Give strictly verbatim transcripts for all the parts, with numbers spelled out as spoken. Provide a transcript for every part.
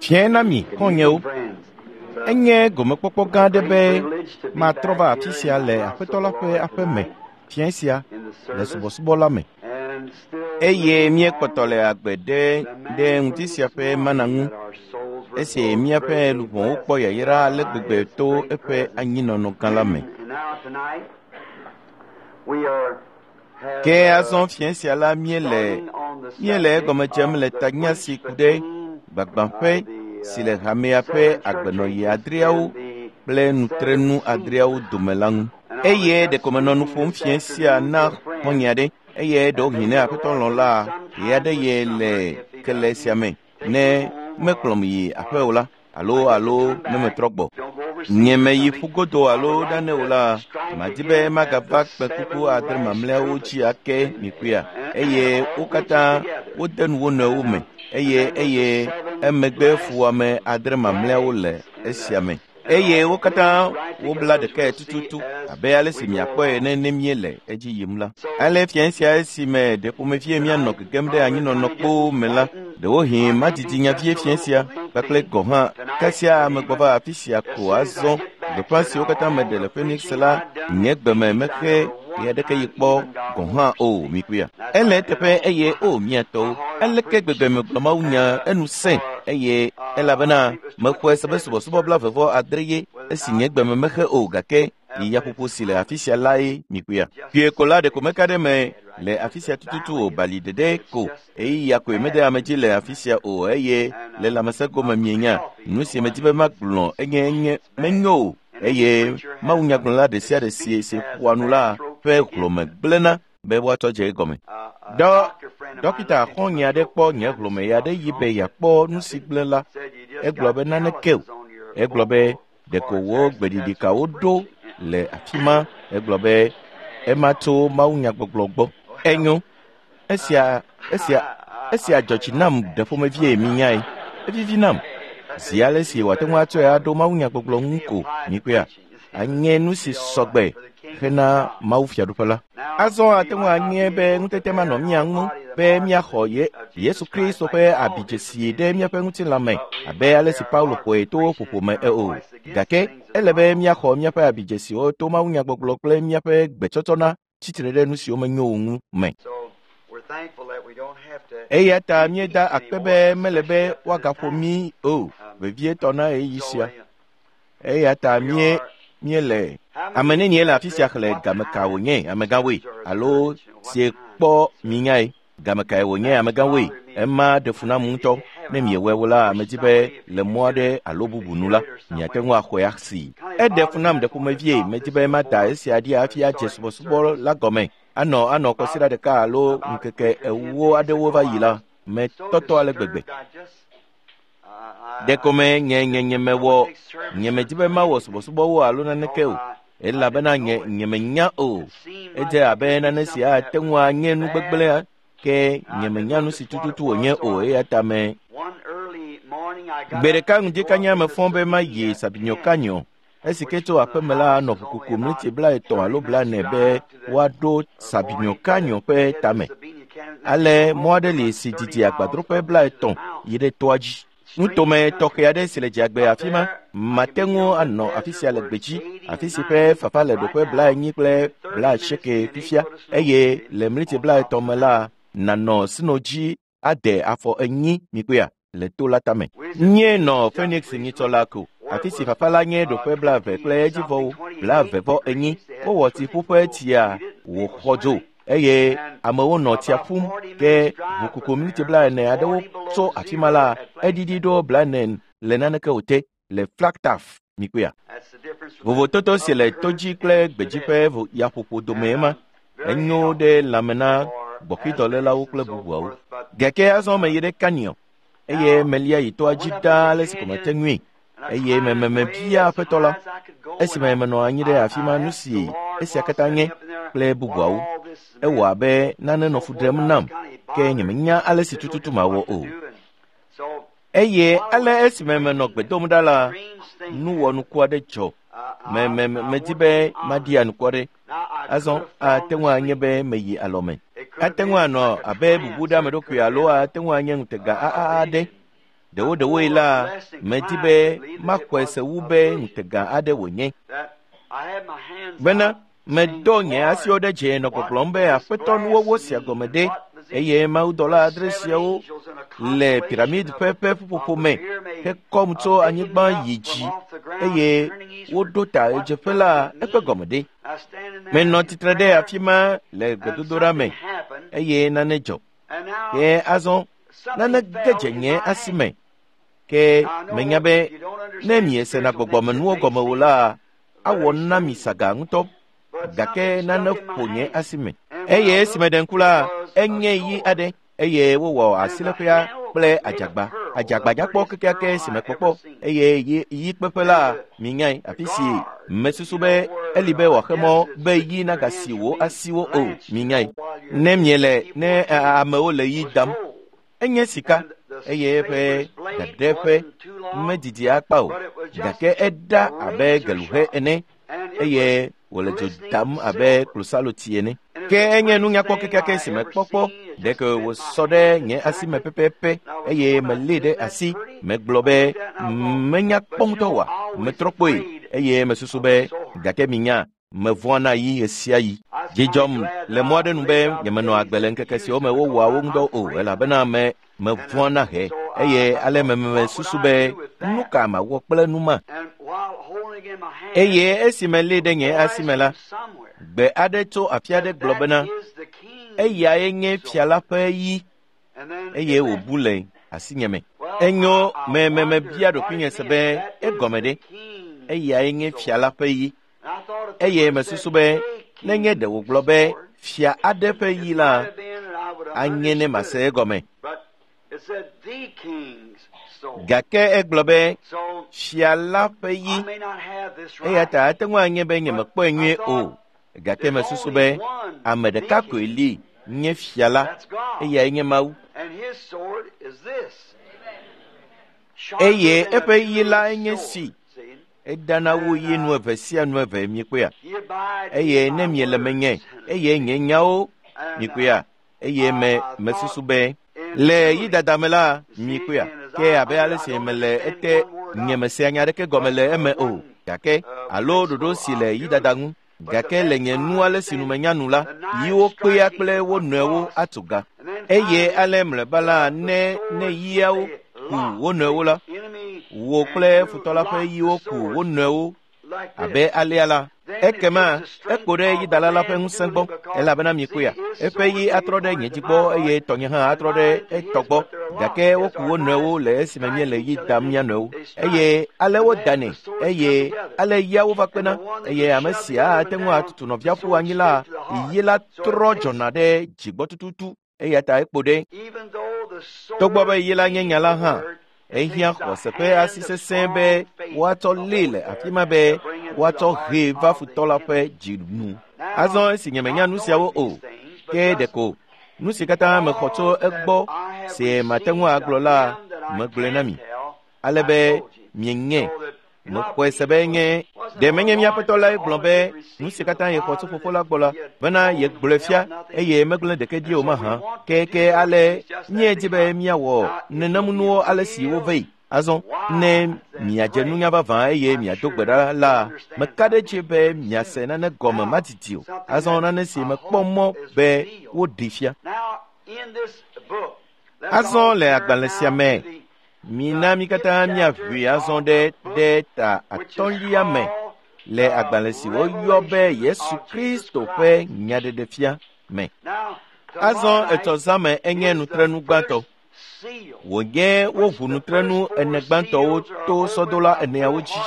Fiẽ na mi xɔ̃nyewo. Enye gomekpɔkpɔ gã aɖe be matrɔ va afi sia le Aƒetɔ la ƒe aƒe me fiẽ sia le subɔsubɔ la me. Eye míekpɔtɔ le agbe ɖe ɖe ŋuti sia ƒe mana ŋu esi míaƒe luʋɔwo kpɔ yayra ale gbegbe to eƒe anyinɔnɔ gã la me. Ke azɔ fiẽ sia la míele míele egɔme dzem le tanya si ku ɖe gbagbãƒe si le hamea ƒe agbenɔɣi adreawo kple nutrenu adreawo dome la ŋu. Eye ɖeko menɔ nu ƒom fiẽ sia na xɔ̃nye aɖe eye ɖewohĩ ne Aƒetɔ lɔ̃ la, ɣe aɖe ye le kele sia me ne mekplɔm yi aƒe o la alo alo ne metrɔ gbɔ. Nye meyi ƒugodo alo nane o la, madi be magava kpẽkuku adre mamlɛawo dzi ake mikuia eye wo katã wode nu wo nɔewo me eye eye emegbe fuwɔame adre mamlɛawo le esia me. Eye wo katã wobla ɖekae tututu abe ale si miakpɔe ene ne míele edzi yim la. Ale fiẽ sia esime ɖe ƒomevie míanɔ gegem ɖe anyinɔnɔ kpoo me la, ɖewohĩ madidi nya vie fiẽ sia kpakple gɔ̃ hã kasia amegbɔ va afi sia ko azɔ gbeƒã siwo katã meɖe le Phoenix la nye gbeme mexe ɣe aɖeke yi kpɔ gɔ̃ hã o mikuia. Ele eteƒe eye o mia tɔwo, aleke gbegbe megblɔ mawunya enu sẽ eye elabena mexɔe se be subɔsubɔ blaeve adre ye esi nye gbeme mexe o gake yi yaƒoƒo si le afi sia lae mikuia. Kpuie ko la ɖeko meka ɖe me le afi sia tututu o bali ɖeɖe ko ɣeyiɣia koe mede ame dzi le afi sia o eye le lãmesẽ gome mienya nu si medi be magblɔ enye enye menyo o eye mawunyagblɔla ɖe sia ɖe si si ƒoa nu la ƒe hlɔ̃me gblẽna be woatsɔ dze egɔme. Dɔ dɔkita xɔ̃nye aɖe kpɔ nye hlɔ̃me ya ɖe yi be yeakpɔ nu si gblẽ la. Egblɔ be naneke o. Egblɔ be ɖeko wo gbeɖiɖikawo ɖo le afi ma. Egblɔ be ema tso mawunyagbɔgblɔ gbɔ. Enyo. Esia esia esia dzɔ dzi nam ɖe ƒomevie minyae. Evivi nam. Zi ale si wòate ŋu atsɔe aɖo mawunyagbɔgblɔ ŋu ko mikuia anye nu si sɔgbe hena Mawu fiaɖuƒe la. Azɔ ate ŋu anye be ŋutete manɔ mía ŋu be míaxɔ ye Yesu Kristo ƒe abidzesi ɖe míaƒe ŋutilã me abe ale si Paulo xɔe to ƒoƒo me o. Gake ele be míaxɔ míaƒe abidzesiwo to mawunyagbɔgblɔ kple míaƒe gbetsɔtsɔna tsitre ɖe nu siwo menyo o ŋu me. Eya ta míeda akpe be mele be woagaƒo mí o, vevietɔ na ɣeyiɣi sia. Eya ta mí míele ame nenie le afi sia xlẽ game ka wònye amegãwoe alo sie kpɔ minyae game kae wònye amegãwoe ema ɖe fu nam ŋutɔ ne miewɔe wo la medi be le mɔ aɖe alo bubu nu la miate ŋu axɔe asi. Eɖe fu nam ɖe ƒomevie medi be mada esia ɖi hafi adze subɔsubɔ la gɔme anɔ anɔ kɔsiɖa ɖeka alo ŋkeke ewo aɖewo va yi la metɔtɔ ale gbegbe. Ɖeko me nye nye nye mewɔ nye medi be mawɔ subɔsubɔwo alo naneke o elabena nye nye menya o. Edze abe nane si ate ŋu anye nu gbegblẽ ke nye menya nu si tututu wònye o eya ta me. Gbe ɖeka ŋdi kanya mefɔ be mayi Sabinyo Canyon esi ke tso aƒeme la nɔ ʋukuku mliti blaetɔ̃ alo blaene be woaɖo Sabinyo Canyon ƒe tame. Ale mɔ aɖe li si didi agbadroƒe blaetɔ̃ yi ɖe toa dzi. Nutome tɔxɛ aɖe si le dziagbe afi ma mate ŋu anɔ afi sia le gbedzi afi si ƒe fafa le ɖoƒe blaenyi kple blaasieke fifia eye le mliti blaetɔ̃ me la nanɔ sno dzi ade afɔ enyi mikuia le to la tame. Nye nɔ Phoenix nyitsɔ la ko afi si fafa la nye ɖoƒe blaeve kple edzivɔwo blaeve vɔ enyi wowɔ tsiƒuƒe tsia wòxɔ dzo eye amewo nɔ tsia ƒum ke ʋukuku mliti blaene aɖewo tso afi ma la eɖiɖi ɖo blaene le naneke o te le Flagstaff mikuia. Vovototo si le todzi kple gbedzi ƒe yaƒoƒo dome ma enyo ɖe lãme na gbɔxidɔlélawo kple bubuawo. Gake azɔ meyi ɖe Canyon eye melia yi toa dzi ɖaa ale si ko mete ŋui eye mememe bia Aƒetɔ la esime menɔ anyi ɖe afi ma nu si esia katã nye kple bubuawo. Ewɔ abe nane nɔ fu ɖem nam ke nyemenya ale si tututu mawɔ o. Eye ale esime menɔ gbe dom ɖa la, nu wɔnuku aɖe dzɔ. Me me medi be maɖi anukware. Azɔ ate ŋu anye be meyi alɔme. Ate ŋu anɔ abe bubu ɖe ame ɖokui alo ate ŋu anye ŋutega aɖe. Ɖewoɖewoe la, medi be maxɔe se wu be ŋutega aɖe wònye. Bena medɔ nye asiwo ɖe dze nɔ gbɔgblɔm be aƒetɔ nuwɔwɔ sia gɔme ɖe eye mawudɔla adre siawo le piramid ƒe ƒe ƒuƒoƒo me hekɔm tso anyigba yi dzi eye woɖo ta ɣedzeƒe la eƒe gɔme ɖe. Menɔ tsitre ɖe afi ma le gbedodoɖa me eye nane dzɔ. Ke azɔ nane ge dze nye asi me. Ke menya be ne miesena gbɔgbɔmenuwo gɔme o la, awɔ na mi saga ŋutɔ. Gake nane ƒo nye asi me. Eye esime ɖe ŋku la, enye yi aɖe eye wowɔ asiléƒea kple adzagba. Adzagba nyakpɔ kekeake si mekpɔkpɔ eye yi yi kpeƒe la minyae afi si mesusu be eli be wòaxe mɔ be yi nagasi wò asiwo o minyae. Ne miele ne amewo le yi dam, enye sika eye eƒe dadeƒe medidi akpa o gake eɖa abe geluhe ene eye wòle dzo dam abe klosaloti ene. Ke enye nunyakpɔ kekeake si mekpɔkpɔ ɖeke wòsɔ ɖe nye asi me pɛpɛpɛ eye melée ɖe asi megblɔ be menya kpɔ ŋutɔ wa metrɔ kpoe eye mesusu be gake minya mevɔ̃a na yi ɣe sia ɣi. Dzidzɔm le mɔ aɖe nu be nyemenɔ agbe le ŋkeke siwo me wowɔa wo ŋudɔ o elabena me mevɔ̃a na he eye ale memesusu be nu ka mawɔ kple nu ma. Eye esi melée ɖe nye asi me la, gbe aɖe tso afi aɖe gblɔ bena eyae nye fia la ƒe yi eye wòbu le asinye me. Enyo me me mebia ɖokuinye se be egɔme ɖe eyae nye fia la ƒe yi eye mesusu be nenye ɖe wògblɔ be fia aɖe ƒe yi la anye ne mase egɔme. Gake egblɔ be fia la ƒe yi eya ta ate ŋu anye be nyemekpɔe nyuie o gake mesusu be ame ɖeka koe li nye fia la eyae nye Mawu. Eye eƒe yi la enye si edana wu yi nu eve sia nu eve mikpɔea eye ne miele menye eye nye nyawo mikpɔea eye me mesusu be le yi dada me la mikpɔea ke abe ale si mele ete nye mesea nya aɖeke gɔme le eme o gake alo ɖoɖo si le yi dada ŋu gake le nye nu ale si nu menya nu la yiwo kpea kple wo nɔewo atu ga eye ale mlɔeba la ne ne yiawo ku wo nɔewo la wò kple futɔ la ƒe yiwo ku wo nɔewo abe alea la ekema ekpo ɖe yidala la ƒe ŋusẽ gbɔ elabena mikpɔea eƒe yi atrɔ ɖe nye dzi gbɔ eye tɔnye hã atrɔ ɖe etɔ gbɔ gake woku wo nɔewo le esime míele yi dam mía nɔewo eye ale wodanɛ eye ale yiawo va kpena eye ame sia ate ŋu atutu nɔvia ƒu anyi la yi la trɔ dzɔna ɖe dzigbɔ tututu eya ta ekpo ɖe. Togbɔ be yi la nye nya la hã ehiã xɔse ƒe asi sesẽ be woatsɔ lée le afi ma be woatsɔ hee va futɔ la ƒe dzi nu. Azɔ esi nyemenya nu siawo o ke ɖeko nu si katã mexɔ tso egbɔ si mate ŋu agblɔ la megblɔe na mi ale be mienye mexɔe se be nye ɖe menye mía Aƒetɔ lae gblɔ be nu si katã yexɔ tso fofo la gbɔ la bena yegblɔe fia eye megblẽ ɖeke ɖi o mahã ke ke ale míedi be míawɔ nenemunuwo ale si wove yi. Azɔ ne miadze nunya vavã eye miado gbe ɖa la meka ɖe edzi be miase nane gɔme madidi o. Azɔ nane si mekpɔ mɔ be woɖee fia. Azɔ le agbalẽ sia me mina mi katã míaʋui azɔ ɖe ɖe ta atɔ̃lia me le agbalẽ si woyɔ be Yesu Kristo ƒe nyaɖeɖefia me. Azɔ etsɔ zã me enye nutrenu gbãtɔ. Wònye woʋu nutrenu ene gbãtɔwo to sɔdola eneawo dzi.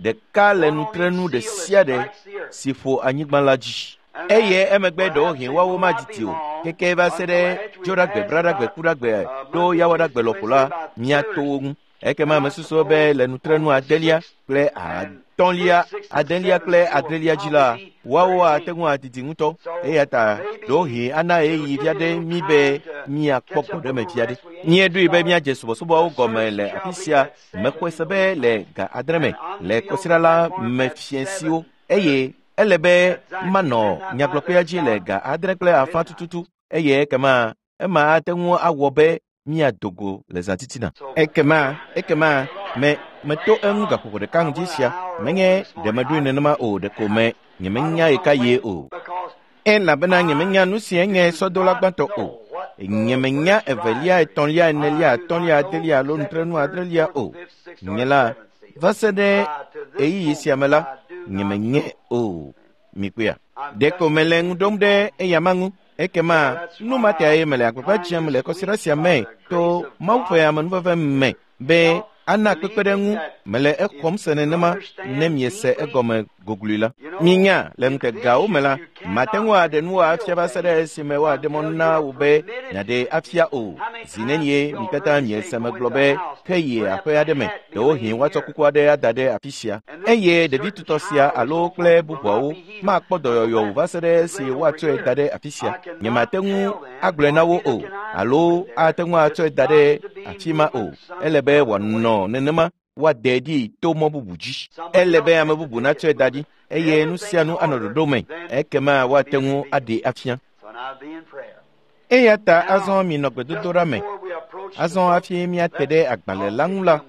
Ɖeka le nutrenu ɖe sia ɖe si ƒo anyigba la dzi. Eye emegbe ɖewohĩ woawo madidi o keke va se ɖe dzoɖagbe, braɖagbe, kuɖagbe ɖo yawoɖagbe lɔƒo la miato wo ŋu. Ekema mesusu be le nutrenu adelia kple atɔ̃lia, adelia kple adrelia dzi la woawo ate ŋu adidi ŋutɔ eya ta ɖewohĩ ana ɣeyiɣi vi aɖe mí be míakpɔ gbɔɖeme vi aɖe. Míeɖoe be míadze subɔsubɔawo gɔme le afi sia mexɔe se be le ga adre me le kɔsiɖa la me fiẽsiwo eye ele be manɔ nyagblɔƒea dzi le ga adre kple afã tututu eye ekema ema ate ŋu awɔ be míado go le zã titina. Ekema, ekema, me meto eŋu gaƒoƒo ɖeka ŋdi sia. Menye ɖe meɖoe nenema o, ɖeko me nyemenya ɣeka yie o. Elabena nyemenya nu si enye sɔdola gbãtɔ o. Nyemenya evelia, etɔ̃lia, enelia, atɔ̃lia, adelia alo nutrenu adrelia o. Nye la, va se ɖe ɣeyiɣi sia me la, nyemenye o. Mikpɔea? Ɖeko mele ŋu ɖom ɖe eyama ŋu. Ekema nu ma tae mele agbagba dzem le kɔsiɖa sia me to Mawu ƒe amenuveve me be ana kpekpeɖeŋu mele exɔm se nenema ne miese egɔme gogloe la. Minya, le ŋutegawo me la, mate ŋu aɖe nu afia va se ɖe esime woaɖe mɔ na wò be miaɖe afia o. Zi nenie mi katã miese megblɔ be ke yi aƒe aɖe me, ɖewohĩ woatsɔ kuku aɖe ada ɖe afi sia. Eye ɖevi tutɔ sia alo kple bubuawo makpɔ dɔyɔyɔ o va se ɖe esi woatsɔe da ɖe afi sia. Nyemate ŋu agblɔe na wo o, alo ate ŋu atsɔe da ɖe afi ma o. Ele be wòanɔ nenema woade ɖi to mɔ bubu dzi. Ele be ame bubu natsɔe da ɖi eye nu sia nu anɔ ɖoɖo me, ekema woate ŋu aɖee afia. Eya ta azɔ minɔ gbedodoɖa me. Azɔ hafi míate ɖe agbalẽ la ŋu la,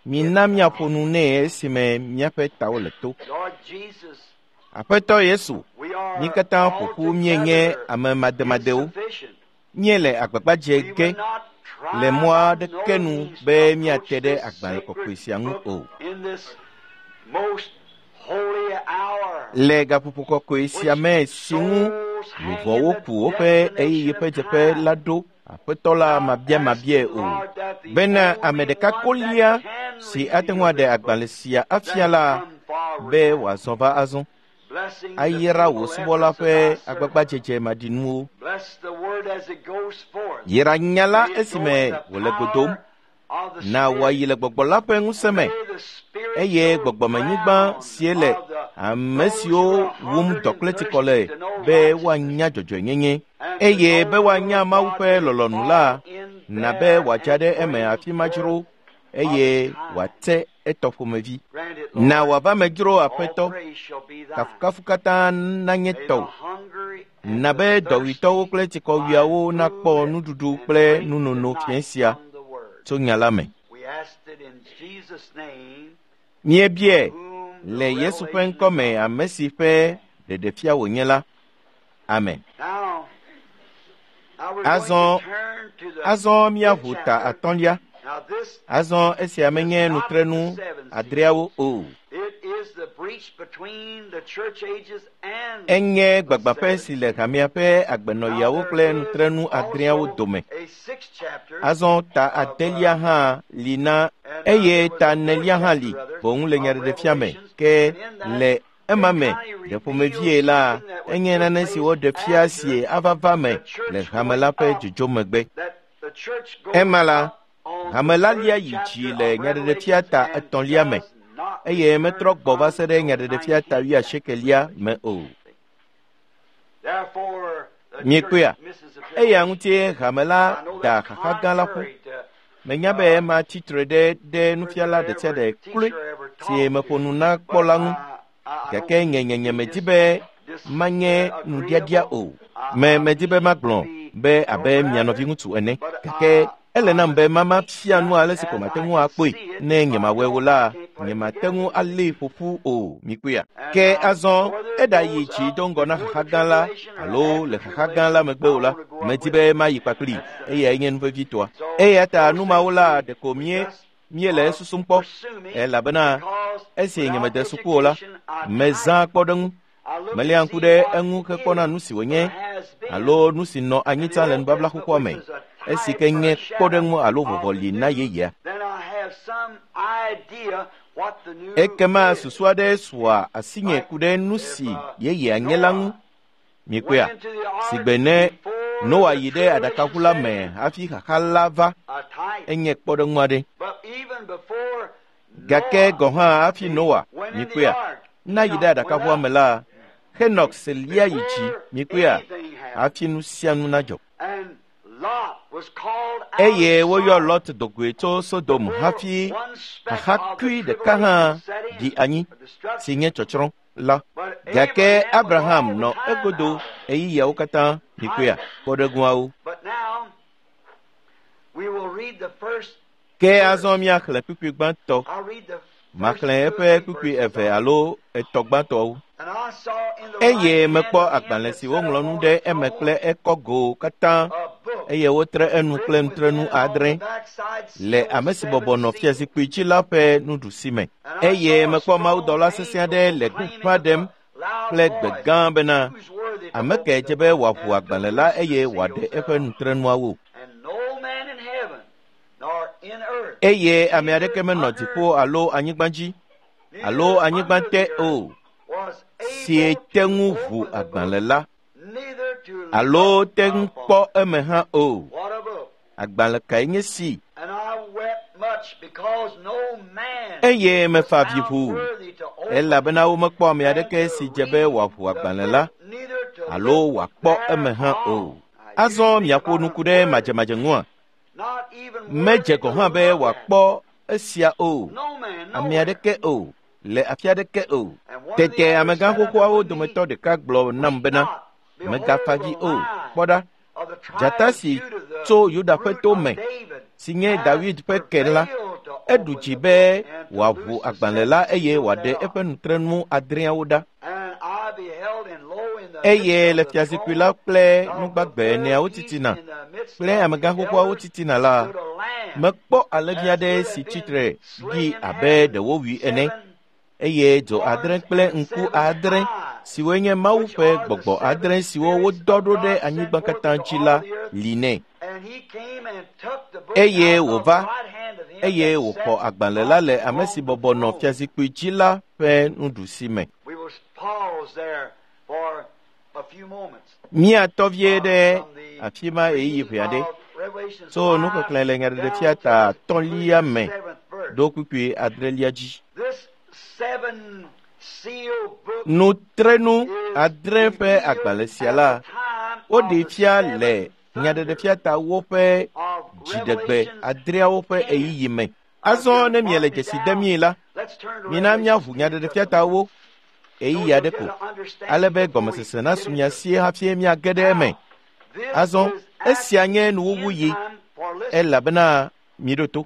mina míaƒo nu nɛ esime míaƒe tawo le to. Aƒetɔ Yesu, mí katã ƒo ƒu míenye ame mademadewo. Míele agbagba dze ge le mɔ aɖeke nu be míate ɖe agbalẽ kɔkɔe sia ŋu o. Le gaƒoƒo kɔkɔe sia me si ŋu luʋɔwo ku woƒe ɣeyiɣi ƒe dzeƒe la ɖo, Aƒetɔ la mabiamabiae o, bena ame ɖeka kolia si ate ŋu aɖe agbalẽ sia afia la be wòazɔ va azɔ. Ayra wò subɔla ƒe agbagbadzedze maɖinuwo. Yra nya la esime wòle go dom. Na wòayi le gbɔgbɔ la ƒe ŋusẽ me, eye gbɔgbɔmenyigba sie le ame siwo wum dɔ kple tsikɔ le be woanya dzɔdzɔenyenye, eye be woanya Mawu ƒe lɔlɔ̃nu la, na be wòadza ɖe eme afi ma dzro, eye wòate etɔ ƒomevi. Na wòava me dzro Aƒetɔ, kafukafu katã nanye tɔwò. Na be dɔwuitɔwo kple tsikɔwuiawo nakpɔ nuɖuɖu kple nunono fiẽ sia tso nya la me. Míebiae le Yesu ƒe ŋkɔ me, ame si ƒe ɖeɖefia wònye la. Amen. Azɔ, azɔ míaʋu ta atɔ̃lia. Azɔ esia menye nutrenu adreawo o. Enye gbagbãƒe si le hamea ƒe agbenɔɣiawo kple nutrenu adreawo dome. Azɔ ta adelia hã li na eye ta enelia hã li boŋ le nyaɖeɖefia me. Ke le ema me ɖe ƒomevie la, enye nane si woɖe fia sie ava va me le hame la ƒe dzodzo megbe. Ema la, hame la lia yi dzi le nyaɖeɖefia ta etɔ̃lia me, eye metrɔ gbɔ va se ɖe nyaɖeɖefia ta wuiasiekelia me o. Miekpɔea? Eya ŋutie hame la da xaxa gã la ƒu. Menya be ema tsi tre ɖe ɖe nufiala ɖe sia ɖe kloe si meƒo nu na kpɔ la ŋu. Gake nye nye nye medi be manye nuɖiaɖia o. Me medi be magblɔ be abe mia nɔviŋutsu ene. Gake ele nam be mama fia nu ale si ko mate ŋu akpɔe. Ne nyemawɔe o la, nyemate ŋu alée ƒoƒu o. Mikpɔea? Ke azɔ eɖayi dzi do ŋgɔ na xaxa gã la alo le xaxa gã la megbe o la, medi be mayi kpakpli eyae nye nu vevitɔa. Eya ta nu mawo la ɖeko mie míele esusum kpɔ, elabena esi nyemede suku o la, mezã kpɔɖeŋu. Melia ŋku ɖe eŋu hekpɔna nu si wònye alo nu si nɔ anyi tsã le nubabla xoxoa me, esi ke nye kpɔɖeŋu alo vɔvɔli na yeyea. Ekema susu aɖe sua asinye ku ɖe nu si yeyea nye la ŋu. Mikpɔea? Sigbe ne Noa yi ɖe aɖakaʋu la me hafi xaxa la va, enye kpɔɖeŋu aɖe. Gake gɔ̃ hã hafi Noa, mikpɔea, na yi ɖe aɖakaʋua me la, Henok se lia yi dzi, mikpɔea, hafi nu sia nu nadzɔ. Eye woyɔ Lot dogoe tso Sodom hafi xaxakui ɖeka hã ɖi anyi, si nye tsɔtsrɔ̃ la. Gake Abraham nɔ egodo ɣeyiɣiawo katã, mikpɔea, kpɔɖeŋuawo. Ke azɔ míaxlẽ kpukpui gbãtɔ. Maxlẽ eƒe kpukpui eve alo etɔ̃ gbãtɔwo. Eye mekpɔ agbalẽ si woŋlɔ nu ɖe eme kple ekɔgo katã eye wotre enu kple nutrenu adre le ame si bɔbɔ nɔ fiazikpui dzi la ƒe nuɖusi me. Eye mekpɔ mawudɔla sesẽ aɖe le gbeƒã ɖem kple gbe gã bena ame kae dze be wòaʋu agbalẽ la eye wòaɖe eƒe nutrenuawo. Eye ame aɖeke menɔ dziƒo alo anyigba dzi alo anyigba te o si te ŋu ʋu agbalẽ la alo te ŋu kpɔ eme hã o. Agbalẽ kae nye si? Eye mefa avi ʋuu elabena womekpɔ ame aɖeke si dze be wòaʋu agbalẽ la alo wòakpɔ eme hã o. Azɔ miaƒo nuku ɖe madzemadze ŋua? Medze gɔ̃ hã be wòakpɔ esia o, ame aɖeke o, le afi aɖeke o. Tete amegã xoxoawo dometɔ ɖeka gblɔ nam bena, megafa dzi o, kpɔ ɖa, dzata si tso Yuda ƒe to me, si nye David ƒe ke la, eɖu dzi be wòaʋu agbalẽ la eye wòaɖe eƒe nutrenu adreawo ɖa. Eye le fiazikpui la kple nugbagbe eneawo titina kple amegã xoxoawo titina la, mekpɔ alẽvi aɖe si tsitre ɖi abe ɖe wowui ene eye dzo adre kple ŋku adre siwoe nye Mawu ƒe gbɔgbɔ adre siwo wodɔ ɖo ɖe anyigba katã dzi la li nɛ. Eye wòva eye wòxɔ agbalẽ la le ame si bɔbɔ nɔ fiazikpui dzi la ƒe nuɖusi me. Míatɔ vie ɖe afi ma ɣeyiɣi ʋɛ aɖe tso nuxexlẽ le Nyaɖeɖefia ta atɔ̃lia me ɖo kpukpui adrelia dzi. Nutrenu adre ƒe agbalẽ sia la, woɖee fia le Nyaɖeɖefia ta woƒe dziɖegbe adreawo ƒe ɣeyiɣi me. Azɔ ne miele dzesi dem mí la, mina míaʋu Nyaɖeɖefia ta wo ɣeyiɣi aɖe ko, ale be gɔmesese nasu mia si hafi míage ɖe eme. Azɔ esia nye nuwuwuyi elabena miɖo to.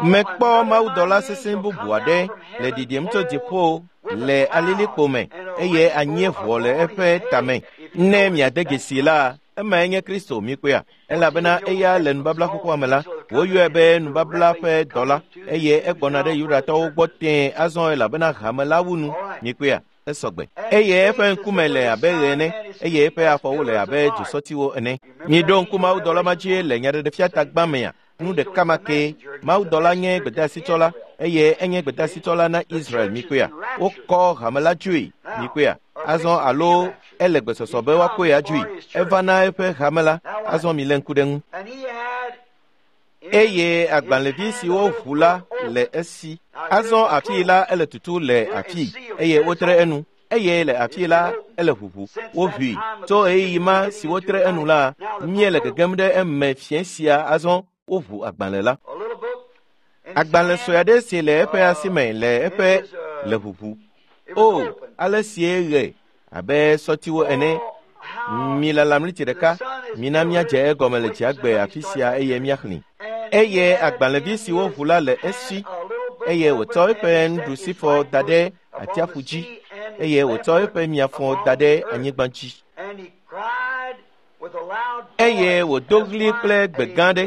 Mekpɔ mawudɔla sesẽ bubu aɖe le ɖiɖim tso dziƒo le alilikpo me eye anyieʋɔ le eƒe tame. Ne miade dzesi la, emae nye Kristo mikpɔea? Elabena eya le nubabla xoxoa me la, woyɔe be nubabla ƒe dɔla eye egbɔna ɖe Yudatɔwo gbɔ tẽe azɔ elabena hame la wu nu mikpɔea? Esɔgbe. Eye eƒe ŋkume le abe ɣe ene eye eƒe afɔwo le abe dzosɔtiwo ene. Miɖo ŋku mawudɔla ma dzi le Nyaɖeɖefia ta gbã mea? Nu ɖeka ma kee. Mawudɔla nye gbedeasitsɔla eye enye gbedeasitsɔla na Israel mikpɔea? Wokɔ hame la dzoe mikpɔea? Azɔ alo ele gbesɔsɔ be woakɔe adzoe. Eva na eƒe hame la, azɔ milé ŋku ɖe ŋu. Eye agbalẽvi si woʋu la le esi. Azɔ afii la ele tutu le afii eye wotre enu. Eye le afii la ele ʋuʋu. Woʋui. Tso ɣeyiɣi ma si wotre enu la, míele gegem ɖe eme fiẽ sia azɔ woʋu agbalẽ la. Agbalẽ sue aɖe si le eƒe asi me le eƒe le ʋuʋu. O, ale sie ɣe abe sɔtiwo ene. Milala mliti ɖeka, mina míadze egɔme le dziagbe afi sia eye míaxlẽ. Eye agbalẽvi si woʋu la le esi eye wòtsɔ eƒe nuɖusifɔ da ɖe atsiaƒu dzi eye wòtsɔ eƒe miafɔ da ɖe anyigba dzi. Eye wòdo ɣli kple gbe gã aɖe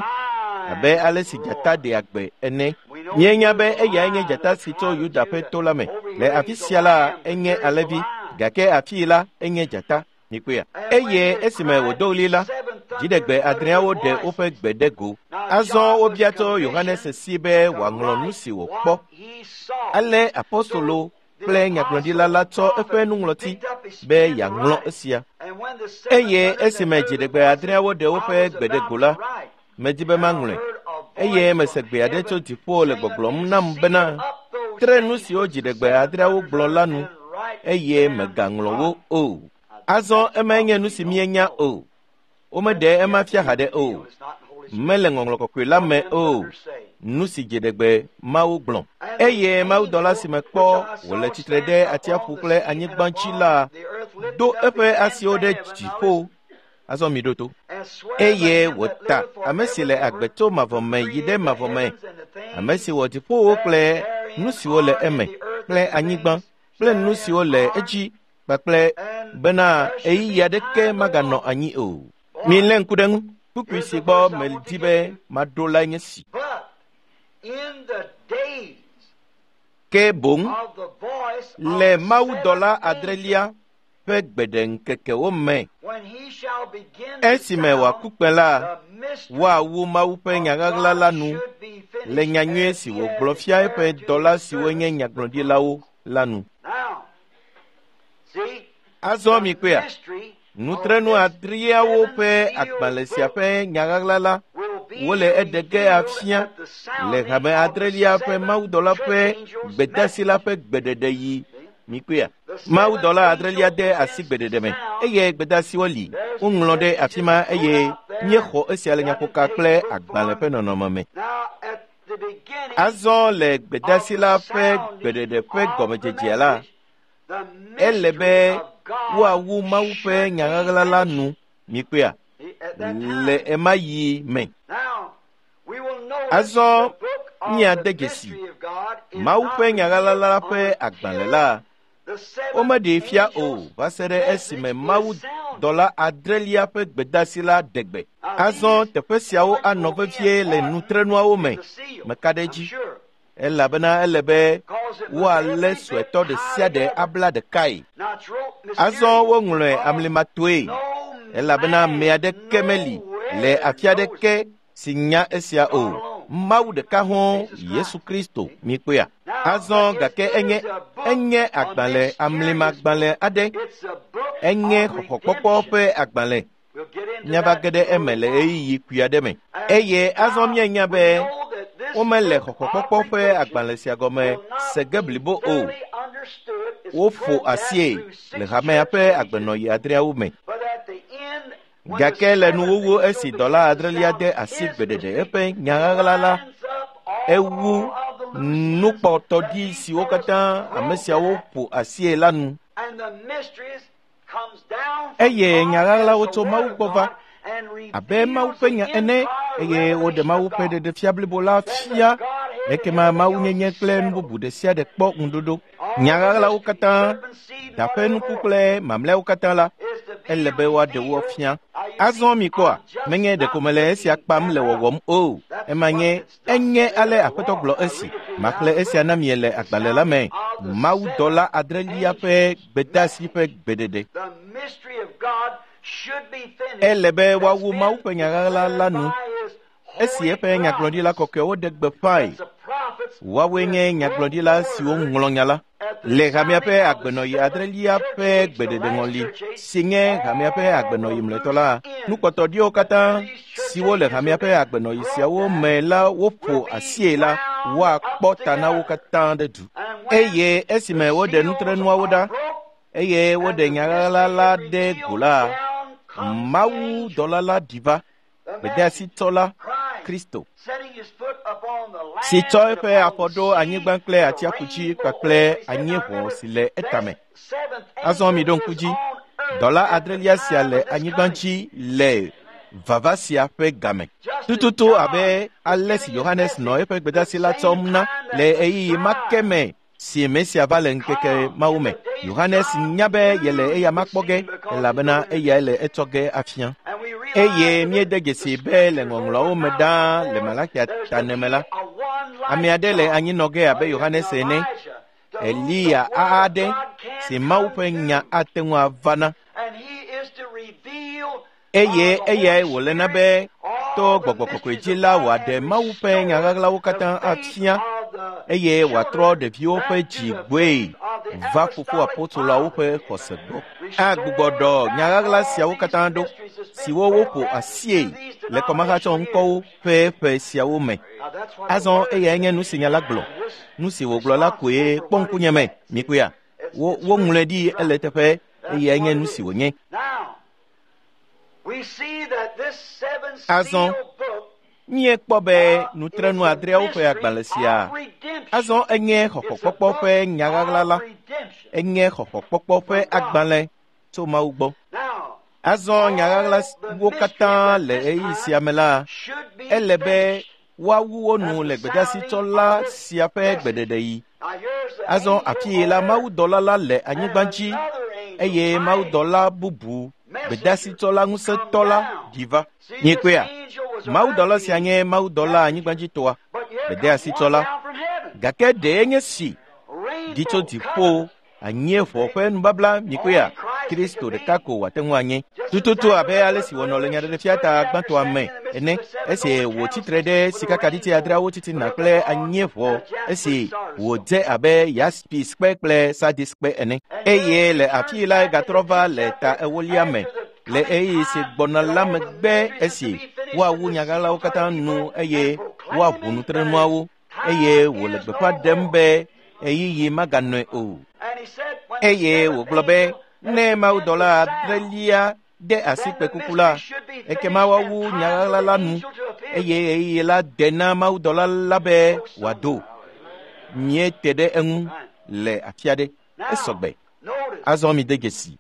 abe ale si dzata ɖea gbe ene. Míenya be eyae nye dzata si tso Yuda ƒe to la me. Le afi sia la, enye alẽvi, gake afii la, enye dzata. Mikpɔea? Eye esime wòdo ɣli la, dziɖegbe adreawo ɖe woƒe gbe ɖe go. Azɔ wobia tso Yohanes si be wòaŋlɔ nu si wòkpɔ. Ale apostolo kple nyagblɔɖila la tsɔ eƒe nuŋlɔti be yeaŋlɔ esia. Eye esime dziɖegbe adreawo ɖe woƒe gbe ɖe go la, medi be maŋlɔe. Eye mese gbe aɖe tso dziƒo le gbɔgblɔm nam bena, tre nu siwo dziɖegbe adreawo gblɔ la nu eye megaŋlɔ wo o. Azɔ emae nye nu si míenya o. Womeɖe ema fia haɖe o. Mele ŋɔŋlɔ kɔkɔe la me o. Nu si dziɖegbe Mawu gblɔ. Eye mawudɔla si mekpɔ wòle tsitre ɖe atsiaƒu kple anyigba dzi la do eƒe asiwo ɖe dziƒo Azɔ mi ɖo to. Eye wòta ame si le agbe tso mavɔ me yi ɖe mavɔ me, ame si wɔ dziƒowo kple nu siwo le eme kple anyigba kple nu siwo le edzi kpakple bena ɣeyiɣi aɖeke maganɔ anyi o. Milé ŋku ɖe ŋu. Kpukpui si gbɔ medi be maɖo lae nye si. Ke boŋ le mawudɔla adrelia ƒe gbeɖeŋkekewo me, esime wòaku kpẽ la, woawu Mawu ƒe nyaɣaɣla la nu le nyanyui si wògblɔ fia eƒe dɔla siwo nye nyagblɔɖilawo la nu. Azɔ mikpɔea, nutrenu adreawo ƒe agbalẽ sia ƒe nyaɣaɣla la wole eɖe ge afia le hame adrelia ƒe mawudɔla ƒe gbedeasi la ƒe gbeɖeɖe yi. Mikpɔea, mawudɔla adrelia de asi gbeɖeɖe me eye gbedeasiwo li woŋlɔ ɖe afi ma eye míexɔ esia le nyaƒoka kple agbalẽ ƒe nɔnɔme me. Azɔ le gbedeasi la ƒe gbeɖeɖe ƒe gɔmedzedzea la, ele be woawu Mawu ƒe nyaɣaɣla la nu. Mikpɔea, le ema yi me. Azɔ míade dzesi Mawu ƒe nyaɣaɣla la ƒe agbalẽ la womeɖee fia o va se ɖe esime mawudɔla adrelia ƒe gbedeasi la ɖe gbe. Azɔ teƒe siawo anɔ vevie le nutrenuawo me. Meka ɖe edzi elabena ele be woalé suetɔ ɖe sia ɖe abla ɖekae. Azɔ woŋlɔe amlimatoe elabena ame aɖeke meli le afi aɖeke si nya esia o. Mawu ɖeka hɔ̃, Yesu Kristo, mikpɔea. Azɔ gake enye enye agbalẽ amlimagbalẽ aɖe. Enye xɔxɔkpɔkpɔ ƒe agbalẽ. Míava ge ɖe eme le ɣeyiɣi kpui aɖe me. Eye azɔ míenya be womele xɔxɔkpɔkpɔ ƒe agbalẽ sia gɔme se ge blibo o. Woƒo asie le hamea ƒe agbenɔɣi adreawo me. Gake le nuwuwu esi dɔla adrelia de asi gbeɖeɖe eƒe nyaɣaɣla la, ewu nukpɔtɔɖi siwo katã ame siawo ƒo asie la nu. Eye nyaɣaɣlawo tso Mawu gbɔ va abe Mawu ƒe nya ene eye woɖe Mawu ƒe ɖeɖefia blibo la fia. Ekema mawunyenye kple nu bubu ɖe sia ɖe kpɔ ŋuɖoɖo. Nyaɣaɣlawo katã, da ƒe nuku kple mamlɛawo katã la, ele be woaɖe wo fia. Azɔ mikpɔa, menye ɖeko mele esia kpam le wɔwɔm o. Ema nye enye ale Aƒetɔ gblɔ esi. Maxlẽ esia na mie le agbalẽ la me. Mawudɔla adrelia ƒe gbedeasi ƒe gbeɖeɖe. Ele be woawu Mawu ƒe nyaɣaɣla la nu esi eƒe nyagblɔɖila kɔkɔewo ɖe gbeƒãe. Woawoe nye nyagblɔɖila siwo ŋlɔ nya la le hamea ƒe agbenɔɣi adrelia ƒe gbeɖeɖeŋɔli si nye hamea ƒe agbenɔɣi mlɔetɔ la. Nukpɔtɔɖiwo katã siwo le hamea ƒe agbenɔɣi siawo me la woƒo asie la, woakpɔ ta na wo katã ɖe du. Eye esime woɖe nutrenuawo ɖa eye woɖe nyaɣaɣla la ɖe go la, mawudɔla la ɖi va, gbedeasitɔla Kristo, si tsɔ eƒe afɔ ɖo anyigba kple atsiaƒu dzi kpakple anyieʋɔ si le etame. Azɔ mi ɖo ŋku dzi, dɔla adrelia sia le anyigba dzi le vava sia ƒe game. Tututu abe ale si Yohanes nɔ eƒe gbedeasi la tsɔm na le ɣeyiɣi ma ke me si Mesia va le ŋkeke mawo me. Yohanes nya be yele eya ma kpɔ ge elabena eyae le etsɔ ge afia. Eye míede dzesi be le ŋɔŋlɔawo me ɖaa le Malakia tane me la, ame aɖe le anyinɔ ge abe Yohanes ene, Eliya aɖe si Mawu ƒe nya ate ŋu ava na. Eye eyae wòle na be to gbɔgbɔ kɔkɔe dzi la wòaɖe Mawu ƒe nyaɣaɣlawo katã afia eye wòatrɔ ɖeviwo ƒe dzi gbɔe va fofo apostoloawo ƒe xɔse gbɔ. Agbugbɔ ɖɔ nyaɣaɣla siawo katã ɖo siwo woƒo asie le kɔmahatsɔ ŋkɔwo ƒe ƒe siawo me. Azɔ eyae nye nu si nya la gblɔ. Nu si wògblɔ la koe kpɔ ŋkunye me. Mikpɔea, wo woŋlɔe ɖi ele teƒe eyae nye nu si wònye. Azɔ míekpɔ be nutrenu adreawo ƒe agbalẽ sia azɔ enye xɔxɔkpɔkpɔ ƒe nyaɣaɣla la. Enye xɔxɔkpɔkpɔ ƒe agbalẽ tso Mawu gbɔ. Azɔ nya ɣaɣlawo katã le ɣeyiɣi sia me la, ele be woawu wo nu le gbedeasitsɔla sia ƒe gbeɖeɖeɣi. Azɔ afii la mawudɔla la le anyigba dzi eye mawudɔla bubu gbedeasitsɔla ŋusẽtɔ la ɖi va. Miekpɔea? Mawudɔla sia nye mawudɔla anyigbadzitɔa, gbedeasitsɔla. Gake ɖee nye si ɖi tso dziƒo anyieʋɔ ƒe nubabla mikpɔea? Kristo ɖeka ko wòate ŋu anye. Tututu abe ale si wònɔ le nyaɖeɖefia ta gbãtɔa me ene, esi wòtsi tre ɖe sikakaɖiti adreawo titina kple anyieʋɔ esi wòdze abe yaspiskpe kple sadiskpe ene. Eye le afii la egatrɔ va le ta ewolia me le ɣeyiɣi si gbɔna la megbe esi woawu nyaɣaɣlawo katã nu eye woaʋu nutrenuawo eye wòle gbeƒã ɖem be ɣeyiɣi maganɔe o. Eye wògblɔ be ne mawudɔla adrelia de asi kpẽkuku la, ekema woawu nyaɣaɣla la nu eye ɣeyiɣi la de na mawudɔla la be wòado. Míete ɖe eŋu le afi aɖe. Esɔgbe. Azɔ mide dzesi.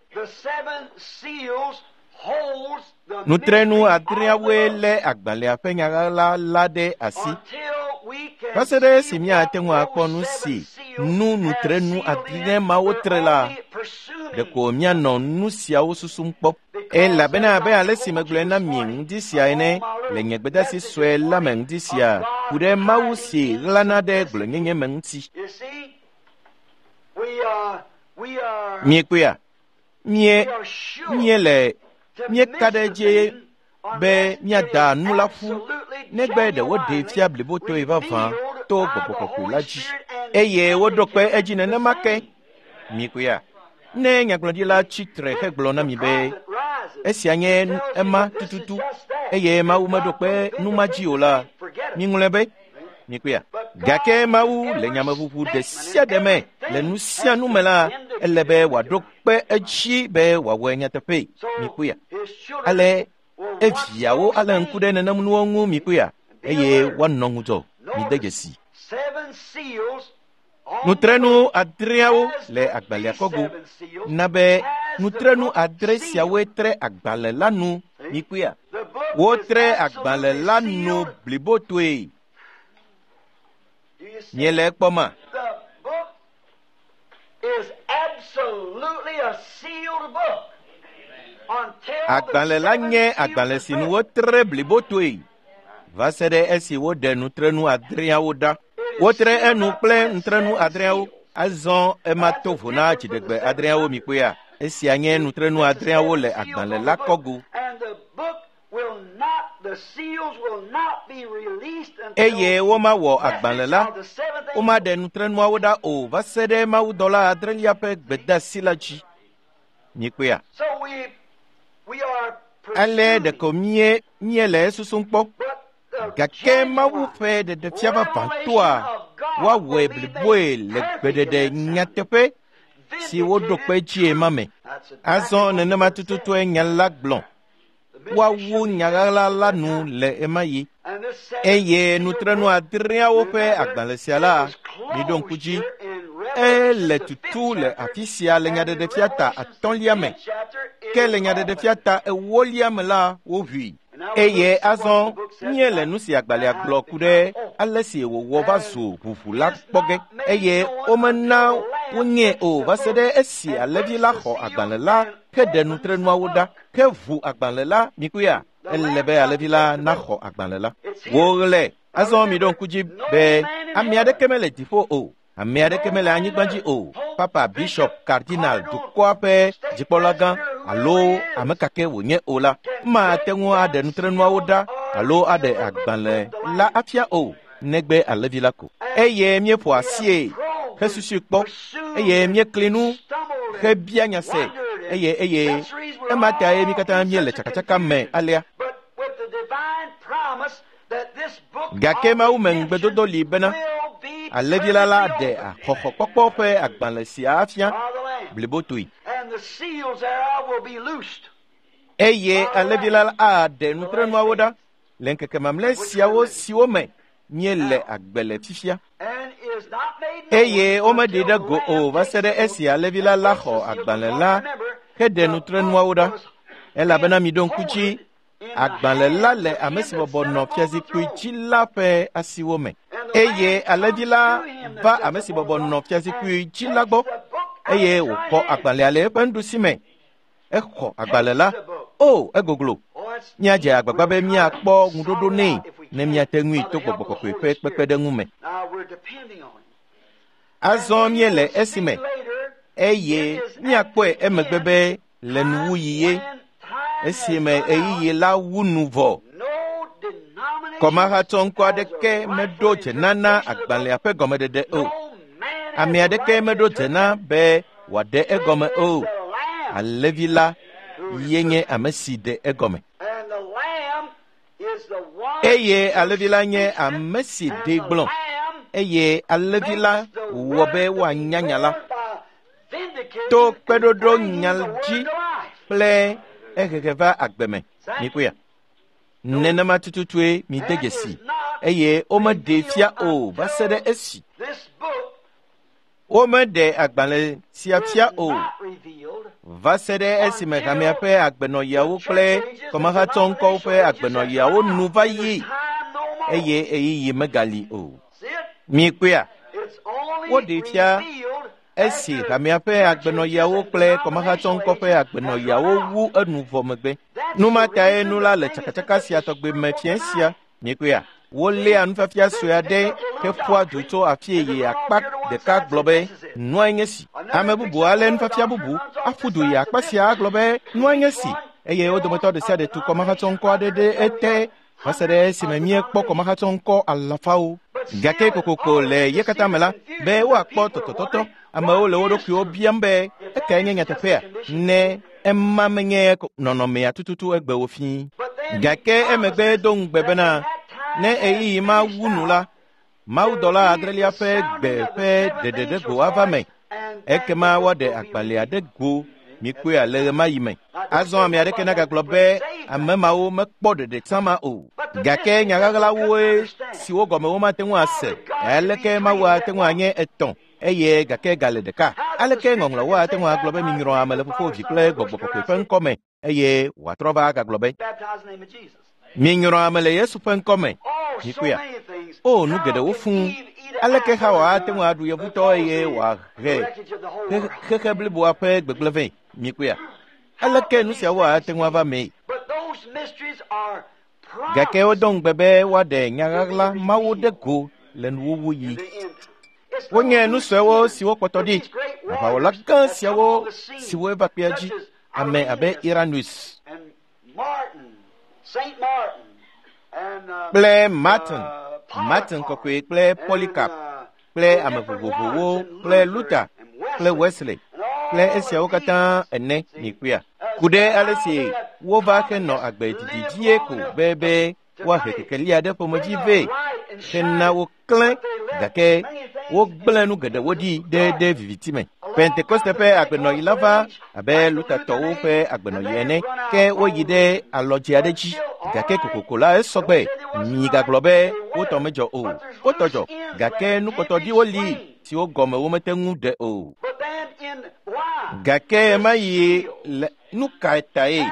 Nutrenu adreawoe lé agbalẽa ƒe nyaɣaɣla la ɖe asi. Va se ɖe esi míate ŋu akpɔ nu si nu nutrenu adre mawo tre la, ɖeko míanɔ nu siawo susum kpɔ. Elabena abe ale si megblɔe na mi ŋdi sia ene le nye gbedeasi sue la me ŋdi sia ku ɖe Mawu si ɣlana ɖe gblɔenyenye me ŋuti. Miekpɔea? Mie míele míeka ɖe edzi be míada nu la ƒu negbe ɖe woɖee fia blibotɔe vavã to Gbɔgbɔ Kɔkɔe la dzi eye woɖo kpe edzi nenema ke. Mikpɔea? Ne nyagblɔɖila tsi tre hegblɔ na mi be esia nye ema tututu eye Mawu meɖo kpe nu ma dzi o la, miŋlɔe be. Mikpɔea? Gake Mawu le nyameʋuʋu ɖe sia ɖe me le nu sia nu me la, ele be wòaɖo kpe edzi be wòawɔe nyateƒe. Mikpɔea? Ale eviawo alé ŋku ɖe nenem nuwo ŋu mikpɔea? Eye woanɔ ŋudzɔ. Mide dzesi. Nutrenu adreawo le agbalẽa kɔgo na be nutrenu adre siawoe tre agbalẽ la nu mikpɔea? Wotre agbalẽ la nu blibotoe. Miele ekpɔma? Agbalẽ la nye agbalẽ si nu wotre blibotoe va se ɖe esi woɖe nutrenu adreawo ɖa. Wotre enu kple nutrenu adreawo. Azɔ ema to vo na dziɖegbe adreawo mikpɔea? Esia nye nutrenu adreawo le agbalẽ la kɔgo. Eye womawɔ agbalẽ la, womaɖe nutrenuawo ɖa o va se ɖe mawudɔla adrelia ƒe gbedeasi la dzi. Mikpɔea? Ale ɖeko mie míele esusum kpɔ. Gake Mawu ƒe ɖeɖefia vavãtɔa woawɔe bliboe le gbeɖeɖe nyateƒe si woɖo kpe dzie ma me. Azɔ nenema tututue nya la gblɔ. Woawu nya ɣaɣla la nu le ema yi. Eye nutrenu adreawo ƒe agbalẽ sia la, miɖo ŋku dzi, ele tutu le afi sia le nyaɖeɖefia ta atɔ̃lia me. Ke le nyaɖeɖefia ta ewolia me la, woʋui. Eye azɔ míele nu si agbalẽa gblɔ ku ɖe ale si wòwɔ va zu ʋuʋu la kpɔ ge eye womena wonyee o va se ɖe esi alẽvi la xɔ agbalẽ la heɖe nutrenuawo ɖa heʋu agbalẽ la mikpɔea? Ele be alẽvi la naxɔ agbalẽ la. Woɣlẽ. Azɔ miɖo ŋku dzi be ame aɖeke mele dziƒo o, ame aɖeke mele anyigba dzi o. Papa, bishop, cardinal, dukɔa ƒe dzikpɔlagã alo ame kake wònye o la, mate ŋu aɖe nutrenuawo ɖa alo aɖe agbalẽ la afia o, negbe alẽvi la ko. Eye míeƒo asie hesusui kpɔ eye míekli nu hebia nya se eye eye ema tae mí katã míele tsakatsaka me alea. Gake Mawu me ŋugbedodo li bena alẽvi la la ɖe xɔxɔkpɔkpɔ ƒe agbalẽ sia afia blibotoe. Eye alẽvi la aɖe nutrenuawo ɖa le ŋkeke mamlɛ siawo siwo me míele agbe le fifia. Eye womeɖee ɖe go o va se ɖe esi alẽvi la la xɔ agbalẽ la heɖe nutrenuawo ɖa. Elabena miɖo ŋku dzi, agbalẽ la le ame si bɔbɔ nɔ fiazikpui dzi la ƒe asiwo me. Eye alẽvi la va ame si bɔbɔ nɔ fiazikpui dzi la gbɔ eye wòxɔ agbalẽa le eƒe nuɖusi me. Exɔ agbalẽ la. O, egoglo. Míadze agbagba be míakpɔ ŋuɖoɖo nɛ ne míate ŋui to Gbɔgbɔ Kɔkɔe ƒe kpekpeɖeŋu me. Azɔ míele esime eye míakpɔe emegbe be le nuwuɣi ye, esime ɣeyiɣi la wu nu vɔ. Kɔmahatsɔŋkɔ aɖeke meɖo dze na na agbalẽa ƒe gɔmeɖeɖe o. Ame aɖeke meɖo dze na be wòaɖe egɔme o. Alẽvi la ye nye ame si ɖe egɔme. Eye alẽvi la nye ame si ɖee gblɔ. Eye alẽvi la wɔ be woanya nya la to kpeɖoɖo nya dzi kple ehehe va agbe me. Mikpɔea? Nenema tututue mide dzesi eye womeɖee fia o va se ɖe esi. Womeɖe agbalẽ sia fia o va se ɖe esime hamea ƒe agbenɔɣiawo kple kɔmahatsɔŋkɔwo ƒe agbenɔɣiawo nu va yi eye ɣeyiɣi megali o. Mikpɔea? Woɖee fia esi hamea ƒe agbenɔɣiawo kple kɔmahatsɔŋkɔ ƒe agbenɔɣiawo wu enu vɔ megbe. Nu ma tae nu la le tsakatsaka sia tɔgbe me fiẽ sia. Mikpɔea? Woléa nufiafia sue aɖe heƒoa du tso afie yi akpa ɖeka gblɔ be nua nye si. Ame bubu alé nufiafia bubu aƒu du yi akpa sia agblɔ be nua nye si eye wo dometɔ ɖe sia ɖe tu kɔmahatsɔŋkɔ aɖe ɖe ete va se ɖe esime míekpɔ kɔmahatsɔŋkɔ alafawo. Gake kokoko le ye katã me la, be woakpɔ tɔtɔtɔtɔ, amewo le wo ɖokuiwo biam be ekae nye nyateƒea ne ema menye nɔnɔmea tututu egbe wo fii. Gake emegbe do ŋugbe bena ne ɣeyiɣi ma wu nu la, mawudɔla adrelia ƒe gbe ƒe ɖeɖeɖego ava me. Ekema woaɖe agbalẽa ɖe go mikpɔe le ɣemaɣi me. Azɔ ame aɖeke nagagblɔ be ame mawo mekpɔ ɖeɖe tsã ma o. Gake nya ɣaɣlawoe siwo gɔme womate ŋu ase. Aleke Mawu ate ŋu anye etɔ̃ eye gake gale ɖeka? Aleke ŋɔŋlɔwo ate ŋu agblɔ be minyrɔ ame le Fofo, Vi kple Gbɔgbɔ Kɔkɔe ƒe ŋkɔ me eye wòatrɔ va agagblɔ be minyrɔ ame le Yesu ƒe ŋkɔ me? Mikpɔea? O, nu geɖewo fũu. Aleke Hawa ate ŋu aɖu yevutɔ eye wòahe xexe bliboa ƒe gbegblẽ vɛ? Mikpɔea? Aleke nu siawo ate ŋu ava mee? Gake wodo ŋugbe be woaɖe nya ɣaɣla mawo ɖe go le nuwuwuɣi. Wonye nu suewo siwo kpɔtɔ ɖi, aʋawɔla gã siawo siwo eva kpea dzi, ame abe Irenaeus kple Martin, Martin Kɔkɔe kple Polycarp kple ame vovovowo kple Luther kple Wesley kple esiawo katã ene. Mikpɔea? Ku ɖe ale si wova henɔ agbe didi dzie ko be be woahe kekelia ɖe ƒomedzi vɛ hena woklẽ, gake wogblẽ nu geɖewo ɖi ɖe ɖe viviti me. Pentekoste ƒe agbenɔɣi la va abe Luthertɔwo ƒe agbenɔɣi ene, ke woyi ɖe alɔdze aɖe dzi, gake kokoko la esɔgbe. Migagblɔ be wotɔ medzɔ o, wotɔ dzɔ, gake nukpɔtɔɖiwo li siwo gɔme womete ŋu ɖe o. Gake ema yi le nu ka tae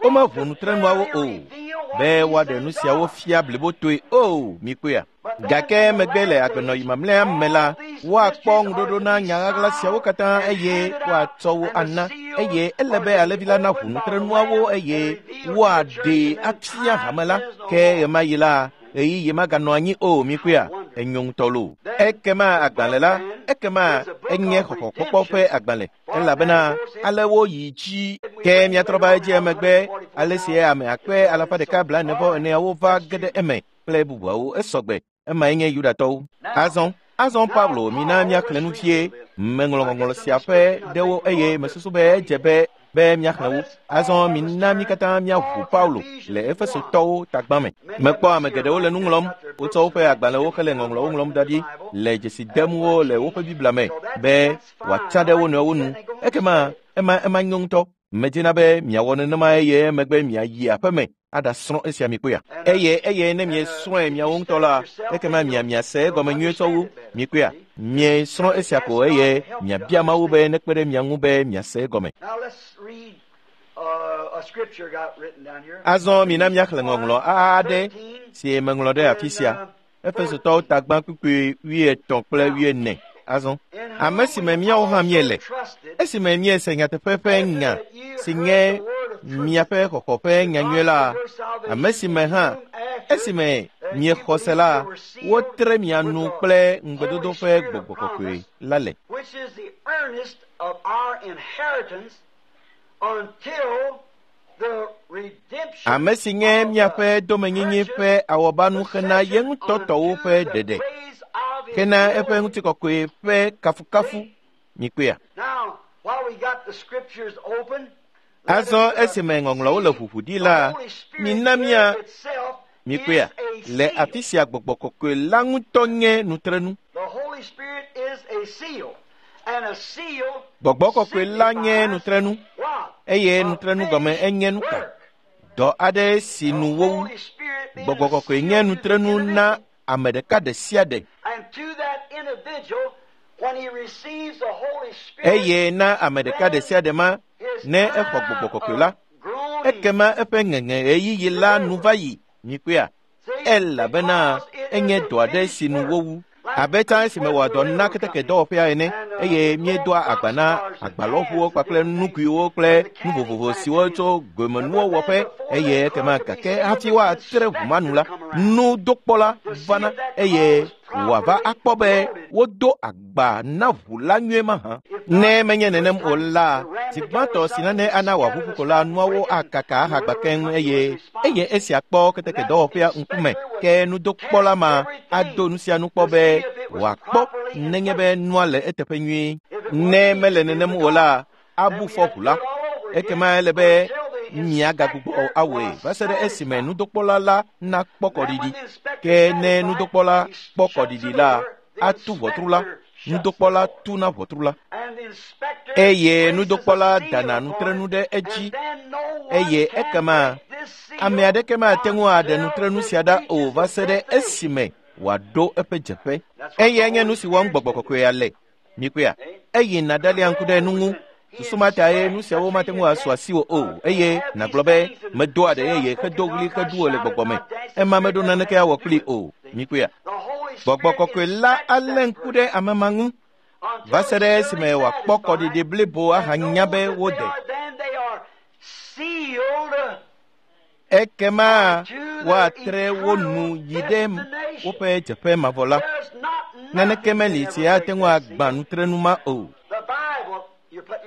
womeʋu nutrenuawo o be woaɖe nu siawo fia blibotoe o? Mikpɔea? Gake megbe le agbenɔɣi mamlɛa me la, woakpɔ ŋuɖoɖo na nya ɣaɣla siawo katã eye woatsɔ wo ana eye ele be alẽvi la naʋu nutrenuawo eye woaɖee afia hame la. Ke ɣemaɣi la, ɣeyiɣi maganɔ anyi o. Mikpɔea? Enyo ŋutɔ loo. Ekema agbalẽ la, ekema enye xɔxɔkpɔkpɔ ƒe agbalẽ elabena ale woyi dzi. Ke míatrɔ va edzi emegbe ale si ame akpe alafa ɖeka blaene vɔ eneawo va ge ɖe eme kple bubuawo esɔgbe. Emae nye Yudatɔwo. Azɔ, azɔ Paulo mina míaxlẽ nu vie. Meŋlɔ ŋɔŋlɔ sia ƒe ɖewo eye mesusu be edze be be míaxlẽ wo. Azɔ mina mí katã míaʋu Paulo le Efesotɔwo tagbã me. Mekpɔ ame geɖewo le nu ŋlɔm. Wotsɔ woƒe agbalẽwo hele ŋɔŋlɔwo ŋlɔm da ɖi le dzesi dem wo le woƒe Biblia me be wòatsa ɖe wo nɔewo nu. Ekema ema ema nyo ŋutɔ. Medina be miawɔ nenema eye emegbe miayi aƒeme aɖasrɔ̃ esia mikpɔea? Eye eye ne miesrɔ̃e miawo ŋutɔ la, ekema mia miase egɔme nyuie tsɔ wu. Mikpɔea? Miesrɔ̃ esia ko eye miabia Mawu be nekpe ɖe mia ŋu be miase egɔme. Now let's read Azɔ mina míaxlẽ ŋɔŋlɔ aɖe si meŋlɔ ɖe afi sia. Efesotɔwo tagbã kpukpui wuietɔ̃ kple wuiene. Azɔ ame si me míawo hã míele, esime míese nyateƒe ƒe nya si nye miaƒe xɔxɔ ƒe nyanyui la, ame si me hã esime miexɔ se la, wotre mia nu kple ŋugbedodo ƒe gbɔgbɔ kɔkɔe la le. Ame si nye miaƒe domenyinyi ƒe awɔbanu xena ye ŋutɔ tɔwo ƒe ɖeɖe, xena eƒe ŋutikɔkɔe ƒe kafukafu. Mikpɔea? Azɔ esime ŋɔŋlɔwo le ʋuʋu ɖi la, mina mía mikpɔea? Le afi sia gbɔgbɔ kɔkɔe la ŋutɔ nye nutrenu. Gbɔgbɔ kɔkɔe la nye nutrenu, eye nutrenu gɔme enye nu ka? Dɔ aɖe si nu wowu. Gbɔgbɔ kɔkɔe nye nutrenu na ame ɖeka ɖe sia ɖe. Eye na ame ɖeka ɖe sia ɖe ma, ne exɔ gbɔgbɔ kɔkɔe la, ekema eƒe ŋeŋe ɣeyiɣi la nu va yi. Mikpɔea? Elabena enye dɔ aɖe si nu wowu. Abe tsã esime wɔ dɔ na keteke dɔwɔƒea ene, eye míedoa agba na agbalɔʋuwo kpakple nuguiwo kple nu vovovo siwo tso gomenuwo wɔƒe, eye ekema gake hafi woatre ʋu ma nu la, nudokpɔla vana eye wòava akpɔ be wodo agba na ʋu la nyuie mahã. Ne menye nenem o la, zi gbãtɔ si nane ana wòaʋuʋu ko la, nuawo akaka ahagba keŋ eye eye esia kpɔ keteke dɔwɔƒea ŋkume. Ke nudokpɔla ma ado nu sia nu kpɔ be wòakpɔ nenye be nua le eteƒe nyuie. Ne mele nenem o la, abu fɔ ʋu la. Ekema ele be miagagbugbɔ awɔe va se ɖe esime nudokpɔla la nakpɔ kɔɖiɖi. Ke ne nudokpɔla kpɔ kɔɖiɖi la, atu ʋɔtru la. Nudokpɔla tuna ʋɔtru la. Eye nudokpɔla dana nutrenu ɖe edzi, eye ekema ame aɖeke mate ŋu aɖe nutrenu sia ɖa o va se ɖe esime wòaɖo eƒe dzeƒe. Eyae nye nu si wɔm gbɔgbɔ kɔkɔea le. Mikpɔea? Eye nàɖalia ŋku ɖe nu ŋu. Susu ma tae nu siawo mate ŋu asu asiwò o, eye nàgblɔ be medo aɖe yeye hedo ɣli heɖu wò le gbɔgbɔ me. Ema meɖo naneke awɔ kplii o. Mikpɔea? Gbɔgbɔ kɔkɔe la alé ŋku ɖe ame ma ŋu va se ɖe esime wòakpɔ kɔɖiɖi blibo ahanya be wode. Ekema woatre wo nu yi ɖe woƒe dzeƒe mavɔ la. Naneke meli si ate ŋu agbã nutrenu ma o.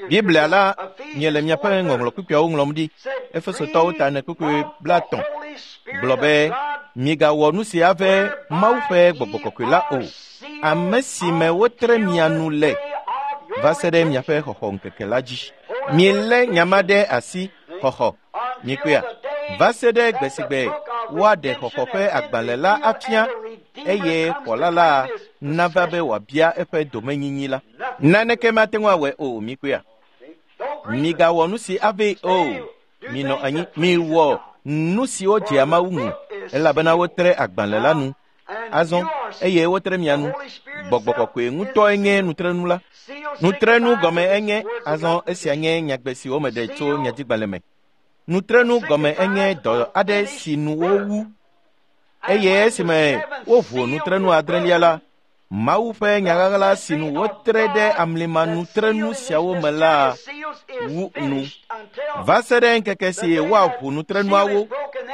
Biblia la, miele miaƒe ŋɔŋlɔ kpukpuiawo ŋlɔm ɖi. Efesotɔwo ta ene kpukpui blaetɔ̃ gblɔ be migawɔ nu si ave Mawu ƒe gbɔgbɔ kɔkɔe la o, ame si me wotre mia nu le va se ɖe miaƒe xɔxɔ ŋkeke la dzi. Milé nya ma ɖe asi xɔxɔ. Mikpɔea? Va se ɖe gbe si gbe woaɖe xɔxɔ ƒe agbalẽ la afia, eye xɔla la nava be wòabia eƒe domenyinyi la. Naneke mate ŋu awɔe o. Mikpɔea? Migawɔ nu si avee o. Minɔ anyi, miwɔ nu siwo dzea Mawu ŋu, elabena wotre agbalẽ la nu. Azɔ eye wotre mia nu. Gbɔgbɔ kɔkɔe ŋutɔe nye nutrenu la. Nutrenu gɔme enye, azɔ esia nye nyagbe si womeɖe tso nyadzigbalẽ me. Nutrenu gɔme enye dɔ aɖe si nu wowu. Eye esime woʋu nutrenu adrelia la, Mawu ƒe nyaɣaɣla si nu wotre ɖe amlima nutrenu siawo me la wu nu va se ɖe ŋkeke si woaʋu nutrenuawo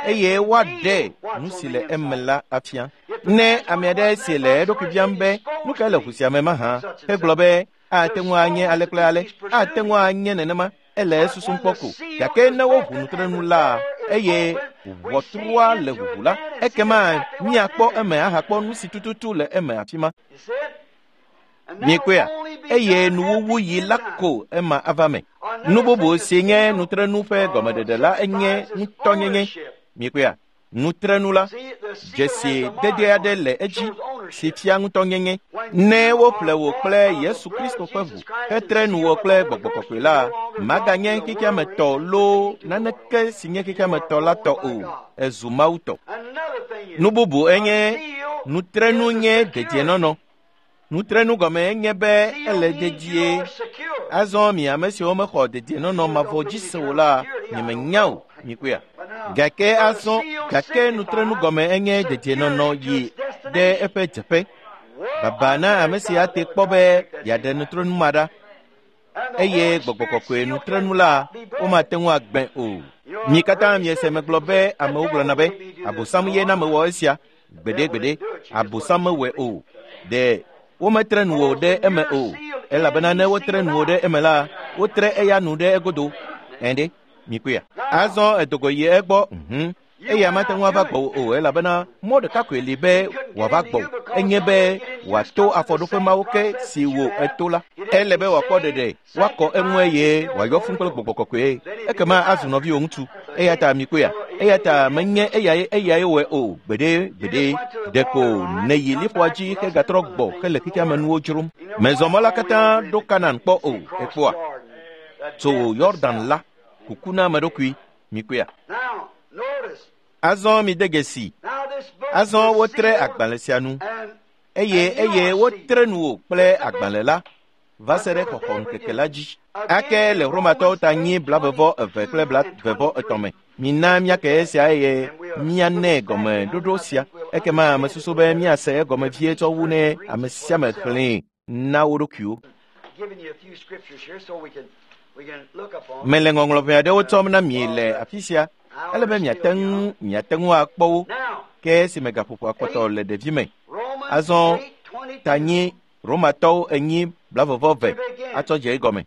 eye woaɖe nu si le eme la afia. Ne ame aɖe si le eɖokui biam be nu kae le ʋu sia me mahã, hegblɔ be ate ŋu anye ale kple ale, ate ŋu anye nenema, ele esusum kpɔ ko. Gake ne woʋu nutrenu la eye ʋɔtrua le ʋuʋu la, ekema míakpɔ eme ahakpɔ nu si tututu le eme afi ma. Mikpɔea? Eye nuwuwu yi la ko ema ava me. Nu bubu si nye nutrenu ƒe gɔmeɖeɖe la enye ŋutɔnyenye. Mikpɔea? Nutrenu la, dzesi dede aɖe le edzi si fia ŋutɔnyenye. Ne woƒle wò kple Yesu Kristo ƒe ʋu hetre nu wò kple gbɔgbɔ kɔkɔe la, maganye xexeame tɔ loo naneke si nye xexeame tɔ la tɔ o. Ezu Mawu tɔ. Nu bubu enye nutrenu nye dedienɔnɔ. Nutrenu gɔme enye be ele dedie. Azɔ mi ame siwo mexɔ dedienɔnɔ mavɔ dzi se o la, nyemenya o, mikpɔea. Gake azɔ, gake nutrenu gɔme enye dedienɔnɔ yi ɖe eƒe dzeƒe. Baba na ame si ate kpɔ be yeaɖe nutrenu ma ɖa. Eye gbɔgbɔ kɔkɔe nutrenu la, womate ŋu agbẽ o. Mi katã miese megblɔ be amewo gblɔna be Abosam ye na mewɔ esia. Gbeɖegbeɖe, Abosam mewɔe o. Ɖe wometre nu o ɖe eme o. Elabena ne wotre nu o ɖe eme la, wotre eya nu ɖe egodo. Ɛnde, mikpɔea. Azɔ edogo yi egbɔ, mhm. Eya mate ŋu ava gbɔwò o elabena mɔ ɖeka koe li be wòava gbɔwò. Enye be wòato afɔɖoƒe mawo ke si wò eto la. Ele be wòakpɔ ɖeɖe, woakɔ eŋu eye wòayɔ fũu kple gbɔgbɔ kɔkɔe. Ekema azu nɔviwò ŋutsu. Eya ta mikpɔea. Eya ta menye eyae eyae wɔe o. Gbeɖe gbeɖe. Ɖeko nèyi liƒoa dzi hegatrɔ gbɔ hele xexea me nuwo dzrom. Mezɔ mɔ la katã ɖo Kanan kpɔ o. Ekpɔa. Tso Yɔdan la, kuku na ame ɖokui. Mikpɔea. Azɔ mi de dzesi. Azɔ wotre agbalẽ sia nu eye eye wotre nu wò kple agbalẽ la va se ɖe xɔxɔ ŋkeke la dzi. Ake le Romatɔwo ta nyi blavevɔ eve kple blavevɔ etɔ̃ me. Mina míake esia eye míanɛ gɔmeɖoɖo sia. Ekema mesusu be míase egɔme vie tsɔ wu ne ame sia ame xlẽe na wo ɖokuiwo. Mele ŋɔŋlɔ ʋɛ aɖewo tsɔm na mi le afi sia. Ele be miate ŋu miate ŋu akpɔ wo ke esime gaƒoƒo akpɔtɔ le ɖevi me. Azɔ ta nyi Romatɔwo enyi blavevɔ ve atsɔ dze egɔme.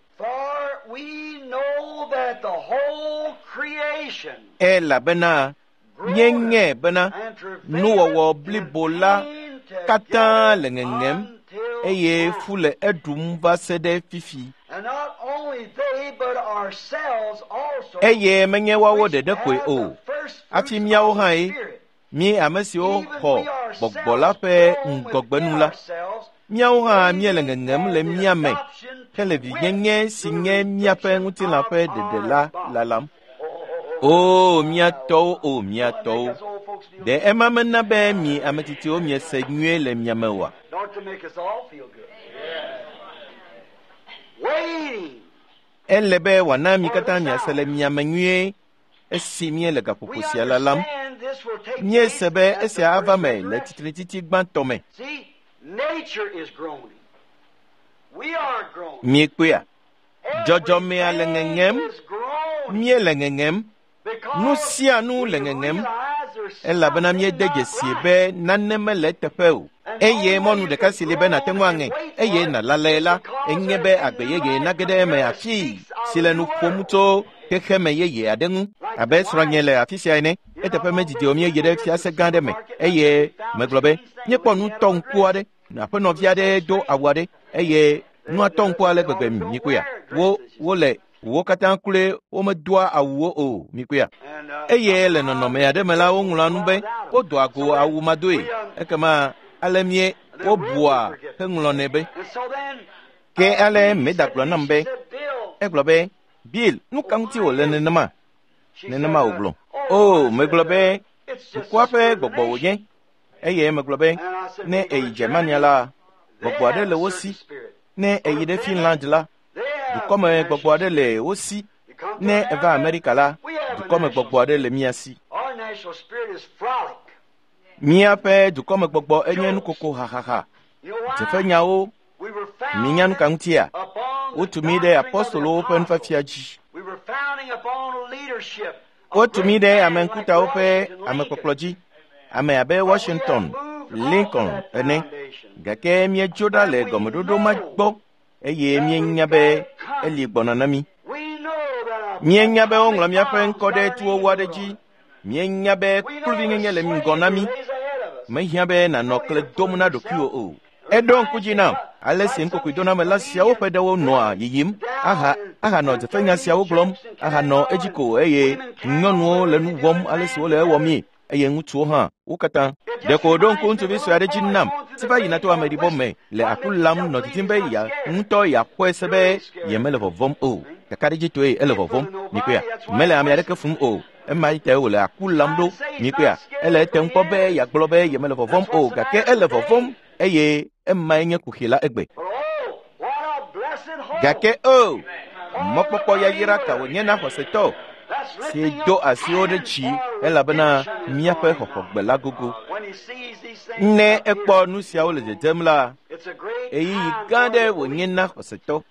Elabena míenyae bena nuwɔwɔ blibo la katã le ŋeŋem eye fu le eɖum va se ɖe fifi. Eye menye woawo ɖeɖe koe o, hafi míawo hã ye, mí ame siwo xɔ gbɔgbɔ la ƒe ŋgɔgbenu la, míawo hã míele ŋeŋem le mía me hele vinyenye si nye míaƒe ŋutilã ƒe ɖeɖe la lalam. O mía tɔwo, o mía tɔwo, ɖe ema mena be mi ame tsitsiwo miese nyuie le mia me oa? Ele be wòana mi katã miase le mia me nyuie esi míele gaƒoƒo sia lalam. Míese be esia ava me le tsitretsitsi gbãtɔ me. Miekpɔea? Dzɔdzɔmea le ŋeŋem, míele ŋeŋem, nu sia nu le ŋeŋem, elabena míede dzesi be nane mele eteƒe o. Eye mɔnu ɖeka si li be nàte ŋu aŋe eye nàlalae la, enye be agbe yeye nage ɖe eme afii si le nu ƒom tso xexeme yeye aɖe ŋu. Abe srɔ̃nye le afi sia ene, eteƒe medidi o míeyi ɖe fiase gã aɖe me eye megblɔ be míekpɔ nu tɔ ŋku aɖe. Aƒenɔvi aɖe do awu aɖe eye nua tɔ ŋku ale gbegbe mikpɔea. Wo wole wo katã kloe womedoa awuwo o mikpɔea. Eye le nɔnɔme aɖe me la woŋlɔa nu be wodoa go awu madoe. Ekema ale mie wobua heŋlɔnɛ be. Ke ale Meda gblɔ nam be, egblɔ be, Bill, nu ka ŋuti wòle nenema? Nenema wògblɔ. O, megblɔ be, dukɔa ƒe gbɔgbɔ wònye. Eye megblɔ be, ne eyi Germania la, gbɔgbɔ aɖe le wo si. Ne eyi ɖe Finland la, dukɔme gbɔgbɔ aɖe le wo si. Ne eva Amerika la, dukɔme gbɔgbɔ aɖe le mía si. Míaƒe dukɔme gbɔgbɔ enye nukoko hahaha. Dzeƒenyawo, minya nu ka ŋutia? Wotu mí ɖe apostolowo ƒe nufiafia dzi. Wotu mí ɖe ame ŋkutawo ƒe amekpɔkplɔ dzi. Ame abe Washington, Lincoln ene. Gake míedzo ɖa le gɔmeɖoɖo ma gbɔ eye míenya be eli gbɔna na mí. Míenya be woŋlɔ míaƒe ŋkɔ ɖe tuwowo aɖe dzi. Míenya be kluvinyenye le ŋgɔ na mí. Mehiã be nànɔ kle dom na ɖokuiwò o. Eɖo ŋku dzi nam ale si nukokoedonamela siawo ƒe ɖewo nɔa yiyim aha ahanɔ dzefenya siawo gblɔm ahanɔ edzi ko eye nyɔnuwo le nu wɔm ale si wole ewɔmii eye ŋutsuwo hã wo katã. Ɖeko wòɖo ŋku ŋutsuvi sue aɖe dzi nam si va yina to ameɖibɔ me le aku lam nɔ didim be ya ŋutɔ yeaxɔe se be yemele vɔvɔm o. Kakaɖedzitɔe ele vɔvɔm. Mikpɔea? Mele ame aɖeke fum o. Ema tae wòle aku lam ɖo. Mikpɔea? Ele etem kpɔ be yeagblɔ be yemele vɔvɔm o gake ele vɔvɔm eye Emae nye kuxi la egbe. Gake o, mɔkpɔkpɔ yayra ka wònye na xɔsetɔ si do asiwo ɖe dzi elabena míaƒe xɔxɔgbe la gogo. Ne ekpɔ nu siawo le dzedzem la, ɣeyiɣi gã aɖe wònye na xɔsetɔ.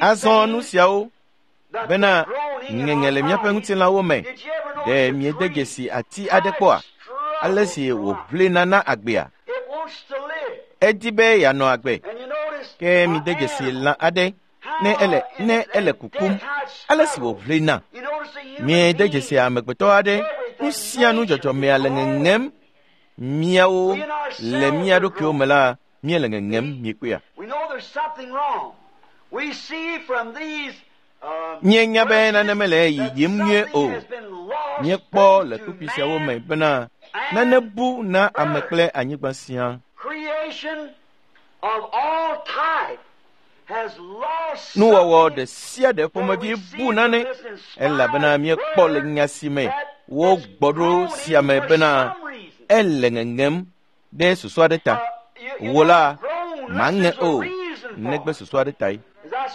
Azɔ nu siawo bena ŋeŋe le míaƒe ŋutilãwo me. Ɖe miede dzesi ati aɖe kpɔa? Ale si wòʋlina na agbea. Edi be yeanɔ agbe. Ke mide dzesi lã aɖe ne ele ne ele kukum. Ale si wòʋlina. Miede dzesi amegbetɔ aɖe. Nu sia nu dzɔdzɔmea le ŋeŋem. Míawo le mía ɖokuiwo me la, míele ŋeŋem miekpɔea. Míenya be nane mele yiyim nyuie o. Míekpɔ le kpukpui siawo me bena nane bu na ame kple anyigba sia. Nuwɔwɔ ɖe sia ɖe ƒomevi bu nane elabena míekpɔ le nya si me wogbɔ ɖo sia me bena ele ŋeŋem ɖe susu aɖe ta. Wò la, màŋe o, negbe susu aɖe tae.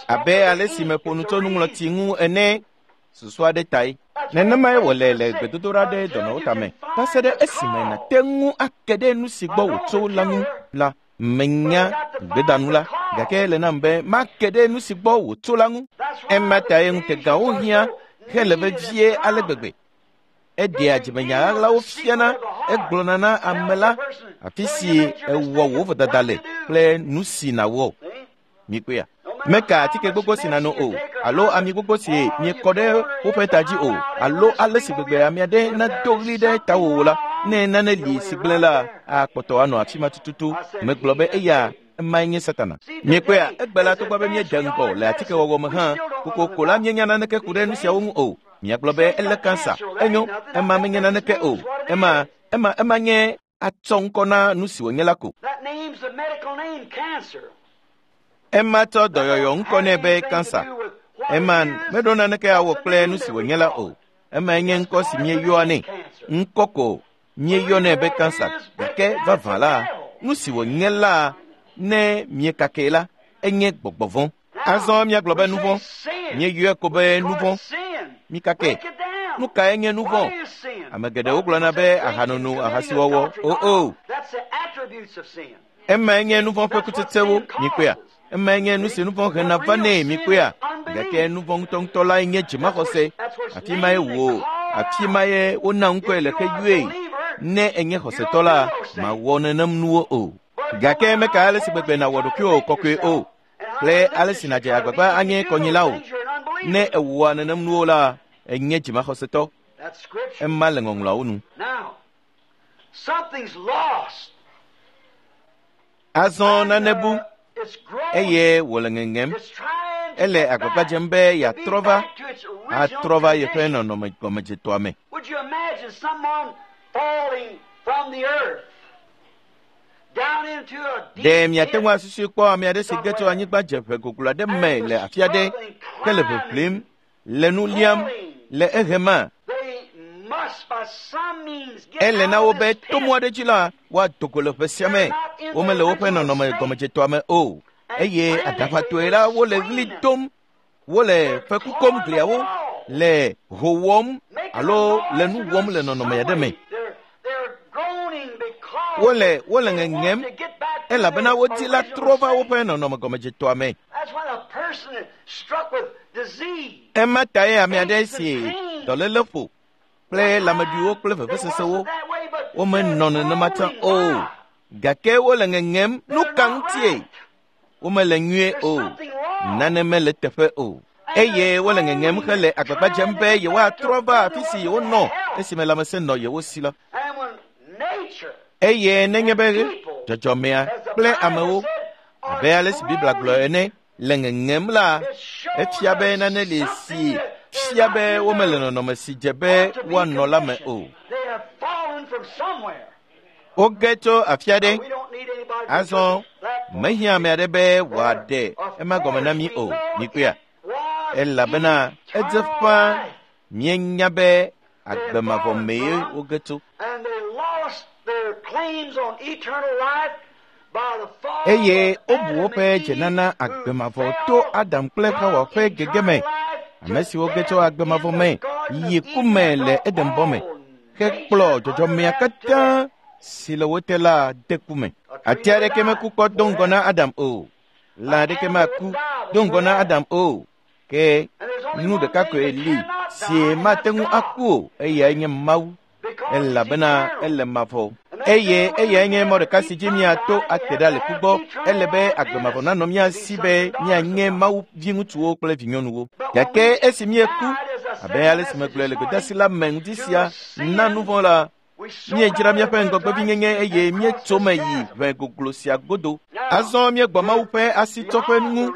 Abe ale si meƒo nu tso nuŋlɔti ŋu ene, susu aɖe tae. Nenemae wòle le gbedodoɖa ɖe dɔnɔwo tame. Va se ɖe esime nàte ŋu ake ɖe nu si gbɔ wòtso la ŋu la, menya gbedanu la, gake ele nam be make ɖe nu si gbɔ wòtso la ŋu. Ema tae ŋutegawo hiã hele vevie ale gbegbe. Eɖea dzimenya ɣaɣlawo fiana, egblɔna na ame la afi si ewɔ wò vodada le kple nu si nàwɔ. Mikpɔea? Meka atike gbogbo si nàno o, alo ami gbogbo si miekɔ ɖe woƒe ta dzi o, alo ale si gbegbe ame aɖe nado ɣli ɖe tawò la, ne nane li si gblẽ la, akpɔtɔ anɔ afi ma tututu. Megblɔ be eya emae nye Satana. Miekpɔea? Egbe la togbɔ be míede ŋgɔ le atikewɔwɔ me hã, kokoko la míenya naneke ku ɖe nu siawo ŋu o. Miagblɔ be ele kansa, enyo, ema menye naneke o. Ema, ema, ema nye atsɔ ŋkɔ na nu si wònye la ko. Ema tsɔ dɔyɔyɔ ŋkɔ nɛ be kansa. Ema meɖo naneke awɔ kple nu si wònye la o. Emae nye ŋkɔ si míeyɔa nɛ. Ŋkɔ ko míeyɔnɛ be kansa. Gake vavã la, nu si wònye la ne míekakɛ la, enye gbɔgbɔ vɔ̃. Azɔ míagblɔ be nu vɔ̃. Míeyɔe ko be nu vɔ̃. Míkakɛ. Nu kae nye nu vɔ̃? Ame geɖewo gblɔna be ahanono, ahasiwɔwɔ. O o. Emae nye nu vɔ̃ ƒe kutsetsewo. Mikpɔea? Emae nye nu si nu vɔ̃ hena vanɛ. Mikpɔea? Gake nu vɔ̃ ŋutɔŋutɔ lae nye dzimaxɔse. Afi mae wò, afi mae wona ŋkɔe le ke yɔe. Ne enye xɔsetɔ la, mawɔ nenem nuwo o. Gake meka ale si gbegbe nàwɔ ɖokuiwò kɔkɔe o, kple ale si nàdze agbagba anye kɔnyila o. Ne èwɔa nenem nuwo la, enye dzimaxɔsetɔ. Ema le ŋɔŋlɔawo nu. Azɔ nane bu eye wòle ŋeŋem. Ele agbagba dzem be yeatrɔ va, atrɔ va yeƒe nɔnɔme gɔmedzetɔa me. Ɖe miate ŋu asusui kpɔ ame aɖe si ge tso anyigba dzeƒe goglo aɖe me le afi aɖe ke le ʋeʋlim, le nu liam, le ehema? Ele na wo be to mɔ aɖe dzi la, woado go le ƒe sia me. Womele woƒe nɔnɔme gɔmedzetɔa me o. Eye aɖaʋatɔe la, wole ɣli dom, wole feku kom gliawo, le ho wɔm alo le nu wɔm le nɔnɔme aɖe me. Wole wole ŋeŋem elabena wodi la trɔ va woƒe nɔnɔme gɔmedzetɔa me. Ema tae ame aɖe si dɔléle ƒo kple lãmeɖuiwo kple vevesesewo womenɔ nenema tsã o. Gake wole ŋeŋem. Nu ka ŋutie? Womele nyuie o. Nane mele teƒe o. Eye wole ŋeŋem hele agbagba dzem be yewoatrɔ va afi si yewonɔ esime lãmesẽ nɔ yewo si la. Eye nenye be dzɔdzɔmea kple amewo, abe ale si Biblia gblɔ ene, le ŋeŋem la, efia be nane li si fia be womele nɔnɔme si dze be woanɔ la me o. Woge tso afi aɖe. Azɔ mehiã ame aɖe be wòaɖe ema gɔme na mí o. Mikpɔea? Elabena edze ƒãa míenya be agbe mavɔ mee woge tso. Eye wobu woƒe dzenana agbemavɔ to Adam kple Xawa ƒe gegeme, ame siwo ge tso agbemavɔ me yi ku me le Edenbɔ me, hekplɔ dzɔdzɔmea katã si le wo te la de ku me. Ati aɖeke meku kpɔ do ŋgɔ na Adam o. Lã aɖeke maku do ŋgɔ na Adam o. Ke nu ɖeka koe li si mate ŋu aku o, eyae nye Mawu, elabena ele mavɔ. Eye eyae nye mɔ ɖeka si dzi míato ate ɖa le ku gbɔ. Ele be agbemavɔ nanɔ mía si be míanye Mawu viŋutsuwo kple vinyɔnuwo. Gake esi míeku, abe ale si megblɔe le gbedeasi la me ŋdi sia na nu vɔ̃ la, míedzra míaƒe ŋgɔgbevinyenye eye míetso me yi ʋe goglo sia godo. Azɔ míegbɔ Mawu ƒe asitsɔƒe ŋu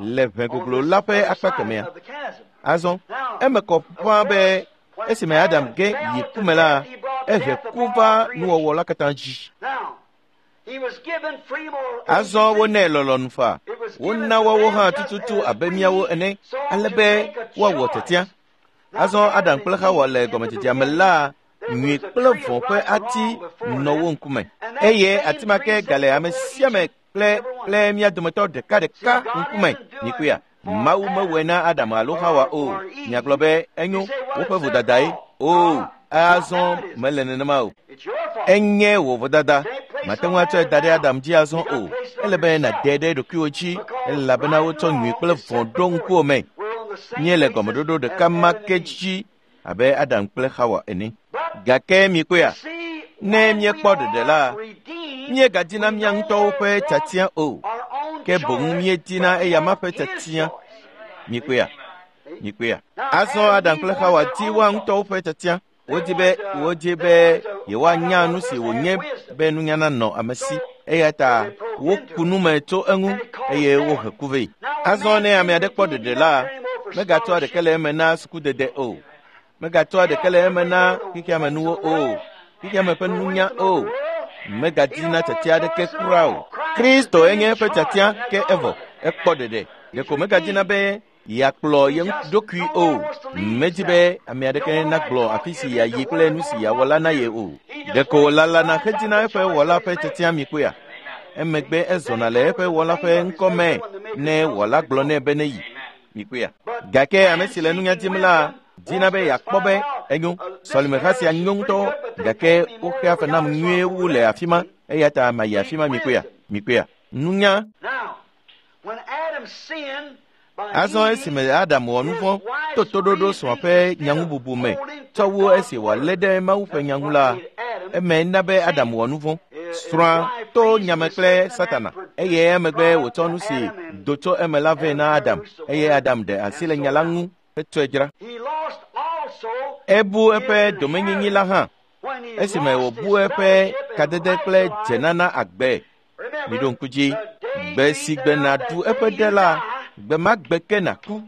le ʋe goglo la ƒe akpa kemɛa. Azɔ eme kɔ ƒãa be esime Adam ge yi ku me la, ehe ku va nuwɔwɔ la katã dzi. Azɔ wonɛ lɔlɔ̃nu faa. Wona woawo hã tututu abe míawo ene, ale be woawɔ tiatia. Azɔ Adam kple Xawa le gɔmedzedzea me la, nyui kple vɔ̃ ƒe ati nɔ wo ŋkume. Eye ati ma ke gale ame sia ame kple kple mía dometɔ ɖekaɖeka ŋkume. Mikpɔea? Mawu mewɔe na Adam alo Xawa o. Miagblɔ be enyo woƒe vodadae. O, azɔ mele nenema o. Enye wò vodada. Mate ŋu atsɔe da ɖe Adam dzi azɔ o. Ele be nàde ɖe ɖokuiwò dzi, elabena wotsɔ nyui kple vɔ̃ ɖo ŋkuwò me. Míele gɔmeɖoɖo ɖeka ma ke dzi abe Adam kple Xawa ene. Gake mikpɔea, ne míekpɔ ɖeɖe la, míegadina mía ŋutɔwo ƒe tiatia o, ke boŋ míedina eyama ƒe tiatia. Mikpɔea, mikpɔea. Azɔ Adam kple Xawa di woa ŋutɔwo ƒe tiatia. Wodi be wodi be yewoanya nu si wònye be nunya nanɔ ame si. Eya ta woku nu me tso eŋu eye wohe ku vɛ. Azɔ ne ame aɖe kpɔ ɖeɖe la, megatsɔa ɖeke le eme na sukudede o. Megatsɔa ɖeke le eme na xexeamenuwo o, xexeame ƒe nunya o. Megadina tiatia aɖeke kura o. Kristo enye eƒe tiatia ke evɔ, ekpɔ ɖeɖe. Ɖeko megadina be yeakplɔ ye ɖokui o. Medi be ame aɖeke nagblɔ afi si yeayi kple nu si yeawɔ la na ye o. Ɖeko wòlalana hedina eƒe wɔla ƒe tiatia mikpɔea. Emegbe ezɔna le eƒe wɔla ƒe ŋkɔ me ne wɔla gblɔ nɛ be neyi. Mikpɔea. Gake ame si le nunya dim la dina be yeakpɔ be enyo. Sɔlimeha sia nyo ŋutɔ, gake woxea fe nam nyuie wu le afi ma, eya ta mayi afi ma. Mikpɔea, mikpɔea. Nunya. Azɔ esime Adam wɔ nu vɔ̃ to toɖoɖo srɔ̃a ƒe nyaŋububu me tsɔ wu esi wòalé ɖe Mawu ƒe nya ŋu la, eme na be Adam wɔ nu vɔ̃. Srɔ̃a to nyame kple Satana, eye emegbe wòtsɔ nu si do tso eme la vɛ na Adam, eye Adam ɖe asi le nya la ŋu hetsɔe dzra. Ebu eƒe domenyinyi la hã esime wòbu eƒe kadede kple dzenana agbe. Miɖo ŋku dzi, gbe si gbe nàɖu eƒe ɖe la, gbe ma gbe ke nàku.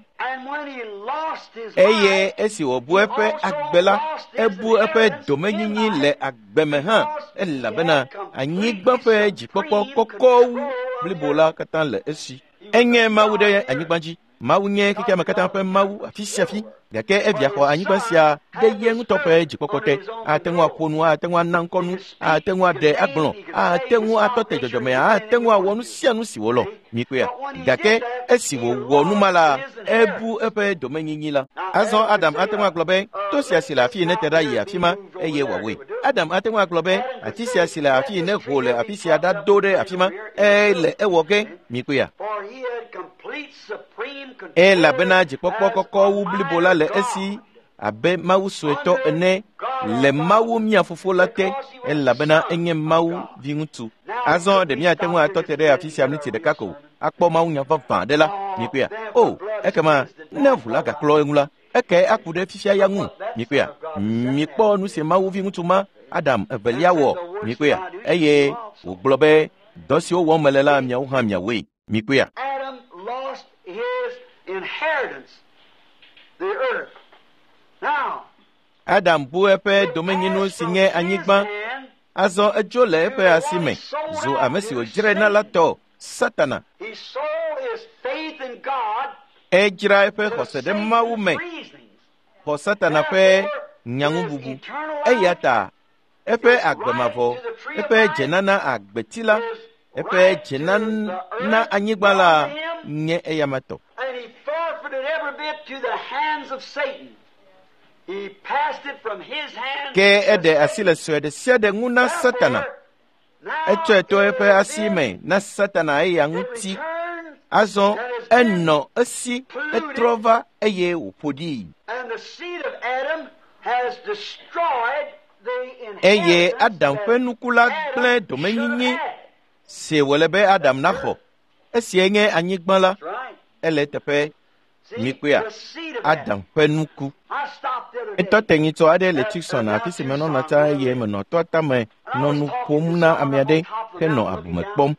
Eye esi wòbu eƒe agbe la, ebu eƒe domenyinyi le agbe me hã, elabena anyigba ƒe dzikpɔkpɔ kɔkɔ wu blibo la katã le esi. Enye Mawu ɖe anyigba dzi. Mawu nye xexeame katã ƒe Mawu afi sia afi, gake evia xɔ anyigba sia ɖe ye ŋutɔ ƒe dzikpɔkpɔ te. Ate ŋu aƒo nu, ate ŋu ana ŋkɔ nu, ate ŋu aɖe agblɔ, ate ŋu atɔ te dzɔdzɔmea, ate ŋu awɔ nu sia nu si wòlɔ̃. Mikpɔea? Gake esi wòwɔ nu ma la, ebu eƒe domenyinyi la. Azɔ Adam ate ŋu agblɔ be to sia si le afi nete ɖa yi afi ma eye wòawɔe. Adam ate ŋu agblɔ be ati sia si le afi ne ho le afi sia ɖado ɖe afi ma, ele ewɔ ge. Mikpɔea? Elabena dzikpɔkpɔ kɔkɔ wu blibo la le esi abe Mawu suetɔ ene le Mawu mía fofo la te, elabena enye Mawu viŋutsu. Azɔ ɖe míate ŋu atɔ te ɖe afi sia miniti ɖeka ko akpɔ Mawu nya vavã aɖe la. Mikpɔea? O, ekema ne ʋu la gaklɔ eŋu la, eke aku ɖe fifia ya ŋu. Mikpɔea? Mikpɔ nu si Mawu viŋutsu ma Adam evelia wɔ. Mikpɔea? Eye wògblɔ be dɔ siwo wɔm mele la miawo hã miawoe. Mikpɔea? Adam bu eƒe domenyinu si nye anyigba. Azɔ edzo le eƒe asi me zu ame si wòdzrae na la tɔ, Satana. Edzra eƒe xɔse ɖe Mawu me, xɔ Satana ƒe nyaŋububu. Eya ta eƒe agbemavɔ, eƒe dzenana agbeti la, Eƒe dzena na anyigba la nye eyama tɔ. And he forfeited every bit to the hands of Satan. He passed it from his hands Ke to eɖe asi le sue ɖe sia ɖe ŋu na Satana. Now Etsɔe to eƒe it asi me na Satana eya it ŋuti. returned, Azɔ enɔ esi etrɔ va eye wòƒo ɖii. and the seed of Adam has destroyed the Eye inheritance Adam ƒe that nuku la Adam gblẽ should domenyinyi have had. si wòle be Adam naxɔ. Esiae nye anyigba la. That's right. Ele eteƒe See, mikpɔea the seed of Adam. Adam ƒe nuku. I stopped the other day. Etɔ te nyitsɔ aɖe le Tucson afi si menɔna tsã eye menɔ tɔa tame nɔ nu ƒom na ame aɖe henɔ abume kpɔm.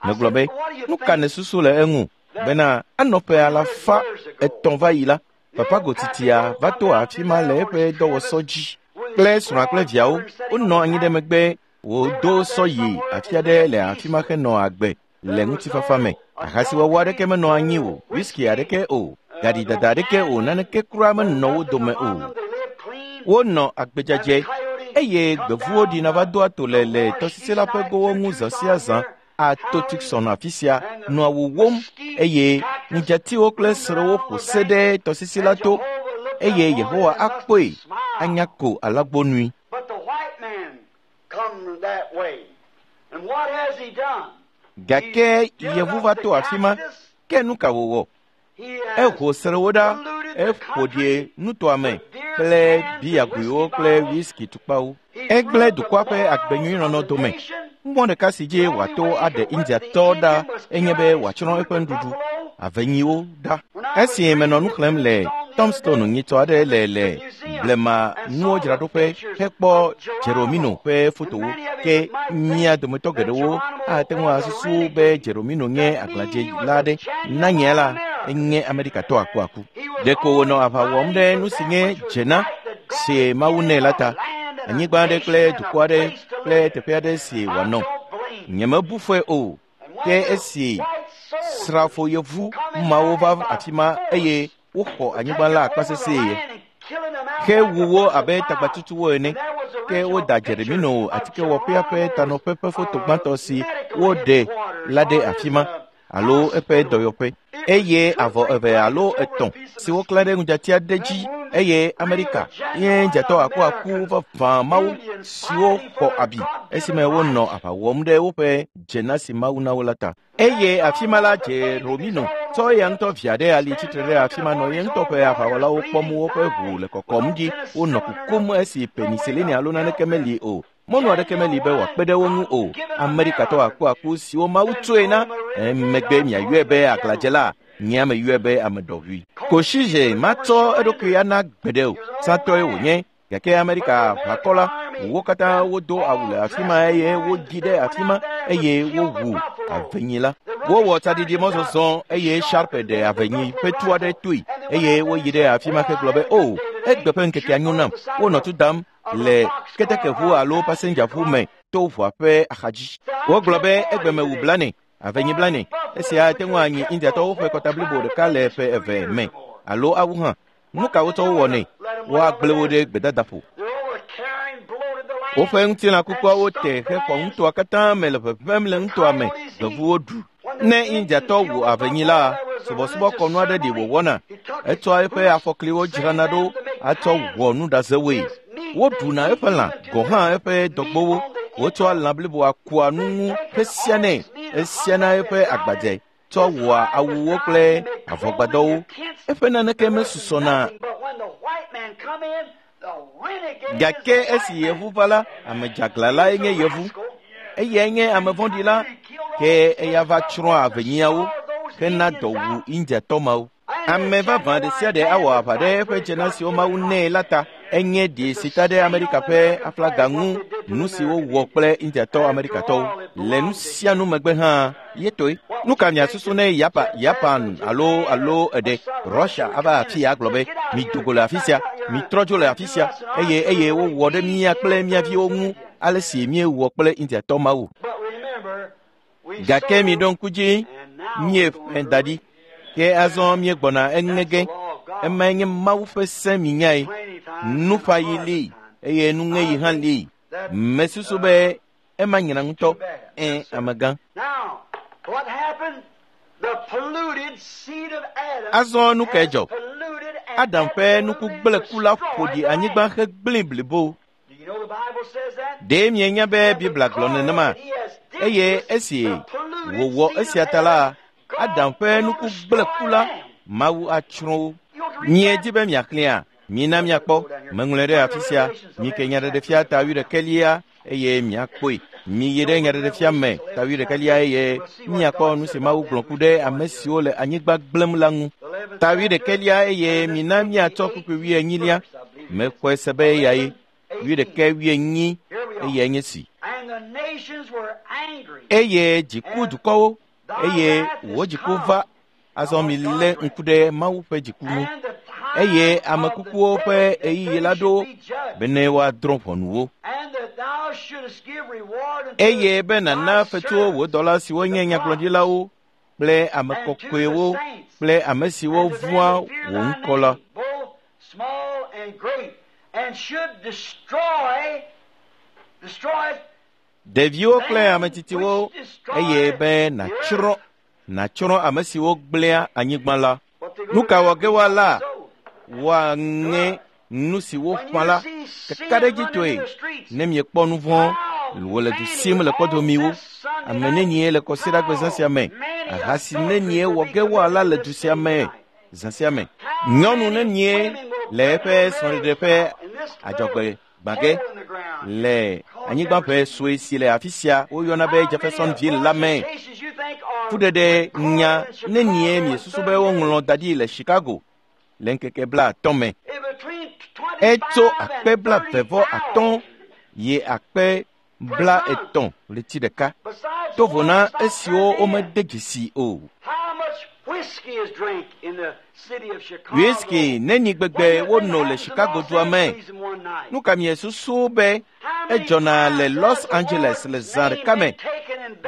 Megblɔ be, nu ka nèsusu le eŋu bena anɔ ƒe alafa etɔ̃ va yi la, papa gotitia va to afi ma le eƒe dɔwɔsɔ dzi kple srɔ̃a kple viawo. Wonɔ anyi ɖe megbe wòdo sɔ yi afi aɖe le afi ma henɔ agbe le ŋutifafa me. Ahasiwɔwɔ aɖeke menɔ anyi o, whisky aɖeke o, gaɖidada aɖeke o, naneke kura menɔ wo dome o. They lived clean. Wonɔ agbedzadze eye gbevuwo ɖina va doa to le le tɔsisi la ƒe gowo ŋu zã sia zã ato Tucson afi sia nɔa wowóm eye ŋudzatiwo kple srewo ƒo se ɖe tɔsisi la to eye Yehowa akpɔe anya ko alagbonui. But the white man come that way. And what has he done? Gake yevu va to afi ma, ke nu ka wòwɔ? He has Eho srewo ɖa, eƒo ɖi nutoa me kple biyagoewo kple whisky tukpawo. Egblẽ dukɔa ƒe agbenyuinɔnɔ dome. Mɔ ɖeka si dzi wòato aɖe Indiatɔ ɖa enye be wòatsrɔ̃ eƒe nuɖuɖu, avenyiwo ɖa. Esi menɔ nu xlẽm le Tombstone nyitsɔ aɖe le le blema nuwo dzraɖoƒe hekpɔ Jeromino ƒe fotowo, ke mía dometɔ geɖewo ate ŋu asusu be Jeromino nye aglãdzela aɖe. Na nye la, enye Amerikatɔ akuaku. Ɖeko wònɔ aʋa wɔm ɖe nu si nye dzena si Mawu nɛ la ta. Anyigba aɖe kple dukɔ aɖe kple teƒe aɖe si wòanɔ. Nyemebu fɔe o. Ke esi srafo yevu mawo va afi ma eye woxɔ anyigba la akpasesẽe hewu wo abe tagbatutuwo ene. Ke woda Jeremino atikewɔƒea ƒe tanɔƒe ƒe foto gbãtɔ si woɖe la ɖe afi ma alo eƒe dɔyɔƒe eye avɔ eve alo etɔ̃ si woklã ɖe ŋudzati aɖe dzi eye Amerika ye dzatɔ akuaku vavã mawo siwo xɔ abi esime wonɔ aʋa wɔm ɖe woƒe dzena si Mawu na wo la ta. Eye afi ma la Jeromino tsɔ eya ŋutɔ via ɖe ali tsitre ɖe afi ma nɔ ye ŋutɔ ƒe aʋawɔlawo kpɔm woƒe ʋu le kɔkɔm ɖi wonɔ kukum esi penicillin alo naneke meli o. Mɔnu aɖeke meli be wòakpe ɖe wo ŋu o. Amerikatɔ akuaku siwo Mawu tsoe na emegbe miayɔe be aglãdzela, nye ame yɔe be ame ɖɔʋui. Koshize matsɔ eɖokui ana gbeɖe o. Satɔe wònye gake Amerika ʋakɔ la, wo katã wodo awu le afi ma eye woɖi ɖe afi ma eye wowu avenyi la. Wowɔ tsaɖiɖi mɔzɔzɔ eye Sharpe ɖe avenyi ƒe tu aɖe toe eye woyi ɖe afi ma hegblɔ be o egbe ƒe ŋkekea nyo nam. Wonɔ tu dam le ketekeʋu alo pasendzaʋu me to ʋua ƒe axadzi. Wogblɔ be egbe mewu blane, avenyi blane. Esia ate ŋu anyi Indiatɔwo ƒe kɔta blibo ɖeka le ƒe eve me alo awu hã. Nu ka wotsɔ wowɔnɛ? Woagblẽ wo ɖe gbedadaƒo. They're overcarrying, bloated the land. Woƒe ŋutilã kukuawo te hexɔ nutoa katã me le ʋeʋẽm le nutoa me. Gbevuwo ɖu. Ne Indiatɔ wu avenyi la, subɔsubɔkɔnu aɖe ɖi wòwɔna. Etsɔa eƒe afɔkliwo dzrana ɖo atsɔ wɔ nuɖazewoe. Woɖuna eƒe lã, gɔ̃ hã eƒe dɔgbowo. Wotsɔa lã bliboa kua nu ŋu hesianɛ. Esiana eƒe agbadze tsɔ wɔa awuwo kple avɔgbadɔwo. Eƒe naneke mesusɔna But when the white man come in, the renegade Gake esi yevu va la, ame dzeaglã lae nye yevu. Eyae nye ame vɔ̃ɖi la, ke eya va tsrɔ̃ avenyiawo hena dɔ wu Indiatɔ mawo. Ame vavã ɖe sia ɖe awɔ aʋa ɖe eƒe dzena siwo Mawu nɛ la ta. Enye ɖi ta ɖe Amerika ƒe aflaga ŋu nu si wowɔ kple Indiatɔ Amerikatɔwo. Le nu sia nu megbe hã, ye toe. Nu ka miasusu ne Yapa, Japan alo alo eɖe Russia ava afi ya gblɔ be mido go le afi sia, mitrɔ dzo le afi sia eye eye wowɔ ɖe mía kple mía viwo ŋu ale si míewɔ kple Indiatɔ mawo. But remember, we Gake sowed, miɖo ŋku dzi, and now míeƒe we're going da to ɖi. reap. Ke azɔ míegbɔna eŋe ge. Emae nye Mawu ƒe se minyae. Plenty time Nuƒaɣi and li harvest time. eye nuŋeɣi hã li. Mesusu be ema nyina ŋutɔ. Ẽ, amegã. Now, Azɔ nu kae dzɔ? Adam ƒe nukugblẽku la ƒo ɖi anyigba hegblẽe blibo. Ɖe mienya be Biblia gblɔ nenema? Eye esi wòwɔ esia ta la, Adam ƒe nukugblẽku la, Mawu atsrɔ̃ wo. Miedi be miaxlẽa? Mina miakpɔ. Meŋlɔe ɖe afi sia. Mike Nyaɖeɖefia ta wuiɖekɛlia eye miakpɔe. Miyi ɖe Nyaɖeɖefia me ta wuiɖekɛlia eye miakpɔ nu si Mawu gblɔ ku ɖe ame siwo le anyigba gblẽm la ŋu. Ta wuiɖekɛlia eye mina miatsɔ kpukpui wuienyilia. Mexɔe se be eyae. Wuiɖekɛ wuienyi eyae nye si. Eye dziku dukɔwo eye wò dziku va. Azɔ milé ŋku ɖe Mawu ƒe dziku ŋu. Eye ame kukuwo ƒe ɣeyiɣi la ɖo bene woadrɔ̃ ʋɔnu wo. Eye be nàna fetuwo wò dɔla siwo nye nyagblɔɖilawo kple ame kɔkɔewo kple ame siwo vɔ̃a wò ŋkɔ la. Ɖeviwo kple ame tsitsiwo eye be nàtsrɔ̃ nàtsrɔ̃ ame siwo gblẽa anyigba la. Nu ka wɔ ge woala? Woaŋe nu si woƒã la kakaɖedzitɔe. Ne miekpɔ nu vɔ̃ wòle du sim le kpɔdomiwo, ame nenie le kɔsiɖagbe zã sia me, ahasi nenie wɔ ge woala le du sia me zã sia me, nyɔnu nenie le eƒe srɔ̃ɖeɖe ƒe adzɔgbe gbã ge le anyigba ƒe sue si le afi sia woyɔna be Jeffersonville la me. Fuɖeɖe nya nenie miesusu be woŋlɔ da ɖi le Chicago le ŋkeke blaatɔ̃ me. Etso akpe blaeve vɔ atɔ̃ yi akpe blaetɔ̃ ɣleti ɖeka. To vo na esiwo womede dzesi o. Whisky neni gbegbe wono le Chicago dua me. Nu ka miesusu be edzɔna le Los Angeles le zã ɖeka me?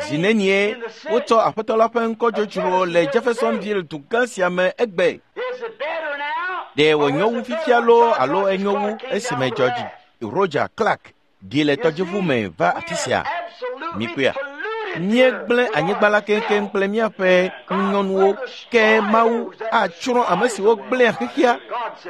Zi nenie wotsɔ aƒetɔ la ƒe ŋkɔ dzodzro le Jeffersonville dugã sia me egbe? Ɖe wònyo wu fifia loo alo enyo wu esime George Roger Clark ɖi le tɔdziʋu me va afi sia? Mikpɔea? Míegblẽ anyigba la keŋkeŋ kple míaƒe ŋunyɔnuwo, ke Mawu atsrɔ̃ ame siwo gblẽa xexea.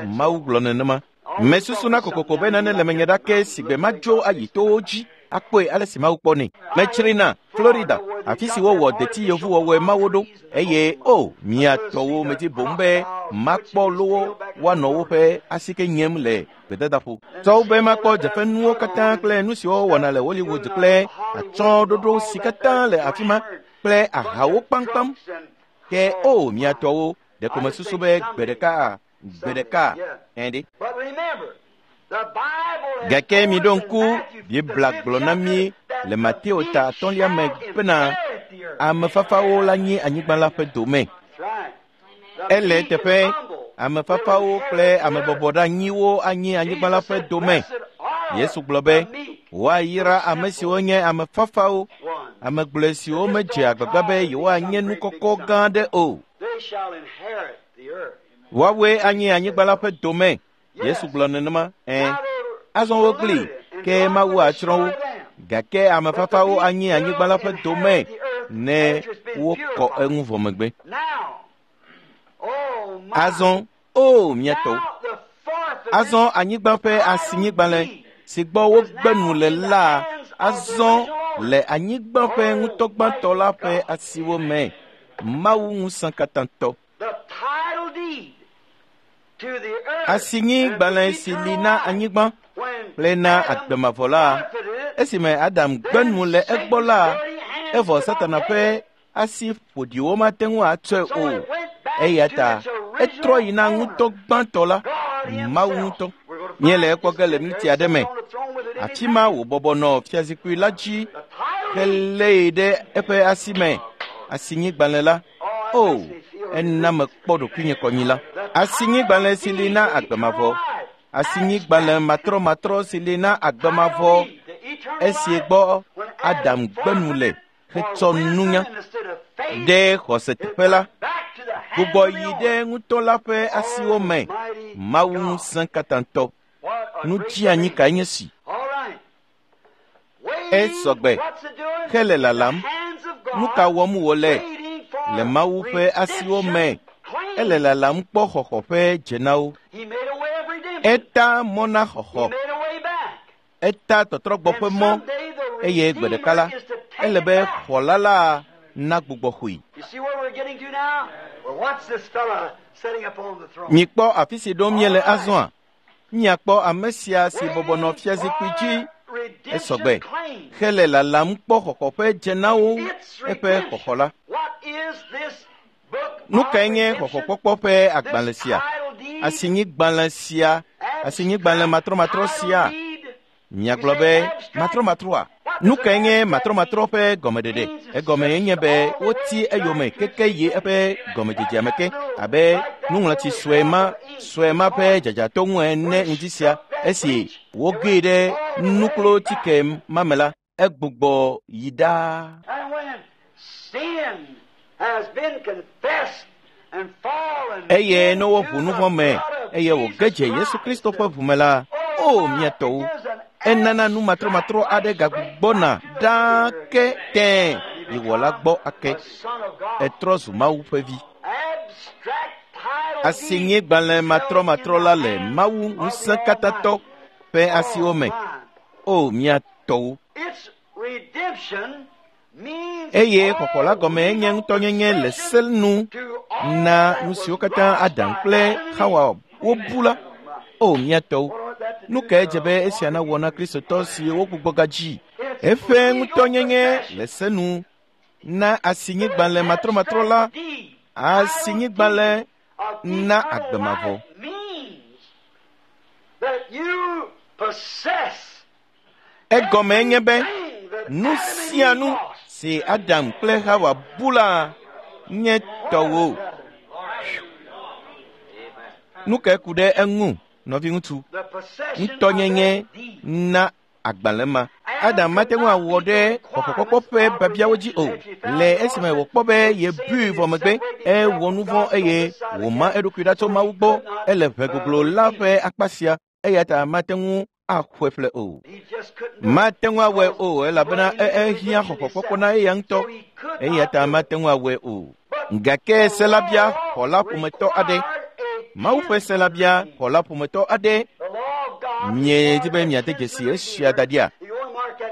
Mawu gblɔ nenema. Mesusuna kokoko be nane le menye ɖake si gbe madzo ayi towo dzi akpɔe ale si Mawu kpɔnɛ. Metsrina Florida, afi si wowɔ deti yevuwɔwɔe mawo ɖo, eye o mia tɔwo medi boŋ be makpɔ lowo woanɔ woƒe asike nyem le gbedadaƒo. Tsɔwo be makpɔ dzeƒenuwo katã kple nu siwo wowɔna le Hollywood kple atsyɔ̃ɖoɖo si katã le afi ma kple ahawo kpaŋkpaŋ. Ke o mia tɔwo, ɖeko mesusu be gbe ɖeka gbe ɖeka ɛɖe. Gake miɖo ŋku Biblia gblɔ na mí le Mateo ta atɔ̃lia me bena ame fafawo la nyi anyigba la ƒe dome. Ele eteƒe ame fafawo kple ame bɔbɔɖeanyiwo anyi anyigba la ƒe dome. Yesu gblɔ be woayra ame siwo nye ame fafawo, ame gblɔe siwo medze agbagba be yewoanye nu kɔkɔ gã aɖe o. Woawoe anyi anyigba la ƒe dome. Yesu gblɔ nenema. Ẽ, azɔ wogli, ke Mawu atsrɔ̃ wo. Gake ame fafawo anyi anyigba la ƒe dome ne wokɔ eŋu vɔ megbe. Azɔ, o mia tɔwo, azɔ anyigba ƒe asinyigbalẽ si gbɔ wogbe nu le la azɔ le anyigba ƒe ŋutɔgbãtɔ la ƒe asiwo me. Mawu ŋusẽkatãtɔ. Asinyigbalẽ si li na anyigba kple na agbemavɔ la, esime Adam gbe nu le egbɔ la, evɔ Satana ƒe asi ƒoɖiwo mate ŋu atsɔe o. Eya ta etrɔ yi na ŋutɔ gbãtɔ la, Mawu ŋutɔ. Míele ekpɔ ge le miniti aɖe me. Afi ma wòbɔbɔ nɔ fiazikpui la dzi helée ɖe eƒe asi me. Asinyigbalẽ la, o, ena mekpɔ ɖokuinye kɔnyi la. Asinyigbalẽ si li na agbemavɔ. Asinyigbalẽ matrɔmatrɔ si li na agbemavɔ. Esi gbɔ Adam gbe nu le hetsɔ nunya ɖe xɔse teƒe la, gbugbɔ yi ɖe ŋutɔ la ƒe asiwo me. Mawu ŋusẽkatãtɔ. Nu dzianyi kae nye si? Esɔgbe hele lalam Nu ka wɔm wòle le Mawu ƒe asiwo me? Ele lalam kpɔ xɔxɔ ƒe dzenawo. Eta mɔ na xɔxɔ. Eta tɔtrɔgbɔ ƒe mɔ eye gbe ɖeka la, ele be xɔla la nagbugbɔ xɔe. Mikpɔ afi si ɖom míele azɔa? Miakpɔ ame sia si bɔbɔ nɔ fiazikpui dzi esɔgbe hele lalam kpɔ xɔxɔ ƒe dzenawo eƒe xɔxɔ la. Nu kae nye xɔxɔkpɔkpɔ ƒe agbalẽ sia? Asinyigbalẽ sia, asinyigbalẽ matrɔmatrɔ sia. Miagblɔ be matrɔmatrɔa? Nu kae nye matrɔmatrɔ ƒe gɔmeɖeɖe? Egɔme nye be woti eyome keke yi eƒe gɔmedzedzea me ke abe nuŋlɔtsi sue ma sue ma ƒe dzadzatɔ ŋu ene ŋdi sia. Esi wogee ɖe nuklo-tike ma me la, egbugbɔ yi ɖaa. Eye ne woʋu nu vɔ̃ me eye wòge dze Yesu Kristo ƒe ʋu me la, o mia tɔwo, enana nu matrɔmatrɔ aɖe gagbugbɔna ɖaa ke tẽe yi wɔla gbɔ ake. Etrɔ zu Mawu ƒe vi. Asinyigbalẽ matrɔmatrɔ la le Mawu ŋusẽkatãtɔ ƒe asiwo me. O mia tɔwo. Eye xɔxɔ la gɔme nye ŋutɔnyenye le se nu na nu siwo katã Adam kple Xawa wobu la. O mia tɔwo, nu kae dze be esia nawɔ na Kristotɔ si wogbugbɔ gadzi? Eƒe ŋutɔnyenye le se nu na asinyigbalẽ matrɔmatrɔ la, asinyigbalẽ na agbe mavɔ. Egɔme nye be nu sia nu si Adam kple Xawa bu la nye tɔwò. Nu kae ku ɖe eŋu, nɔviŋutsu? Ŋutɔnyenye na agbalẽ ma. Adam mate ŋu awɔ ɖe xɔxɔkpɔkpɔ ƒe biabiawo dzi o. Le esime wòkpɔ be yebui vɔ megbe, ewɔ nu vɔ̃ eye wòma eɖokui ɖa tso Mawu gbɔ. Ele ʋe goglo la ƒe akpa sia, eya ta mate ŋu axɔe ƒle o. Mate ŋu awɔe o elabena ehiã xɔxɔkpɔkpɔ na eya ŋutɔ, eya ta mate ŋu awɔe o. Gake se la bia xɔla ƒometɔ aɖe. Mawu ƒe se la bia xɔla ƒometɔ aɖe. Miedi be miade dzesi esia da ɖia?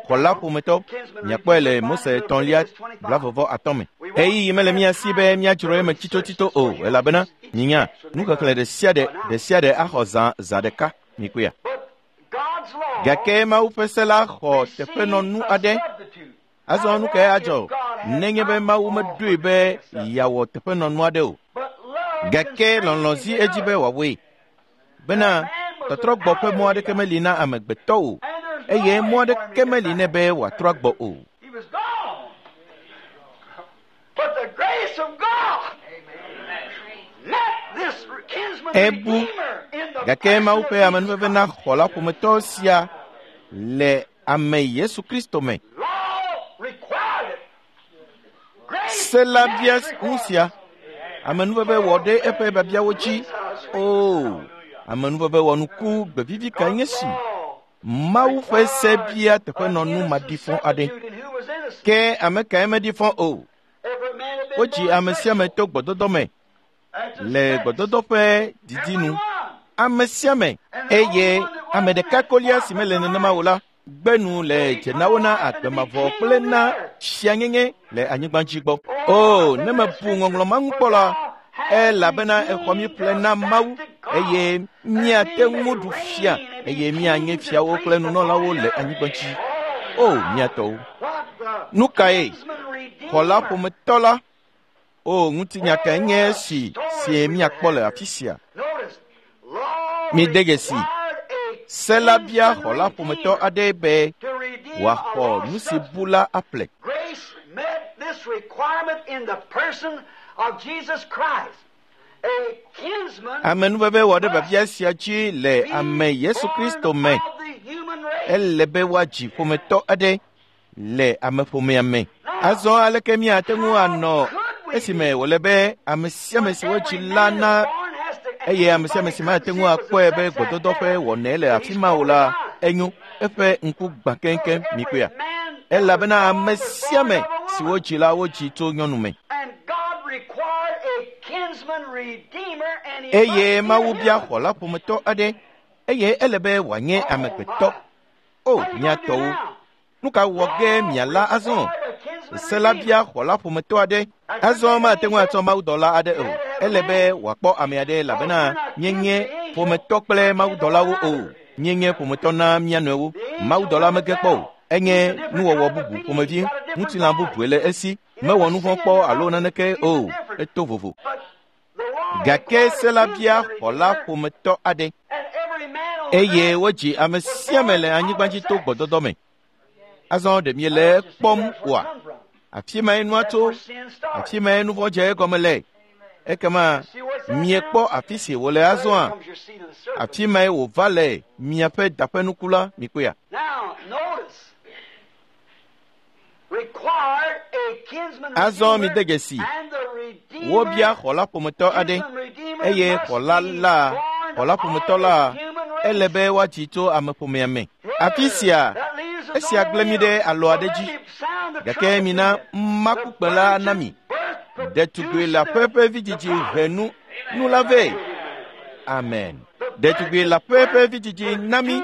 Xɔla ƒometɔ, miakpɔe le Mose etɔ̃lia blavɔvɔ atɔ̃ me. Ɣeyiɣi mele mía si be míadzro eme tsitotsito o, elabena minya nuxexlẽ ɖe sia ɖe ɖe sia ɖe axɔ zã zã ɖeka. Mikpɔea? Gake Mawu ƒe se la xɔ teƒenɔnu aɖe. Azɔ nu kae adzɔ nenye be Mawu meɖoe be yeawɔ teƒenɔnu aɖe o? Gake lɔlɔ̃ zi edzi be wòawɔe bena tɔtrɔgbɔ ƒe mɔ aɖeke meli na amegbetɔ o, eye mɔ aɖeke meli nɛ be wòatrɔ agbɔ o. Ebu, gake Mawu ƒe amenuveve na xɔla ƒometɔ sia le ame Yesu Kristo me. Se la bia nu sia. Amenuveve wɔ ɖe eƒe biabiawo dzi. Oo, amenuveve wɔ nuku gbevivi kae nye si. Mawu ƒe se bia teƒenɔnu maɖifɔ aɖe. Ke ame kae meɖifɔ o? Wodzi ame sia ame to gbɔdɔdɔ me le gbɔdɔdɔ ƒe didi nu. Ame sia ame eye ame ɖeka kolia si mele nenema o la gbe nu le dzenawo na agbe mavɔ kple na fianyenye le anyigba dzi gbɔ. O, ne mebu ŋɔŋlɔ ma ŋu kpɔ la, elabena exɔ mi ƒle na Mawu eye miate ŋu ɖu fia eye mianye fiawo kple nunɔlawo le anyigba dzi. O, mia tɔwo. Nu kae? Xɔla ƒometɔ la. O, ŋutinya kae nye esi si miakpɔ le afi sia? Mide dzesi. Se la bia xɔla ƒometɔ aɖe be wòaxɔ nu si bu la aƒle. Amenuveve wɔ ɖe biabia sia dzi le ame Yesu Kristo me. Ele be woadzi ƒometɔ aɖe le ameƒomea me. Azɔ aleke míate ŋu anɔ esime wòle be ame sia ame si wodzi la na eye ame sia ame si mate ŋu akpɔe be gbɔdɔdɔ ƒe wɔnae le afi ma o la, enyo eƒe ŋku gbã keŋkeŋ mikpɔea? Elabena ame sia ame si wodzi la wodzi tso nyɔnu me. Eye Mawu bia xɔla ƒometɔ aɖe eye ele be wòanye amegbetɔ. O, mia tɔwo, nu ka wɔ ge miala azɔ? Se la bia xɔla ƒometɔ aɖe. Azɔ mate ŋu atsɔ mawudɔla aɖe o. Ele be wòakpɔ ame aɖe elabena míenye ƒometɔ kple mawudɔlawo o. Míenye ƒometɔ na mía nɔewo. Mawudɔla mege kpɔ o. Enye nuwɔwɔ bubu ƒomevi, ŋutilã bubue le esi. Mewɔ nu vɔ̃ kpɔ alo naneke o. Eto vovo. Gake se la bia xɔla ƒometɔ aɖe. Eye wodzi ame sia ame le anyigba dzi to gbɔdɔdɔ me. Azɔ ɖe miele kpɔm oa? Afi mae nua tso, afi mae nu vɔ̃ dze egɔme le. Ekema miekpɔ afi si wòle azɔa? Afi mae wòva le miaƒe daƒenuku la, mikpɔea? Azɔ mide dzesi, wobia xɔla ƒometɔ aɖe eye xɔla la, xɔla ƒometɔ la, ele be woadzi tso ameƒomea me. Afi sia, esia gblẽ mi ɖe alɔ aɖe dzi. Gake mina makukpe la na mi. Ɖetugbi le aƒe ƒe vidzidzi he nu nu la vɛ. Amen. Ɖetugbi le aƒe ƒe vidzidzi na mi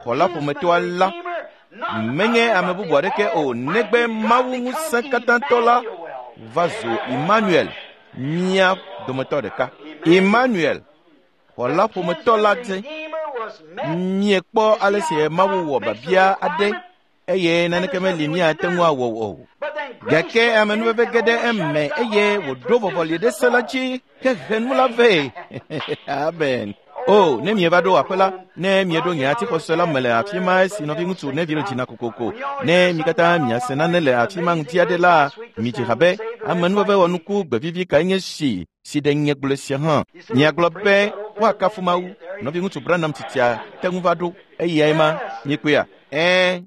xɔla ƒometɔa la. Menye ame bubu aɖeke o negbe Mawu ŋusẽkatãtɔ la va zu Emmanuel, mía dometɔ ɖeka. Emmanuel, xɔla ƒometɔ la dze. Miekpɔ ale si Mawu wɔ biabia aɖe eye naneke meli míate ŋu awɔ o. Gake amenuveve ge ɖe eme eye wòɖo vɔvɔli ɖe se la dzi hehe nu la vɛ. Amen. O, ne mieva ɖo aƒe la, ne mieɖo nye atixɔse la me le afi ma esi nɔviŋutsu Neville dzina kokoko, ne mi katã miase nane le afi ma ŋuti aɖe la, midzi ha be amenuveve wɔnuku gbevivi kae nye si si ɖe nye gblɔe sia hã. Miagblɔ be woakafu Mawu. Nɔviŋutsu Branham tsitsia te ŋu va ɖo eyae ma. Miekpɔea? Ɛ̃.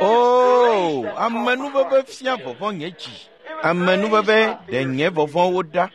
O, amenuveve fia vɔvɔ̃ nye dzi. Amenuveve ɖe nye vɔvɔ̃wo ɖa.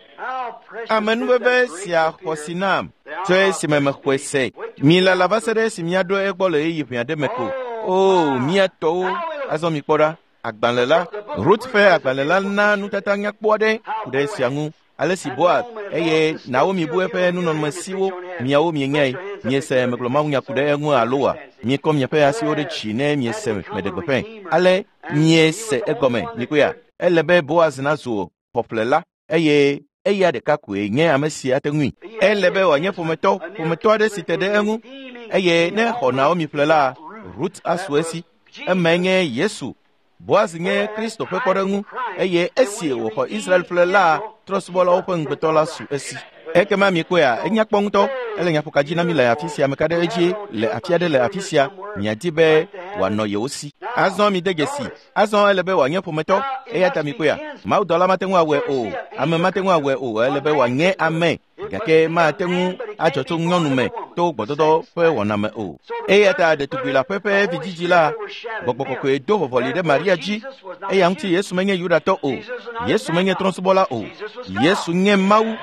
Amenuveve sia xɔ si nam tso esime mexɔe se. Milala va se ɖe esi míaɖo egbɔ le ɣeyiɣi ʋɛ aɖe me ko. O, mía tɔwo, azɔ mikpɔ ɖa. Agbalẽ la, Ruth ƒe agbalẽ la na nutata nyakpɔ aɖe ku ɖe esia ŋu. Ale si Boaz eye Naomi bu eƒe nunɔamesiwo, miawo mienyae. Miese megblɔ mawunya ku ɖe eŋu alo wa? Miekɔ miaƒe asiwo ɖe dzi ne miese meɖe gbeƒãe. Ale miese egɔme, mikpɔea? Ele be Boaz nazu xɔƒlela eye eya ɖeka koe nye ame si ate ŋui. Ele be wòanye ƒometɔ, ƒometɔ aɖe si te ɖe eŋu. Eye ne xɔ Naomi ƒle la, Ruth asu esi. Emae nye Yesu. Boaz nye Kristo ƒe kpɔɖeŋu eye esi wòxɔ Israel ƒle la, trɔ̃subɔlawo ƒe ŋugbetɔ la su esi. Ekema mikpɔea, enya kpɔ ŋutɔ. Ele nyaƒoka dzi na mi le afi sia, ameka ɖe edzi le afi aɖe le afi sia. Miadi be wòanɔ yewo si. Azɔ mide dzesi. Azɔ ele be wòanye ƒometɔ. Eya ta mikpɔea, mawudɔla mate ŋu awɔe o. Ame mate ŋu awɔe o. Ele be wòanye ame. Gake mate ŋu adzɔ tso nyɔnu me to gbɔdɔdɔ ƒe wɔna me o. Eya ta ɖetugbi le aƒe ƒe vidzidzi la, gbɔgbɔ kɔkɔe do vɔvɔli ɖe Maria dzi. Eya ŋuti Yesu menye Yudatɔ o. Yesu menye trɔ̃subɔla o. Yesu nye Mawu.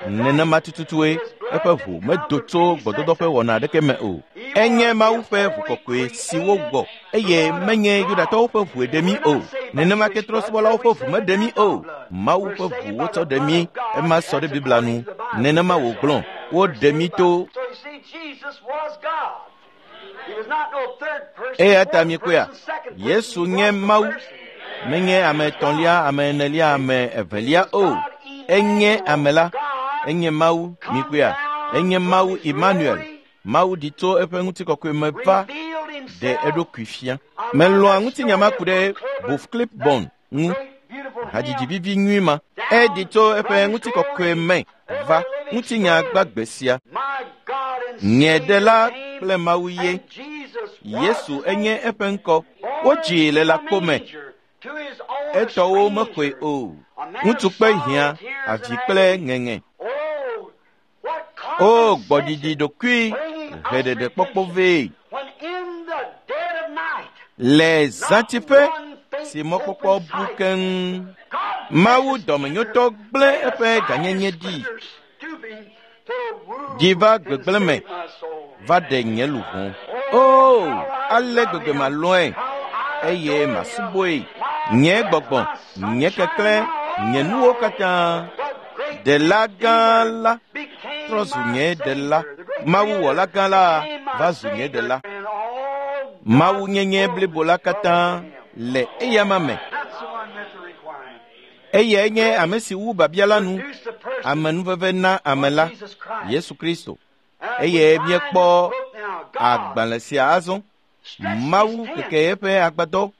Nenema tututue eƒe ʋu medo tso gbɔdɔdɔ ƒe wɔna aɖeke me o. Enye Mawu ƒe ʋu kɔkɔe si wowɔ eye menye Yudatɔwo ƒe ʋue ɖe mí o. Nenema ke trɔ̃subɔlawo ƒe ʋu meɖe mí o. Mawu ƒe ʋu wotsɔ ɖe mí. Ema sɔ ɖe Biblia nu. Nenema wògblɔ. Woɖe mí to. Eya ta mikpɔea, Yesu nye Mawu. Menye ame etɔ̃lia, ame enelia, ame evelia o. Enye ame la. Enye Mawu, mikpɔea. Enye Mawu Emmanuel. Mawu ɖi tso eƒe ŋutikɔkɔe me va ɖe eɖokui fia. Melɔ̃a ŋutinya ma ku ɖe Booth Clibborn ŋu. Hadzidzi vivi nyui ma. Eɖi tso eƒe ŋutikɔkɔe me va ŋutinya gbagbe sia. Nye ɖela kple Mawu ye. Yesu enye eƒe ŋkɔ. Wodzii le lãkpo me. Etɔwo mexɔe o. Ŋutsu kpe hiã, avi kple ŋeŋe. O, gbɔɖiɖi ɖokui heɖeɖekpɔkpɔ vɛ. Le zãtiƒe si mɔkpɔkpɔ bu keŋ, Mawu dɔmenyotɔ gblẽ eƒe gãnyenye ɖi. Ɖi va gbegblẽ me va ɖe nye luʋɔ. O, ale gbegbe malɔ̃e eye masubɔe. Nye gbɔgbɔ, nye keklẽ, nye nuwo katã. Ɖela gã la trɔ zu nye ɖela. Mawuwɔla gã la va zu nye ɖela. Mawu nyenye blibo la katã le eyama me. Eyae nye ame si wu babia la nu, amenuveve na ame la, Yesu Kristo. Eye míekpɔ agbalẽ sia azɔ. Mawu keke eƒe agbadɔ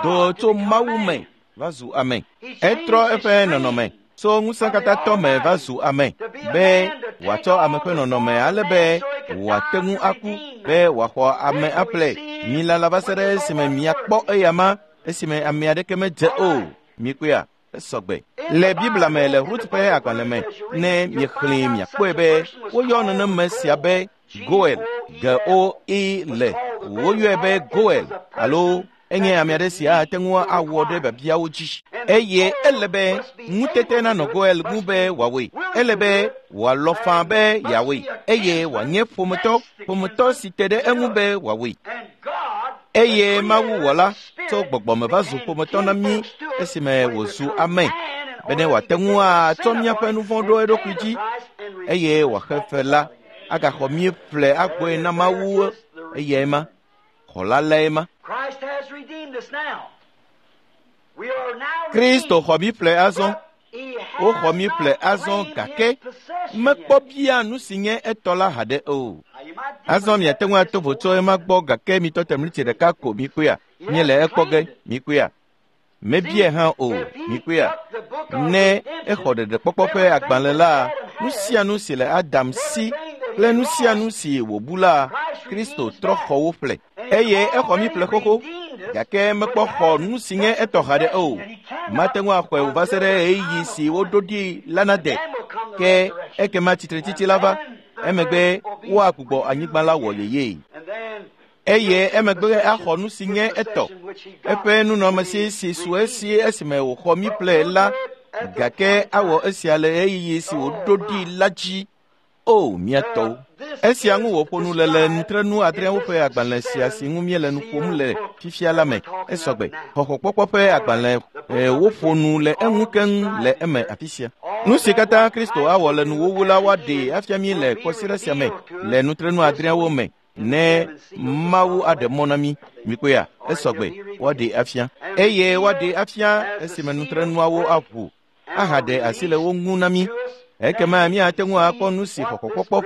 do tso Mawu me va zu ame. Etrɔ eƒe nɔnɔme tso ŋusẽkatãtɔ me va zu ame be wòatsɔ ame ƒe nɔnɔme ale be wòate ŋu aku be wòaxɔ ame aƒle. Milala va se ɖe esime miakpɔ eyama esime ame aɖeke medze o. Mikpɔea? Esɔgbe. Le Biblia me le Rut ƒe agbalẽ me, ne miexlẽe miakpɔe be woyɔ neneme sia be Goel, G O E L. Woyɔe be Goel alo enye ame aɖe si ate ŋu awɔ ɖe biabiawo dzi. Eye ele be ŋutete nanɔ Goel ŋu be wòawɔe. Ele be wòalɔ̃ faa be yeawɔe eye wòanye ƒometɔ, ƒometɔ si te ɖe eŋu be wòawɔe. Eye Mawuwɔla tso gbɔgbɔme va zu ƒometɔ na mí esime wòzu ame bene wòate ŋu atsɔ míaƒe nu vɔ̃ ɖo eɖokui dzi eye wòaxe fe la agaxɔ mí ƒle agbɔe na Mawu. Eyae ma, xɔla lae ma. Kristo xɔ mí ƒle azɔ. Woxɔ mí ƒle azɔ gake mekpɔ bia nu si nye etɔ la haɖe o. Azɔ miate ŋu ato vo tso ema gbɔ gake mitɔ te mlitsi ɖeka ko mikpɔea. Míele ekpɔ ge mikpɔea. Mebia hã o mikpɔea. Ne exɔ ɖeɖekpɔkpɔ ƒe agbalẽ la, nu sia nu si le Adam si kple nu sia nu si wòbu la, Kristo trɔ xɔ wo ƒle. Eye exɔ mí ƒle xoxo gake mekpɔ xɔ nu si nye etɔ haɖe o. Mate ŋu axɔe o va se ɖe ɣeyiɣi si woɖo ɖi la nade. Ke ekema tsitretsitsi la va. Emegbe woagbugbɔ anyigba la wɔ yeyee. Eye emegbe axɔ nu si nye etɔ, eƒe nunɔamesi si su esi esime wòxɔ mí ƒle la, gake awɔ esia le ɣeyiɣi si wòɖo ɖi la dzi. O, mía tɔwo! Esia ŋu wòƒo nu le le nutrenu adreawo ƒe agbalẽ sia si ŋu míele nu ƒom le fifia la me. Esɔgbe. Xɔxɔkpɔkpɔ ƒe agbalẽ woƒo nu le eŋu keŋ le eme afi sia. Nu si katã Kristo awɔ le nuwuwu la woaɖee afia mí le kɔsiɖa sia me le nutrenu adreawo me ne Mawu aɖe mɔ na mí. Mikpɔea? Esɔgbe. Woaɖee afia. Eye woaɖee afia esime nutrenuawo aʋu ahaɖe asi le wo ŋu na mí. Ekema míate ŋu akpɔ nu si xɔxɔkpɔkpɔ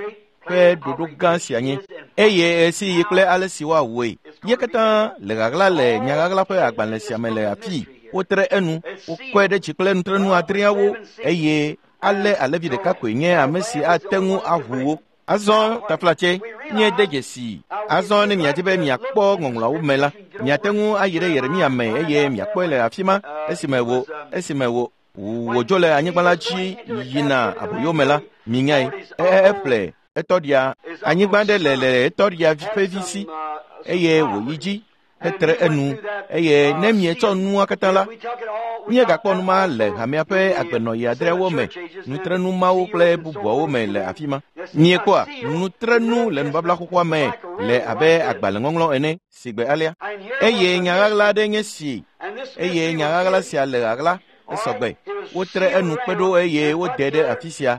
ƒe ɖoɖo gã sia nye eye ɣesiɣi kple ale si woawɔe. Ye katã le ɣaɣla le nyaɣaɣla ƒe agbalẽ sia me le afii. Wotre enu, wokɔe ɖe dzi kple nutrenu adreawo eye ale alevi ɖeka koe nye ame si ate ŋu aʋu wo. Azɔ taflatse, míede dzesi. Azɔ ne miadi be miakpɔ ŋɔŋlɔawo me la, miate ŋu ayi ɖe Yeremia me eye miakpɔe le afi ma esime wo esime wo wòdzo le anyigba la dzi yina aboyome la, minyae. Eƒle etɔɖia anyigba ɖe le le etɔɖia ƒe vi si eye wòyi dzi hetre enu eye ne mietsɔ nua katã la, míegakpɔ nu ma le hamea ƒe agbenɔɣi adreawo me, nutrenu mawo kple bubuawo me le afi ma. Miekpɔa nutrenu le nubabla xoxoa me le abe agbalẽŋɔŋlɔ ene si gbe alea. Eye nyaɣaɣla aɖe nye si eye nyaɣaɣla sia le ɣaɣla. Esɔgbe. Wotre enu kpe ɖo eye wode ɖe afi sia.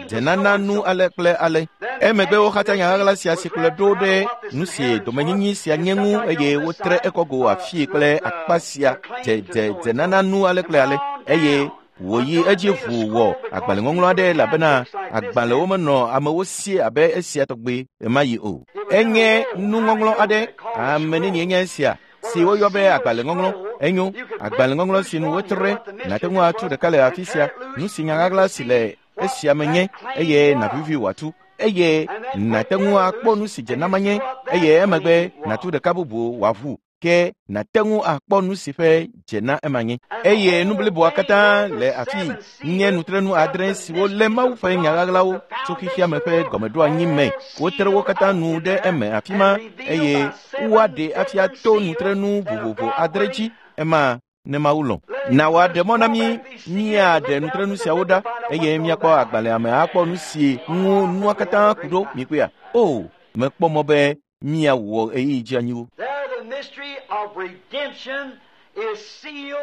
Dzenana nu ale kple ale. Emegbe woxatsa nyaɣaɣla sia si kplɔe ɖo ɖe nu si domenyinyi sia nye ŋu eye wotre ekɔgo afii kple akpa sia dze dze dzenana nu ale kple ale. Eye wòyi edzi ʋu wɔ agbalẽŋɔŋlɔ aɖe elabena agbalẽwo menɔ amewo si abe esia tɔgbe ɣemaɣi o. Enye nuŋɔŋlɔ aɖe. Ame nenie nye esia si woyɔ be agbalẽŋɔŋlɔ. Enyo, agbalẽŋɔŋlɔ si nu wotre, nàte ŋu atu ɖeka le afi sia. Nu si nyaɣaɣla si le esia me nye eye nàvivi wòatu. Eye nàte ŋu akpɔ nu si dzenama nye eye emegbe nàtu ɖeka bubu wòaʋu. Ke nàte ŋu akpɔ nu si ƒe dzena ema nye. Eye nu bliboa katã le afii nye nutrenu adre siwo lé Mawu ƒe nyaɣaɣlawo tso xexea me ƒe gɔmeɖoanyi me. Wotre wo katã nu ɖe eme afi ma eye woaɖe afia to nutrenu vovovo adre dzi. Ema ne Mawu lɔ̃. Na wòaɖe mɔ na mí míaɖe nutrenu siawo ɖa eye míakpɔ agbalẽa me akpɔ nu si ŋu nua katã ku ɖo. Mikpɔea? O, mekpɔ mɔ be míawɔ ɣeyiɣi dzi anyiwo. There the mystery of redemption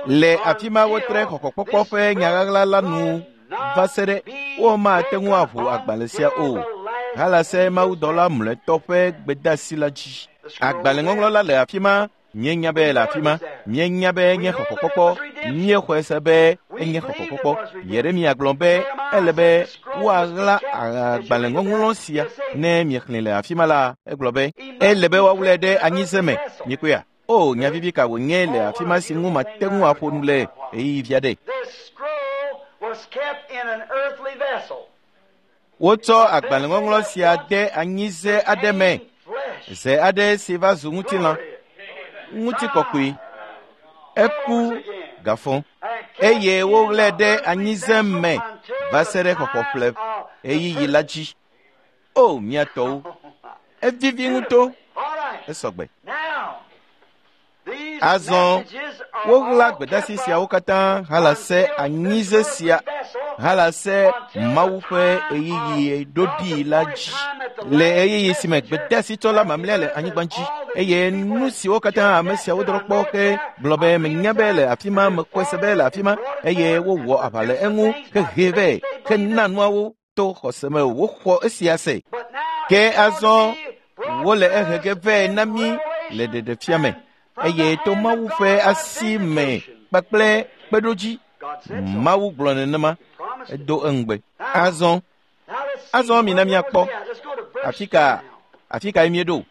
Le afi ma wotre xɔxɔkpɔkpɔ ƒe nyaɣaɣla la nu va se ɖe womate ŋu aʋu agbalẽ sia o. Halase mawudɔla mlɔetɔ ƒe gbedeasi la dzi. Agbalẽŋɔŋlɔ la le afi ma. Míenya be le afi ma. Míenya be enye xɔxɔkpɔkpɔ. Míexɔe se be enye xɔxɔkpɔkpɔ. Yeremia gblɔ be ele be woaɣla agbalẽŋɔŋlɔ sia ne miexlẽ le afi ma la, egblɔ be ele be woawlɛ ɖe anyize me. Mikpɔea? O, nya vivi ka wònye le afi ma si ŋu mate ŋu aƒo nu le ɣeyiɣi vi aɖe. Wotsɔ agbalẽŋɔŋlɔ sia de anyize aɖe me, ze aɖe si va zu ŋutilã, ŋutikɔkɔe. Eku gafɔ eye woɣlae ɖe anyize me va se ɖe xɔxɔƒle ɣeyiɣi la dzi. O, mía tɔwo, evivi ŋutɔ, esɔgbe. Azɔ woɣla gbedeasi siawo katã halase anyize sia halase Mawu ƒe ɣeyiɣi ɖoɖi la dzi le ɣeyiɣi si me gbedeasitsɔla mamlɛa le anyigba dzi eye nu siwo katã ame siawo drɔ kpɔ ke gblɔ be menya be le afi ma, mekɔe se be le afi ma eye wowɔ aʋa le eŋu hehee vɛ hena nuawo to xɔse me woxɔ esia se. Ke azɔ wole ehe ge vɛ na mí le ɖeɖefia me eye to Mawu ƒe asi me kpakple kpeɖodzi. Mawu gblɔ nenema, edo eŋugbe. Azɔ, azɔ mina míakpɔ afi ka afi kae míeɖo.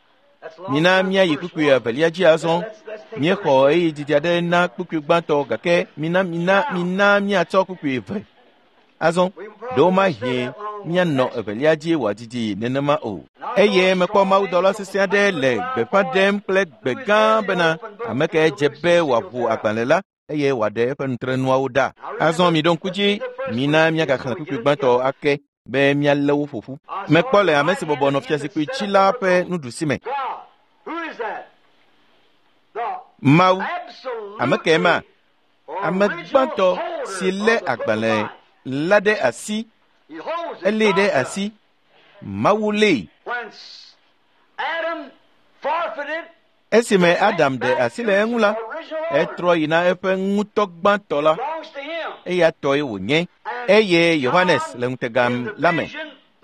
Mina míayi kpukpui evelia dzi azɔ. Míexɔ ɣeyiɣi didi aɖe na kpukpui gbãtɔ gake mina mina mina míatsɔ kpukpui eve. Azɔ ɖewomahi míanɔ evelia dzi wòadidi nenema o. Eye mekpɔ mawudɔla sesẽ aɖe le gbeƒã ɖem kple gbe gã bena ame kae dze be wòaʋu agbalẽ la eye wòaɖe eƒe nutrenuawo ɖa. Azɔ miɖo ŋku dzi, mina míagaxlẽ kpukpui gbãtɔ ake be míalé wo ƒo ƒu. Mekpɔ le ame si bɔbɔ nɔ fiazikpui dzi la ƒe nuɖusi me. Mawu, ame kae ma? Ame gbãtɔ si lé agbalẽ la ɖe asi, elée ɖe asi. Mawu lée. Esime Adam ɖe asi le eŋu la, etrɔ yina eƒe ŋutɔ gbãtɔ la, eya tɔe wònye. Eye Yohanes le ŋutega la me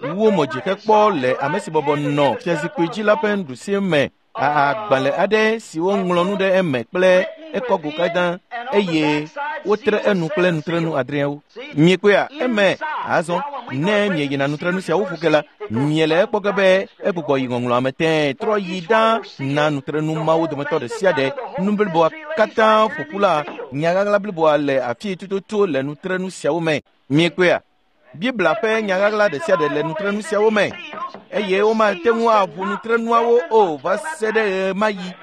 wu mo dzi hekpɔ le ame si bɔbɔ nɔ fiazikpui dzi la ƒe nuɖusi me agbalẽ aɖe si woŋlɔ nu ɖe eme kple ekɔgo katã eye wotre enu kple nutrenu adreawo. Miekpɔea eme azɔ ne mieyina nutrenu siawo ƒo ke la, miele ekpɔ ge be egbugbɔ yi ŋɔŋlɔa me tẽe trɔ yi ɖa na nutrenu mawo dometɔ ɖe sia ɖe. Nu bliboa katã ƒo ƒu la, nyaɣaɣla bliboa le afi tututu le nutrenu siawo me. Miekpɔea? Biblia ƒe nyaɣaɣla ɖe sia ɖe le nutrenu siawo me eye womate ŋu aʋu nutrenuawo o va se ɖe ɣemaɣi.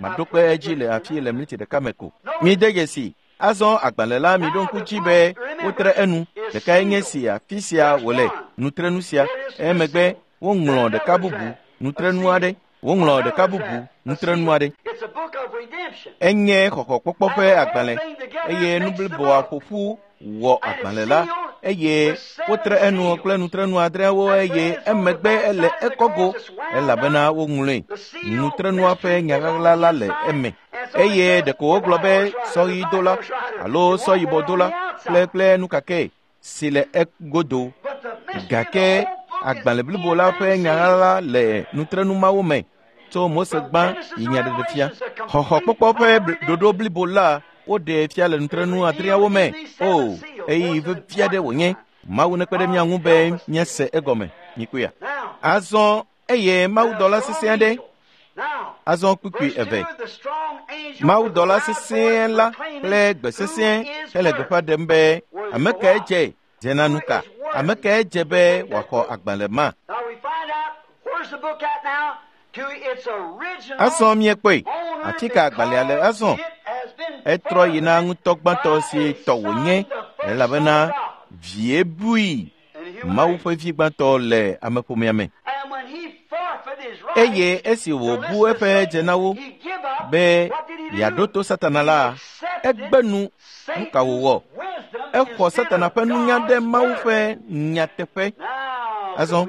Maɖo kpe edzi le afi le miniti ɖeka me ko. Mide dzesi azɔ agbalẽ la miɖo ŋku dzi be wotre enu. Ɖekae nye si afi sia wòle nutrenu sia. Emegbe woŋlɔ ɖeka bubu nutrenu aɖe. Woŋlɔ ɖeka bubu nutrenu aɖe. Enye xɔxɔkpɔkpɔ ƒe agbalẽ eye nu bliboa ƒo ƒu wɔ agbalẽ la eye wotre enu kple nutrenu adreawo eye emegbe ele ekɔgo elabena woŋlɔe. Nutrenua ƒe nyaɣaɣla la le eme eye ɖeko wogblɔ be sɔɣidola alo sɔyibɔdola kple kple nukake si le egodo. Gake agbalẽ blibo la ƒe nyaɣaɣla le nutrenu mawo me tso Mose gbã yi Nyaɖeɖefia. Xɔxɔkpɔkpɔ ƒe ɖoɖo blibo la woɖee fia le nutrenu adreawo me. O, ɣeyiɣi vevi aɖe wònye. Mawu nekpe ɖe mía ŋu be míase egɔme. Mikpɔea? Azɔ eye mawudɔla sesẽ aɖe. Azɔ kpukpui eve. Mawudɔla sesẽ la kple gbe sesẽ hele gbeƒã ɖem be ame kae dze dze na nu ka? Ame kae dze be wòaxɔ agbalẽ ma? Azɔ míekpɔe. Afi ka agbalẽa le azɔ? Etrɔ yina ŋutɔ gbãtɔ si tɔ wònye elabena vie bui Mawu ƒe vi gbãtɔ le ameƒomea me. Eye esi wòbu eƒe dzenawo be yeaɖo to Satana la, egbe nu. Nu ka wòwɔ? Exɔ Satana ƒe nunya ɖe Mawu ƒe nyateƒe. Azɔ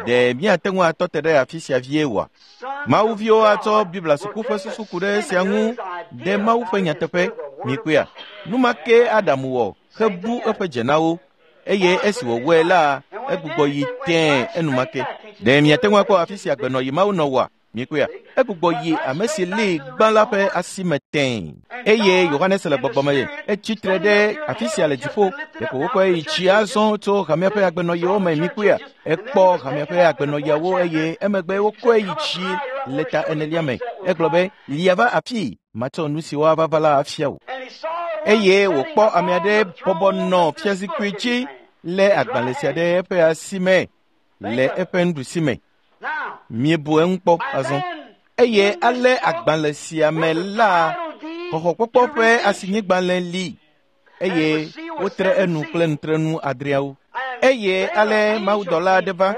ɖe míate ŋu atɔ te ɖe afi sia vie oa? Mawuviwo atsɔ Biblia suku ƒe susu ku ɖe esia ŋu ɖe Mawu ƒe nyateƒe. Mikpɔea, nu ma ke Adamu wɔ hebu eƒe dzenawo eye esi wòwɔe la, egbugbɔ yi tẽe enumake. Ɖe miate ŋu akpɔ afi si agbenɔyi Mawu nɔ oa? Mikpɔea, egbugbɔ yi ame si lée gbã la ƒe asi me tẽe. Eye Yohanes le gbɔgbɔ me etsi tre ɖe afi sia le dziƒo. Ɖeko wokɔe yi tsi azɔ tso hamea ƒe agbenɔyiwo me. Mikpɔea, ekpɔ hamea ƒe agbenɔyiawo eye emegbe wokɔe yi tsi le ta enelia me. Egblɔ be, lia va afii, matsɔ nu siwo ava va la afia wò. Eye wòkpɔ ame aɖe bɔbɔ nɔ fiazikpui dzi lé agbalẽ sia ɖe eƒe asi me le eƒe nuɖusi me. Miebu eŋu kpɔ azɔ. Eye ale agbalẽ sia me la, xɔxɔkpɔkpɔ ƒe asinyigbalẽ li eye wotre enu kple nutrenu adreawo. Eye ale mawudɔla aɖe va,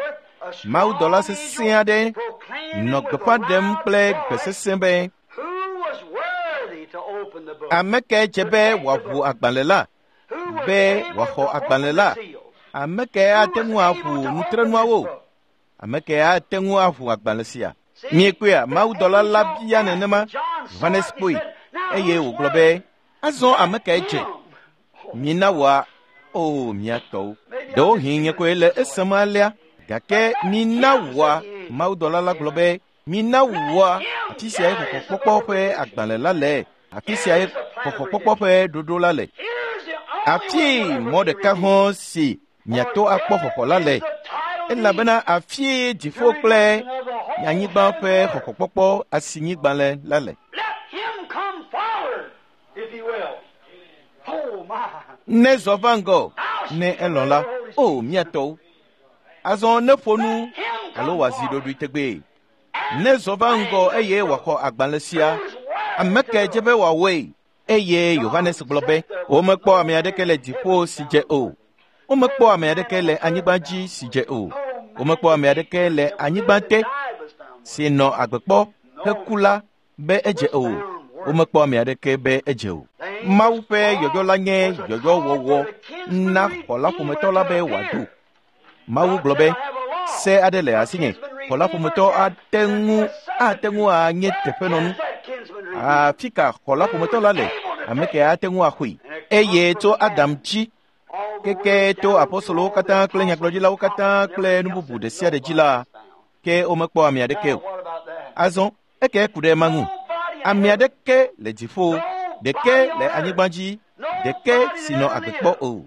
mawudɔla sesẽ aɖe nɔ gbeƒã ɖem kple gbe sesẽ be, ame kae dze be wòaʋu agbalẽ la, be wòaxɔ agbalẽ la? Ame kae ate ŋu aʋu nutrenuawo? Ame kae ate ŋu aʋu agbalẽ sia? Miekpɔea, mawudɔla la bia nenema. Yohanes kpɔe eye wògblɔ be, azɔ ame kae dze? Mina wòa, o mia tɔwo. Ɖewohĩ nye koe le esem alea, gake mina wòa, mawudɔla la gblɔ be, mina wòa, afi siae xɔxɔkpɔkpɔ ƒe agbalẽ la le, afi siae xɔxɔkpɔkpɔ ƒe ɖoɖo la le. Afi mɔ ɖeka hã si miato akpɔ xɔxɔ la le, elabena afie dziƒo kple anyigba ƒe xɔxɔkpɔkpɔ asinyigbalẽ la le. Ne zɔ va ŋgɔ, ne elɔ̃ la, o mia tɔwo. Azɔ ne ƒo nu alo wòazi ɖoɖoe tegbee. Ne zɔ va ŋgɔ eye wòaxɔ agbalẽ sia, ame kae dze be wòawɔe? Eye Yohanes gblɔ be, womekpɔ ame aɖeke le dziƒo si dze o. Womekpɔ ame aɖeke le anyigba dzi si dze o. Womekpɔ ame aɖeke le anyigba te si nɔ agbe kpɔ heku la be edze o. Womekpɔ ame aɖeke be edze o. Mawu ƒe yɔyɔ la nye yɔyɔwɔwɔ na xɔla ƒometɔ la be wòado. Mawu gblɔ be, se aɖe le asinye, xɔla ƒometɔ ate ŋu ate ŋu anye teƒenɔnu. Afi ka xɔla ƒometɔ la le? Ame ke ate ŋu axɔe. Eye tso Adam dzi keke to apostolowo katã kple nyagblɔɖilawo katã kple nu bubu ɖe sia ɖe dzi la, ke womekpɔ ame aɖeke o. Azɔ eke ku ɖe ema ŋu. Ame aɖeke le dziƒo, ɖeke le anyigba dzi, ɖeke si nɔ agbe kpɔ o.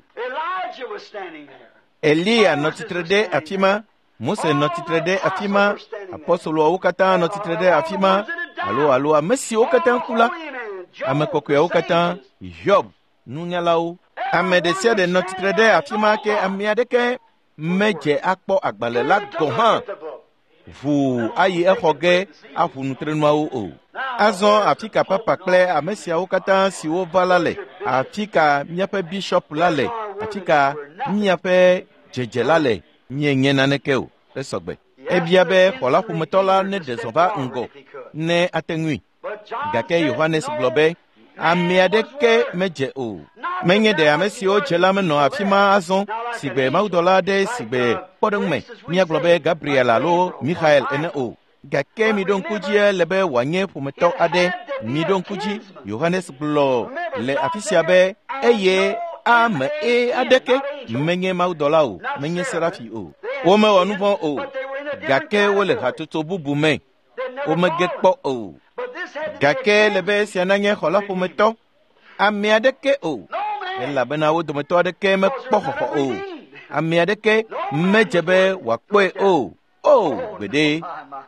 Eliya nɔ tsitre ɖe afi ma, Mose nɔ tsitre ɖe afi ma, apostoloawo katã nɔ tsitre ɖe afi ma, alo alo ame siwo katã ku la, ame kɔkɔeawo katã, Hiob, nunyalawo. Ame ɖe sia ɖe nɔ tsitre ɖe afi ma ke ame aɖeke medze akpɔ agbalẽ la gɔ̃ hã ʋuu ayi exɔ ge aʋu nutrenuawo o. Azɔ afi ka papa kple ame siawo katã siwo va la le? Afi ka míaƒe bishɔp la le? Afi ka míaƒe dzedze la le? Míenye naneke o. Esɔgbe. Ebia be xɔla ƒometɔ la neɖe zɔ va ŋgɔ ne ate ŋui. Gake Yohanes gblɔ be, ame aɖeke medze o. Menye ɖe ame siwo dze la menɔ afi ma azɔ sigbe mawudɔla aɖe sigbe kpɔɖeŋume míagblɔ be Gabriel alo Michael ene o. Gake miɖo ŋku dzi le be wòanye ƒometɔ aɖe. Miɖo ŋku dzi, Yohanes gblɔ le afi sia be eye ame e aɖeke menye mawudɔla o, menye serafi o. Womewɔ nu vɔ̃ o, gake wole hatsotso bubu me. Womege kpɔ o. Gake le be esia nanye xɔla ƒometɔ, ame aɖeke o, elabena wo dometɔ aɖeke mekpɔ xɔxɔ o. Ame aɖeke medze be wòakpɔe o. O, gbeɖe,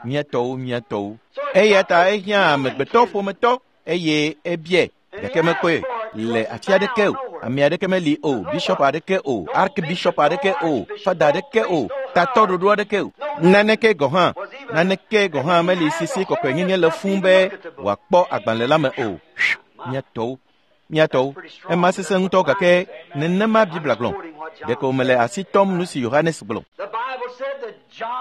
mía tɔwo, mía tɔwo. Eya ta ehiã amegbetɔ ƒometɔ eye ebiae, gake mekpɔe le afi aɖeke o. Ame aɖeke meli o, bishɔp aɖeke o, archbishop aɖeke o, fada aɖeke o, tatɔ ɖoɖo aɖeke o. Naneke gɔ̃ hã, naneke gɔ̃ hã meli sisi kɔkɔenyenye le fũu be wòakpɔ agbalẽ la me o. Mía tɔwo, mía tɔwo, ema sesẽ ŋutɔ gake nenema Biblia gblɔ. Ɖeko mele asi tɔm nu si Yohanes gblɔ.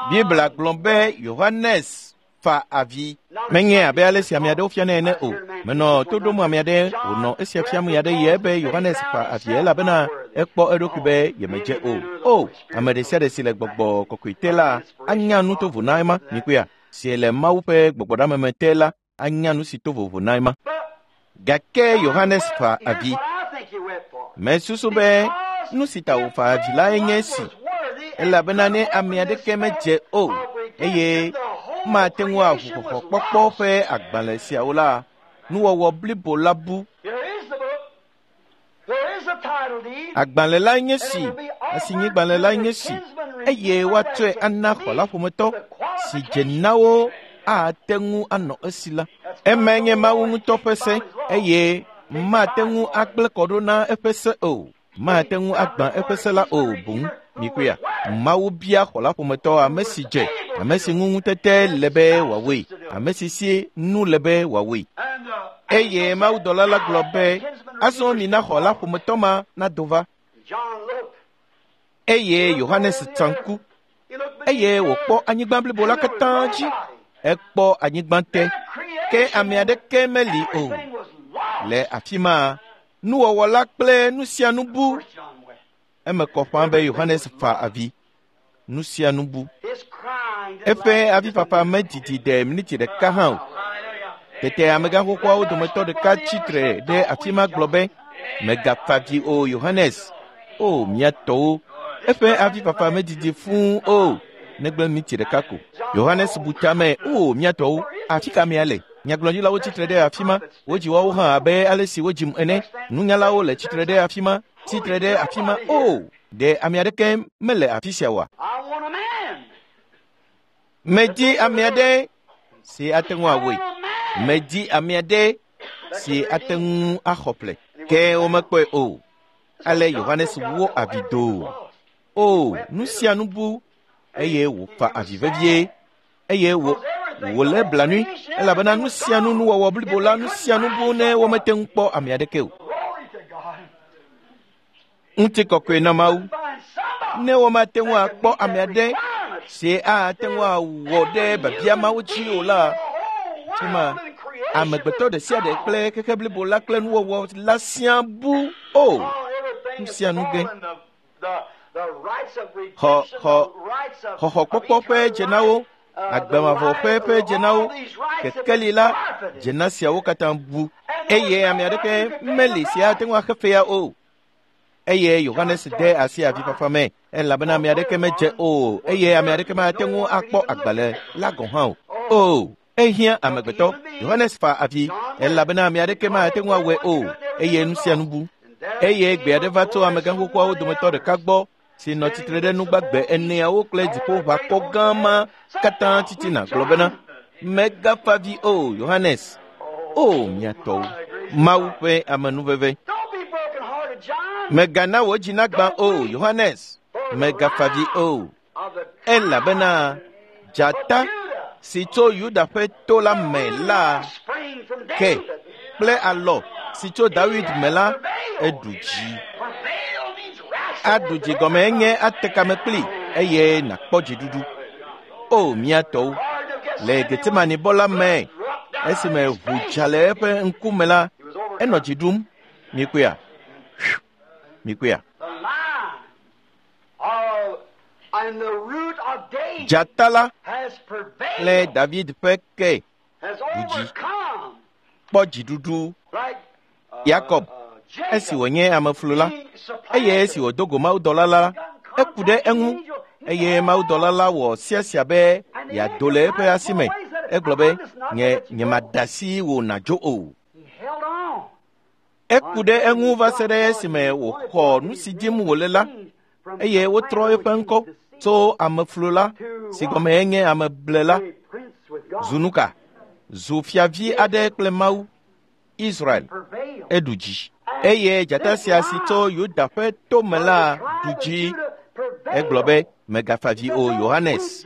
Biblia gblɔ be Yohanes Fa avi. Menye abe ale si ame aɖewo fiana ene o. Menɔ to ɖom ame aɖe wònɔ esia fiam ya ɖe ye be Yohanes fa avi elabena ekpɔ eɖokui be yemedze o. O, ame ɖe sia ɖe si le gbɔgbɔ kɔkɔe te la anya nu tovo na ema. Mikpɔea, si le Mawu ƒe gbɔgbɔɖameme te la anya nu si to vovo na ema. Gake Yohanes fa avi. Mesusu be nu si ta wòfa avi lae nye esi, elabena ne ame aɖeke medze o eye mate ŋu aʋu xɔxɔkpɔkpɔ ƒe agbalẽ siawo la, nuwɔwɔ blibo la bu. Agbalẽ lae nye si, asinyigbalẽ lae nye si, eye woatsɔe ana xɔla ƒometɔ si dze na wo ate ŋu anɔ esi la. Emae nye Mawu ŋutɔ ƒe se, eye mate ŋu agblẽ kɔ ɖo na eƒe se o. Mate ŋu agbã eƒe se la o boŋ. Mikpɔea, Mawu bia xɔla ƒometɔ ame si dze, ame si ŋu ŋutete le be wòawɔe, ame si si nu le be wòawɔe. Eye mawudɔla la gblɔ be, azɔ mina xɔla ƒometɔ ma nado va. Eye Yohanes tsa ŋku, eye wòkpɔ anyigba blibo la katã dzi. Ekpɔ anyigba te, ke ame aɖeke meli o. Le afi ma, nuwɔwɔ la kple nu sia nu bu. Eme kɔ ƒãa be Yohanes fa avi. Nu sia nu bu. Eƒe avifafa medidi ɖe miniti ɖeka hã o. Tete amegãxoxoawo dometɔ ɖeka tsitre ɖe afi ma gblɔ be, megafa avi o Yohanes. O mía tɔwo, eƒe avifafa medidi fũu o, negbe miniti ɖeka ko. Yohanes bu tame, o mía tɔwo, afi ka amea le? Nyagblɔɖilawo tsitre ɖe afi ma, wodzi woawo hã abe ale si wodzim ene. Nunyalawo le tsitre ɖe afi ma, tsitre ɖe afi ma. O, ɖe ame aɖeke mele afi sia oa? Medi ame aɖe si ate ŋu awɔe. Medi ame aɖe si ate ŋu axɔ ƒle. Ke womekpɔe o. Ale Yohanes wo avi doo. O, nu sia nu bu, eye wòfa avi vevie, eye wò wòlé blanui, elabena nu sia nu nuwɔwɔ blibo la nu sia nu bu ne womete ŋu kpɔ ame aɖeke o. Ŋutikɔkɔe na Mawu. Ne womate ŋu akpɔ ame aɖe si ate ŋu awɔ ɖe biabia mawo dzi o la, tuma amegbetɔ ɖe sia ɖe kple xexe blibo la kple nuwɔwɔ la siaa bu o. Nu sia nu ge. Xɔ xɔ xɔxɔkpɔkpɔ ƒe dzenawo, agbemavɔ ƒe ƒe dzenawo, kekeli la dzena siawo katã bu, eye ame aɖeke meli si ate ŋu axe fea o. Eye Yohanes de asi avifafa me, elabena ame aɖeke medze o, eye ame aɖeke mate ŋu akpɔ agbalẽ la gɔ̃ hã o. O, ehiã amegbetɔ. Yohanes fa avi, elabena ame aɖeke mate ŋu awɔe o, eye nu sia nu bu. Eye gbe aɖe va tso amegãxoxoawo dometɔ ɖeka gbɔ si nɔ tsitre ɖe nugbagbe eneawo kple dziƒoʋakɔ gã ma katã titina gblɔ bena, megafa avi o, Yohanes. O, mía tɔwo, Mawu ƒe amenuveve. Megana wò dzi nagbã o, Yohanes. Megafa avi o, elabena dzata si tso Yuda ƒe to la me la ke kple alɔ si tso Dawid me la eɖu dzi. Aɖu dzi gɔme nye ate kame kpli eye nàkpɔ dziɖuɖu. O mía tɔwo, le Getsemanibɔ la me, esime ʋu dza le eƒe ŋkume la, enɔ dzi ɖum. Mikpɔea? Mikpɔea? Dzata la le David ƒe ke ɖu dzi, kpɔ dziɖuɖu. Yakob, esi wònye ameflu la, eye esi wòdo go mawudɔla la, eku ɖe eŋu, eye mawudɔla la wɔ siasia be yeado le eƒe asi me. Egblɔ be, nye nyemada asi wò nàdzo o. Eku ɖe eŋu va se ɖe esime wòxɔ nu si dim wòle la, eye wotrɔ eƒe ŋkɔ tso ameflu la, si gɔme nye ameble la, zu nuka? Zu fiavi aɖe kple Mawu, Israel, eɖu dzi. Eye dzata sia si tso Yuda ƒe tome la ɖu dzi. Egblɔ be, megafa avi o, Yohanes,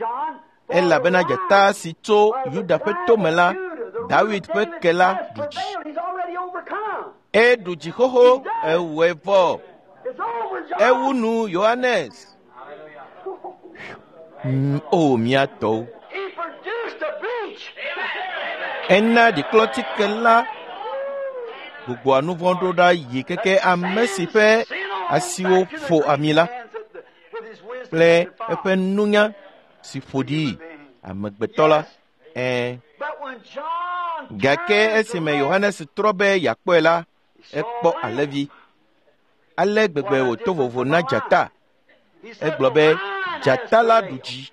elabena dzata si tso Yuda ƒe tome la, Dawid ƒe ke la ɖu dzi. Eɖu dzi xoxo, ewɔe vɔ. Ewu nu Yohanes. O mía tɔwo. Ena ɖiklɔtike la gbugbɔa nu vɔ̃ ɖo ɖa yi keke ame si ƒe asiwo ƒo ami la kple eƒe nunya si ƒo ɖi amegbetɔ la. Ɛ̃. Gake esime Yohanes trɔ be yeakpɔe la, ekpɔ alẽvi. Ale gbegbe wòto vovo na dzata. Egblɔ be dzata la ɖu dzi.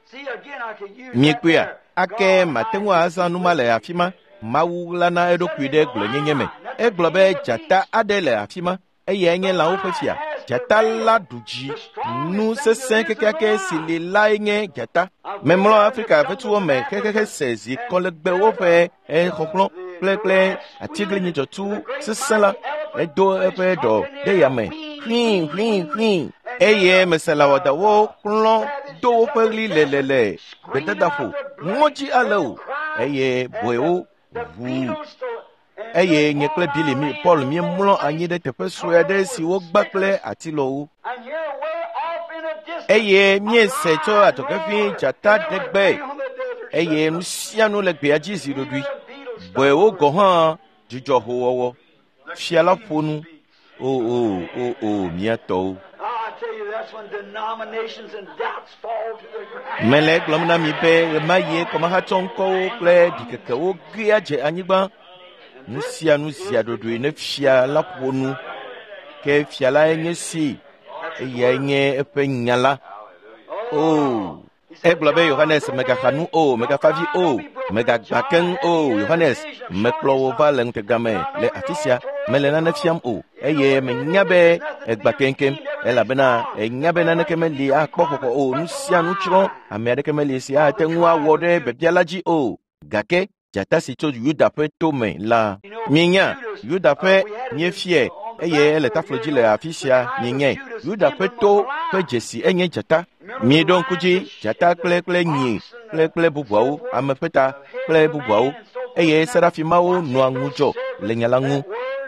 Miekpɔea? Ake mate ŋu azã nu ma le afi ma. Mawu ɣlana eɖokui ɖe gblɔenyenye me. Egblɔ be dzata aɖe le afi ma. Eyae nye lãwo ƒe fia. Dzata la ɖu dzi. Nu sesẽ kekeake si li lae nye dzata. Memlɔ Afrika ƒe me xexexe se zi kɔlegbewo ƒe exɔxlɔ̃ kple kple atiglinyi dzɔtsu sesẽ la. Edo eƒe ɖɔ ɖe yame ʋĩi ʋĩi ʋĩi eye meselãwɔdawo xlɔ̃ do woƒe ɣli lelele gbedadaƒo ŋɔdzi ale o eye bɔewo ʋu. Eye nye kple Billy mi Paul míemlɔ anyi ɖe teƒe sue aɖe si wogba kple atilɔwo. Eye míese tso adzɔge dzata ɖe gbe eye nu sia nu le gbea dzi zi ɖoɖoe. Bɔewo gɔ̃ hã dzudzɔ howɔwɔ. Fia la ƒo nu. O o o o mía tɔwo. Mele egblɔm na mi be ɣemaɣie kɔmahatsɔ ŋkɔwo kple ɖikekewo gea dze anyigba. Nu sia nu zia ɖoɖoe ne fia la ƒo nu. Ke fia lae nye si, eyae nye eƒe nya la. O, egblɔ be Yohanes megaxa nu o, megafa vi o, megagbã keŋ o. Yohanes, mekplɔ wò va le ŋutega me le afi sia, mele nane fiam o, eye menya be egbã keŋkeŋ, elabena enya be naneke meli akpɔ xɔxɔ o. Nu sia nu tsrɔ̃, ame aɖeke meli si ate ŋu awɔ ɖe biabia la dzi o. Gake dzata si tso Yuda ƒe to me la, mienya Yuda ƒe míefiae eye ele taflo dzi le afi sia mienyae. Yuda ƒe to ƒe dzesi enye dzata. Mieɖo ŋku dzi dzata kple kple nyi kple kple bubuawo, ame ƒe ta kple bubuawo, eye serafimawo nɔa ŋudzɔ le nya la ŋu.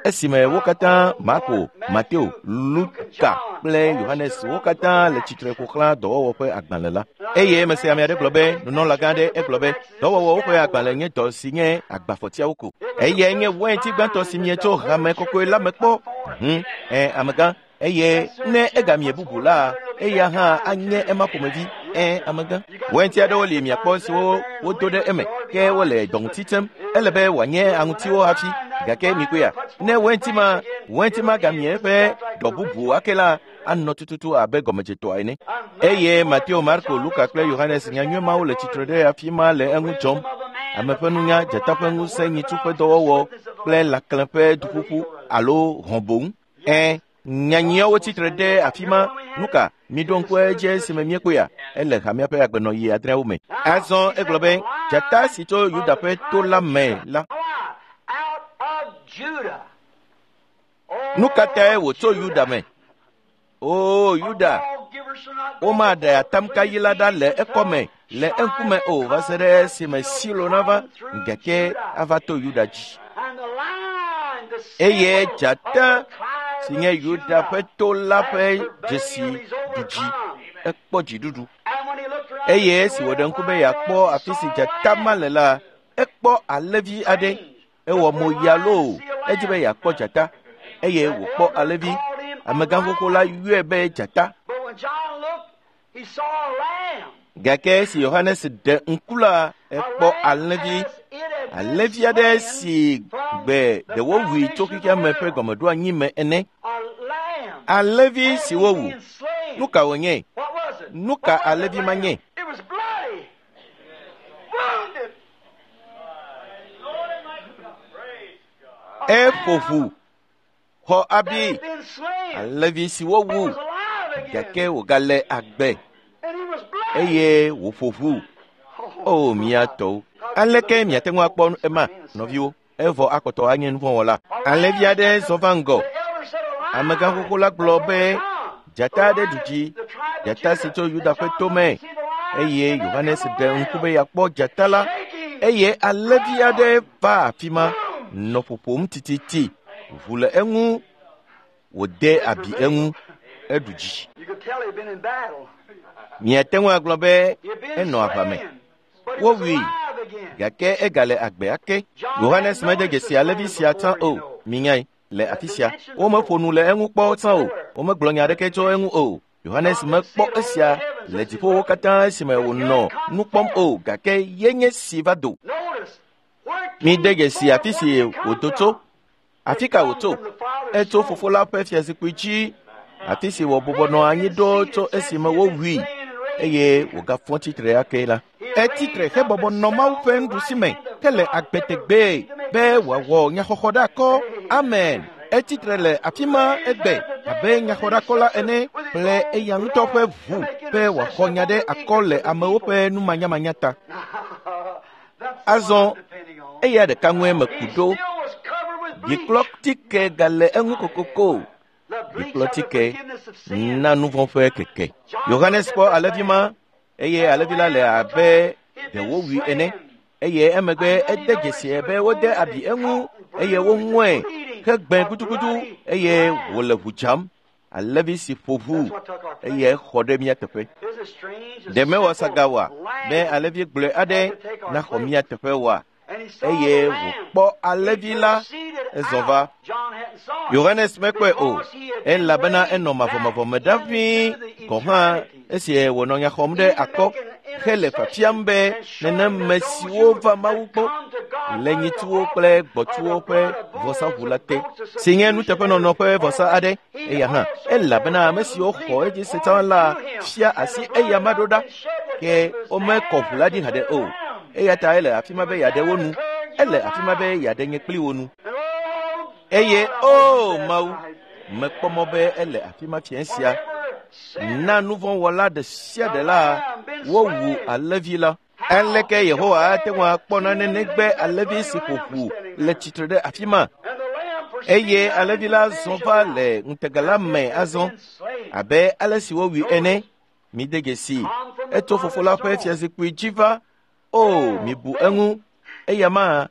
Esime wo katã Marko, Mateo, Luka kple Yohanes wo katã le tsitre ƒo xlã dɔwɔwɔ ƒe agbalẽ la. Eye mese ame aɖe gblɔ be nunɔlagã aɖe egblɔ be dɔwɔwɔwo ƒe agbalẽ nye dɔ si nye agbafɔtiawo ko. Eyae nye wainti gbãtɔ si mietso hame kɔkɔe la me kpɔ. Hm, ɛ amegã. Eye ne egamie bubu la, eya hã anye ema ƒomevi. Ɛ amegã. Wainti aɖewo li miakpɔ siwo wodo ɖe eme ke wole dɔŋuti tem. Ele be wòanye aŋutiwo hafi. Gake mikpɔea, ne wainti ma wainti ma gamie eƒe dɔ bubu ake la, anɔ tututu abe gɔmedzetɔa ene. Eye Mateo, Marko, Luka kple Yohanes nyanyui mawo le tsitre ɖe afi ma le eŋu dzɔm. Ame ƒe nunya, dzata ƒe ŋusẽ, nyitsu ƒe dɔwɔwɔ kple lãklẽ ƒe duƒuƒu alo hɔ̃ boŋ. Ɛ nyanyuiawo tsitre ɖe afi ma. Nuka miɖo ŋku edzi esime míekpɔea? Ele hamea ƒe agbenɔɣi adreawo me. Azɔ egblɔ be dzata si tso Yuda ƒe to la me la. Nu ka tae wòtso Yuda me? O Yuda, womaɖe atamkayi la ɖa le ekɔme le eŋkume o va se ɖe esime Silo nava, gake ava to Yuda dzi. Eye dzata si nye Yuda ƒe to la ƒe dzesi ɖu dzi, ekpɔ dziɖuɖu. Eye esi wòɖe ŋku be yeakpɔ afi si dzata ma le la, ekpɔ alẽvi aɖe. Ewɔ mo ya loo, edzi be yeakpɔ dzata eye wòkpɔ alẽvi. Amegã xoxo la yɔe be dzata. Gake esi Yohanes ɖe ŋku la, ekpɔ alẽvi. Alẽvi aɖe si gbe ɖe wowui tso xexea me ƒe gɔmeɖoanyi me ene. Alẽvi si wowu. Nu ka wònye? Nu ka alẽvi ma nye? Eƒo ʋu, xɔ abi, alẽvi si wowu, gake wògale agbe eye wòƒo ʋu. O mía tɔwo, aleke miate ŋu akpɔ ema, nɔviwo? Evɔ akpɔtɔ anye nuvɔ̃wɔla. Alẽvi aɖe zɔ va ŋgɔ. Amegã xoxo la gblɔ be dzata aɖe ɖu dzi, dzata si tso Yuda ƒe to me. Eye Yohanes ɖe ŋku be yeakpɔ dzata la eye alẽvi aɖe va afi ma nɔ ƒoƒom tititi. Ʋu le eŋu, wòde abi eŋu, eɖu dzi. Miate ŋu agblɔ be enɔ aʋa me. Wowui, Gake egale agbe ake. Yohanes mede dzesi alẽvi sia tsã o. Minyae le afi sia. Womeƒo nu le eŋu kpɔ tsã o. Womegblɔ nya aɖeke tso eŋu o. Yohanes mekpɔ esia le dziƒowo katã esime wònɔ nu kpɔm o, gake yenye si va do. Mide dzesi afi si wòdo tso. Afi ka wòtso? Etso fofo la ƒe fiazikpui dzi, afi si wòbɔbɔ nɔ anyi ɖo tso esime wowui eye wògafɔ tsitre ake la. Etsitre hebɔbɔ nɔ Mawu ƒe nuɖusime hele agbe tegbee be wòawɔ nyaxɔxɔ ɖe akɔ. Amen. Etsitre le afi ma egbe abe nyaxɔɖakɔla ene kple eya ŋutɔ ƒe ʋu be wòaxɔ nya ɖe akɔ le amewo ƒe numanyamanya ta. Azɔ eya ɖeka ŋue meku ɖo. Ɖikplɔtike gale eŋu kokoko. Ɖikplɔtike na nu vɔ̃ ƒe keke. Yohanes kpɔ alẽvi ma eye alẽvi la le abe ɖe wowui ene. Eye emegbe ede dzesi be wode abi eŋu eye woŋɔe hegbẽ gudugudu eye wòle ʋu dzam. Alẽvi si ƒo ʋu eye exɔ ɖe mía teƒe. Ɖe mewɔ saga oa be alẽvi gblɔe aɖe naxɔ mía teƒe oa? Eye wòkpɔ alẽvi la ezɔ va. Yohanes mekpɔe o, elabena enɔ mavɔmavɔ me ɖa ʋĩi gɔ̃ hã esi wònɔ nya xɔm ɖe akɔ hele fiafiam be neneme siwo va Mawu gbɔ le nyitsuwo kple gbɔtsuwo ƒe vɔsaʋu la te, si nye nuteƒenɔnɔ ƒe vɔsa aɖe. Eya hã, elabena ame siwo xɔ edzi se tsã la fia asi eya ma ɖo ɖa, ke womekɔ ʋu la ɖi haɖe o. Eya ta ele afi ma be yeaɖe wo nu. Ele afi ma be yeaɖe nye kpli wo nu. Eye o Mawu, mekpɔ mɔ be ele afi ma fiẽ sia. Na nu vɔ̃ wɔla ɖe sia ɖe la wowu alẽvi la. Aleke Yehowa ate ŋu akpɔ nane negbe alẽvi si ƒo ʋu le tsitre ɖe afi ma? Eye alẽvi la zɔ va le ŋutega la me azɔ abe ale si wowui ene. Mide dzesi, etso fofo la ƒe fiazikpui dzi va. O, mibu eŋu. Eya ma,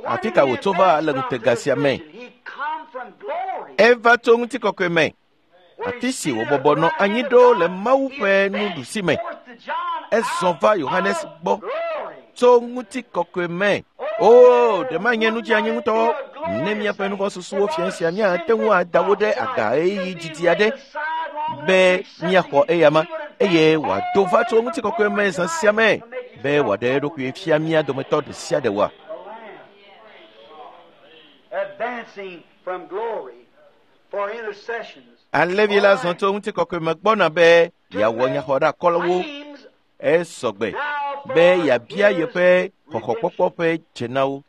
afi ka wòtso va le ŋutega sia me? Eva tso ŋutikɔkɔe me, afi si wòbɔbɔ nɔ anyi ɖo le Mawu ƒe nuɖusi me. Ezɔ va Yohanes gbɔ tso ŋutikɔkɔe me. O, ɖe manye nu dzi anyi ŋutɔ ne míaƒe nuvɔ̃susuwo fia sia míate ŋu ada wo ɖe aga ɣeyiɣi didi aɖe be míaxɔ eya ma eye wòado va tso ŋutikɔkɔe me zã sia me be wòaɖe eɖokui fia mía dometɔ ɖe sia ɖe oa. Alẽvi la zɔ tso ŋutikɔkɔe me gbɔna be yeawɔ nyaxɔɖeakɔlawo. Esɔgbe be yeabia yeƒe xɔxɔkpɔkpɔ ƒe dze na wo.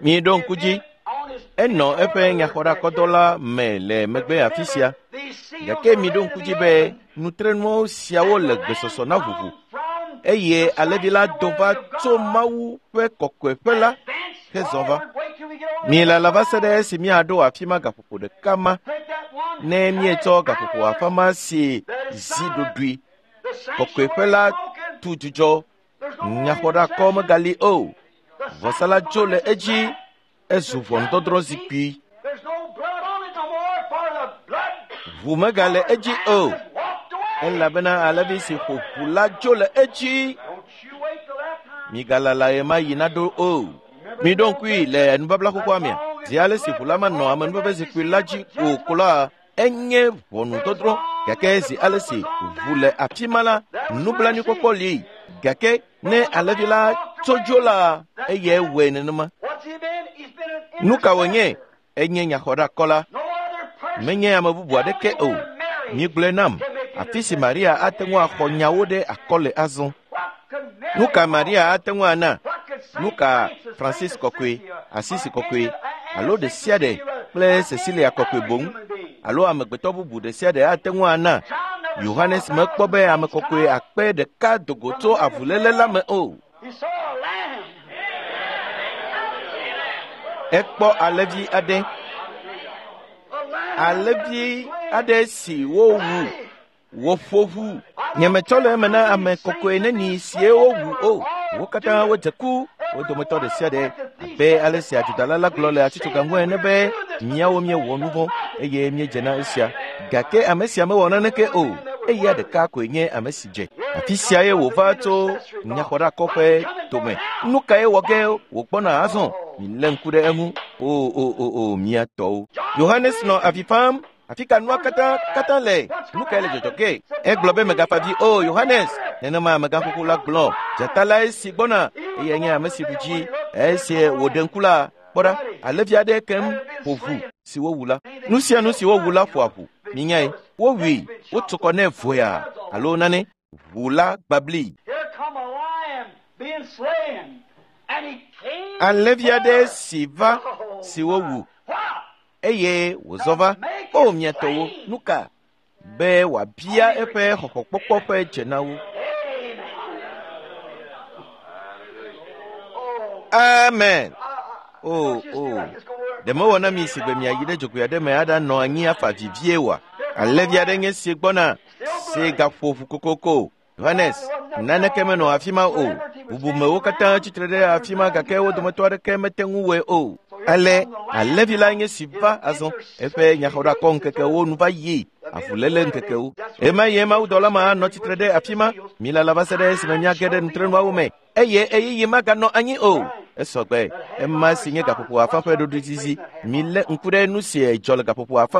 Miɖo ŋku dzi, enɔ eƒe nyaxɔɖeakɔdɔ la me le megbe afi sia. Gake miɖo ŋku dzi be nutrenuwo siawo le gbesɔsɔ na ʋuʋu. Eye alẽvi la do va tso Mawu ƒe kɔkɔeƒe la hezɔ va. Milala va se ɖe esi míaɖo afi ma gaƒoƒo ɖeka ma. Ne míetsɔ gaƒoƒo afã ma si zi ɖoɖoe kɔkɔeƒe la tu dzudzɔ, nyaxɔɖeakɔ megali o. Vɔsa la dzo le edzi, ezu ʋɔnudɔdrɔ̃ zikpui. Ʋu megale edzi o, elabena alẽvi si ƒo ʋu la dzo le edzi. Migalala ɣe ma yi naɖo o. Miɖo ŋkui le nubabla xoxoa mea, zi ale si ʋu la manɔ amenuveve zikpui la dzi o ko la, enye ʋɔnudɔdrɔ̃. Gake zi ale si ʋu le afi ma la, nublanuikpɔkpɔ li. Gake ne alẽvi la tso dzo la, eyae wɔe nenema. Nu ka wònye? Enye nyaxɔɖeakɔla. Menye ame bubu aɖeke o. Migblɔe nam, afi si Maria ate ŋu axɔ nyawo ɖe akɔ le azɔ. Nu ka Maria ate ŋu ana? Nu ka Francis kɔkɔe, Asisi kɔkɔe, alo ɖe sia ɖe kple Cecilia kɔkɔe boŋ, alo amegbetɔ bubu ɖe sia ɖe ate ŋu ana? Yohanes mekpɔ be ame kɔkɔe akpe ɖeka dogo tso avuléle la me o. Ekpɔ alẽvi aɖe. Alẽvi aɖe si wowu, woƒo ʋu. Nyemetsɔ le eme na ame kɔkɔe neni sie wowu o. Wo katã wodze ku, wo dometɔ ɖe sia ɖe abe ale si adzodala la gblɔ le atsitsoga ŋu ene be míawo míewɔ nu vɔ̃ eye míedze na esia. Gake ame sia mewɔ naneke o. Eya ɖeka koe nye ame si dze. Afi sia ye wòva tso nyaxɔɖeakɔ ƒe dome. Nu kae wɔ ge wògbɔna azɔ? Milé ŋku ɖe eŋu. O o o o mía tɔwo. Yohanes nɔ avi fam. Afi ka nua katã katã le? Nu kae le dzɔdzɔ ge? Egblɔ be mègafa avi o Yohanes. Nenema amegãxoxo la gblɔ. Dzata lae si gbɔna eye nye ame si ɖu dzi. Esi wòɖe ŋku la, kpɔ ɖa, alẽvi aɖe kem ƒo ʋu si wowu la. Nu sia nu si wowu la ƒoa ʋu. Minyae, wowui, wotu kɔ nɛ voya alo nane. Ʋu la gbabli. Alẽvi aɖe si va si wowu eye wòzɔ va. O mia tɔwo, nu ka? Be wòabia eƒe xɔxɔkpɔkpɔ ƒe dze na wo. Amen. O o, ɖe mewɔ na mi si be miayi ɖe dzogoe aɖe me aɖanɔ anyi afa vivie oa? Alẽvi aɖe nye si gbɔna si gaƒo ʋu kokoko. Yohanes, naneke menɔ afi ma o. Bubumewo katã tsitre ɖe afi ma gake wo dometɔ aɖeke mete ŋu wɔe o. Ale alẽvi la nye si va azɔ. Eƒe nyaxɔɖakɔ ŋkekewo nu va yi avuléle ŋkekewo. Ema ye mawudɔla ma nɔ tsitre ɖe afi ma. Milala va se ɖe esime míage ɖe nutrenuawo me eye ɣeyiɣi maganɔ anyi o. Esɔgbe. Ema si nye gaƒoƒo afã ƒe ɖoɖoezizi. Milé ŋku ɖe nu si dzɔ le gaƒoƒo afã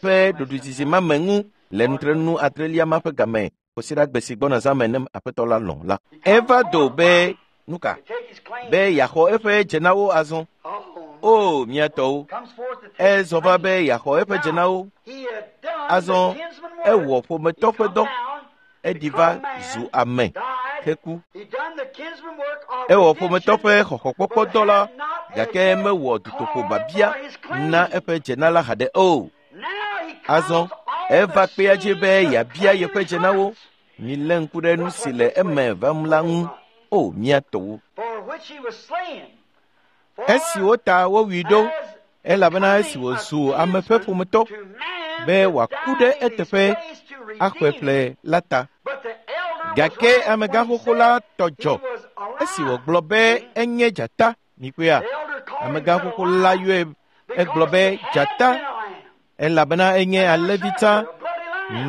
ƒe ɖoɖoezizi ma me ŋu le nutrenu adrelia ma ƒe game. Kosiɖagbe si gbɔna zã me ne aƒetɔ la lɔ̃ la. Eva do be nu ka? Be yeaxɔ eƒe dzenawo azɔ. O mía tɔwo, ezɔ va be yeaxɔ eƒe dzenawo. Azɔ ewɔ ƒometɔ ƒe dɔ. Eɖi va zu ame heku. Ewɔ ƒometɔ ƒe xɔxɔkpɔkpɔ dɔ la, gake mewɔ dutoƒo babia na eƒe dzena la haɖe o. Azɔ eva kpea dzi be yeabia yeƒe dzenawo. Milé ŋku ɖe nu si le eme vam la ŋu. O mía tɔwo. Esi wota wowui ɖo, elabena esi wòzu ame ƒe ƒometɔ be wòaku ɖe eteƒe axɔe ƒle la ta. Gake amegãxoxo la tɔ dzɔ esi wògblɔ be enye dzata. Mikpɔea, amegãxoxo la yɔe egblɔ be dzata elabena enye alẽvi tsã,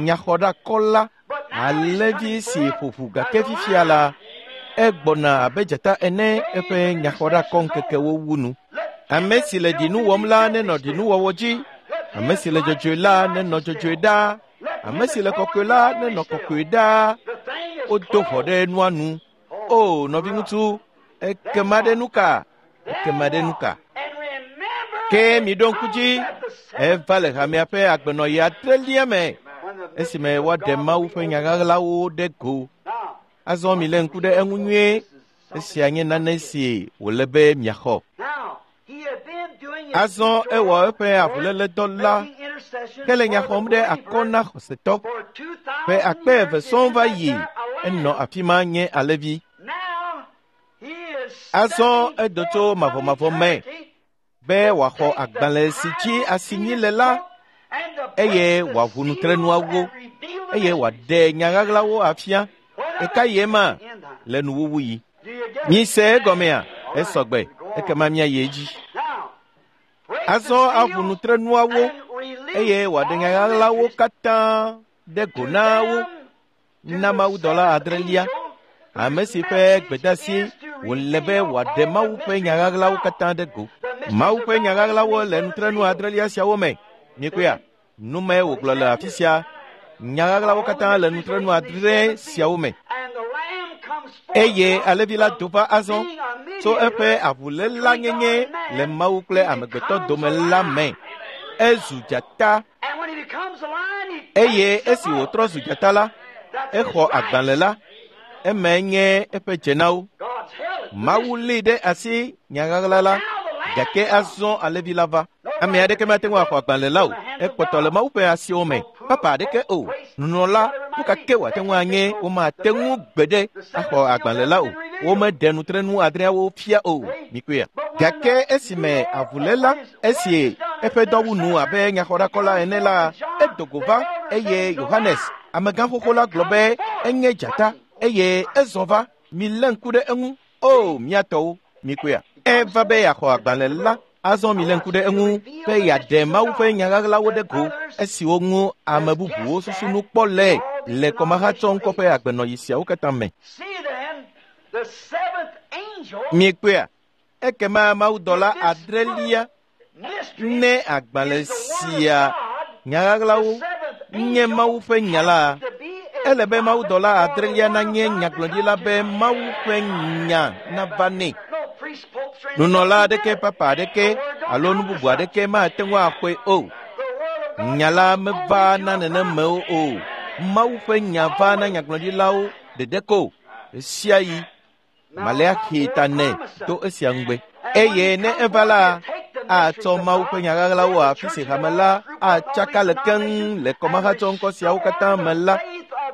nyaxɔɖakɔla, alẽvi si ƒo ʋu gake fifia la, egbɔna abe dzata ene eƒe nyaxɔɖakɔ ŋkekewo wu nu. Ame si le ɖinu wɔm la nenɔ ɖinuwɔwɔ dzi. Ame si le dzɔdzɔe la nenɔ dzɔdzɔe ɖaa. Ame si le kɔkɔe la nenɔ kɔkɔe ɖaa. Wodo ʋɔ ɖe nua nu. O nɔviŋutsu, ekema ɖe nu ka? Ekema ɖe nu ka? Ke miɖo ŋku dzi, eva le hamea ƒe agbenɔɣi adrelia me esime woaɖe Mawu ƒe nya ɣaɣlawo ɖe go. Azɔ milé ŋku ɖe eŋu nyuie. Esia nye nane si wòle be miaxɔ. Azɔ ewɔ eƒe avuléledɔ la ke le nya xɔm ɖe akɔ na xɔsetɔ. Ƒe akpe eve sɔŋ va yi enɔ afi ma nye alẽvi. Azɔ edo tso mavɔmavɔ me be wòaxɔ agbalẽ si dzi asinyi le la eye wòaʋu nutrenuawo eye wòaɖe nya ɣaɣlawo afia. Eka ye ma le nuwuwu yi. Mise egɔmea? Esɔgbe. Ekema míayi edzi. Azɔ aʋu nutrenuawo eye wòaɖe nya ɣaɣlawo katã ɖe go na wo na mawudɔla adrelia, ame si ƒe gbedeasi wòle be wòaɖe Mawu ƒe nya ɣaɣlawo katã ɖe go. Mawu ƒe nya ɣaɣlawo le nutrenu adrelia siawo me. Mikpɔea, nu mae wògblɔ le afi sia. Nya ɣaɣlawo katã le nutrenu adre siawo me. Eye alẽvi la do va azɔ tso eƒe avuléla nyenye le Mawu kple amegbetɔ dome la me. Ezu dzata. Eye esi wòtrɔ zu dzata la, exɔ agbalẽ la. Emae nye eƒe dzenawo. Mawu lée ɖe asi nya ɣaɣla la, gake azɔ alẽvi la va. Ame aɖeke mate ŋu axɔ agbalẽ la o. Ekpɔtɔ le Mawu ƒe asiwo me. Papa aɖeke o. Nunɔla, nu ka ke wòate ŋu anye, womate ŋu gbeɖe axɔ agbalẽ la o. Womeɖe nutrenu adreawo fia o. Mikpɔea. Gake esime avuléla, esi eƒe dɔ wu nu abe nyaxɔɖakɔla ene la, edo go va eye Yohanes, amegãxoxo la gblɔ be enye dzata eye ezɔ va. Milé ŋku ɖe eŋu. O mía tɔwo, mikpɔea. Eva be yeaxɔ agbalẽ la. Azɔ milé ŋku ɖe eŋu be yeaɖe Mawu ƒe nya ɣaɣlawo ɖe go esiwo ŋu ame bubuwo susu nu kpɔ le le kɔmahatsɔŋkɔ ƒe agbenɔɣi siawo katã me. Miekpɔea? Ekema mawudɔla adrelia ne agbalẽ sia nyaɣaɣlawo nye Mawu ƒe nya la, ele be mawudɔla adrelia nanye nyagblɔɖila be Mawu ƒe nya nava nɛ. Nunɔla aɖeke, papa aɖeke alo nu bubu aɖeke mate ŋu axɔe o. Nya la meva na nenemewo o. Mawu ƒe nya va na nyagblɔɖilawo ɖeɖe ko ɣesiaɣi. Maleaxi ta nɛ to esia ŋugbe. Eye ne eva la, atsɔ Mawu ƒe nyaɣaɣlawo afi si hame la atsaka le keŋ le kɔmahatsɔŋkɔ siawo katã me la,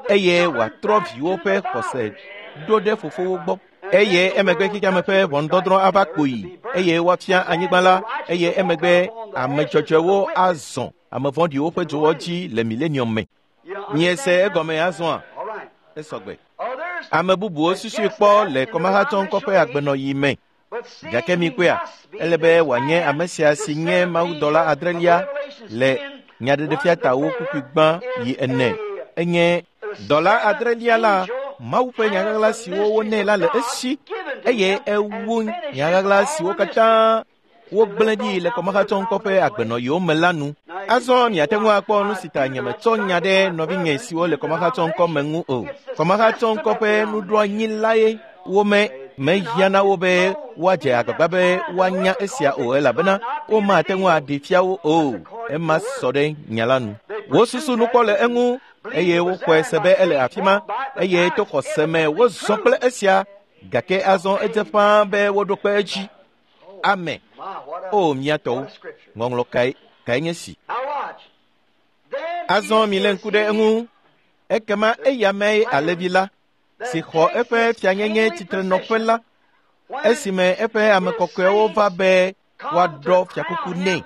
eye wòatrɔ viwo ƒe xɔse ɖo ɖe fofowo gbɔ. Eye emegbe xexeame ƒe ʋɔnudɔdrɔ̃ ava kpoyi, eye woafia anyigba la, eye emegbe ame dzɔdzɔewo azɔ ame vɔ̃ɖiwo ƒe dzowɔ dzi le milenium me. Miese egɔme azɔa? Esɔgbe. Ame bubuwo susui kpɔ le kɔmahatsɔŋkɔ ƒe agbenɔɣi me. Gake mikpɔea, ele be wòanye ame sia si nye mawudɔla adrelia le nyaɖeɖefiatawo kpukpui gbã yi ene. Enye dɔla adrelia la, Mawu ƒe nyaɣaɣla siwo wonɛ la le esi, eye ewu nyaɣaɣla siwo katã wogblẽ ɖi le kɔmahatsɔŋkɔ ƒe agbenɔɣiwo me la nu. Azɔ miate ŋu akpɔ nu si ta nyemetsɔ nya ɖe nɔvinye siwo le kɔmahatsɔŋkɔ me ŋu o. Kɔmahatsɔŋkɔ ƒe nuɖoanyi lae wome mehiã na wo be woadze agbagba be woanya esia o, elabena womate ŋu aɖi fia wo o. Ema sɔ ɖe nya la nu. Wosusu nu kpɔ le eŋu eye woxɔe se be ele afi ma, eye to xɔse me wozɔ kple esia, gake azɔ edze ƒãa be woɖo kpe edzi. Amen. O mía tɔwo, ŋɔŋlɔ kae kae nye si. Azɔ milé ŋku ɖe eŋu. Ekema eya mee alẽvi la, si xɔ eƒe fianyenye tsitrenɔƒe la, esime eƒe ame kɔkɔewo va be woaɖɔ fiakuku nɛ.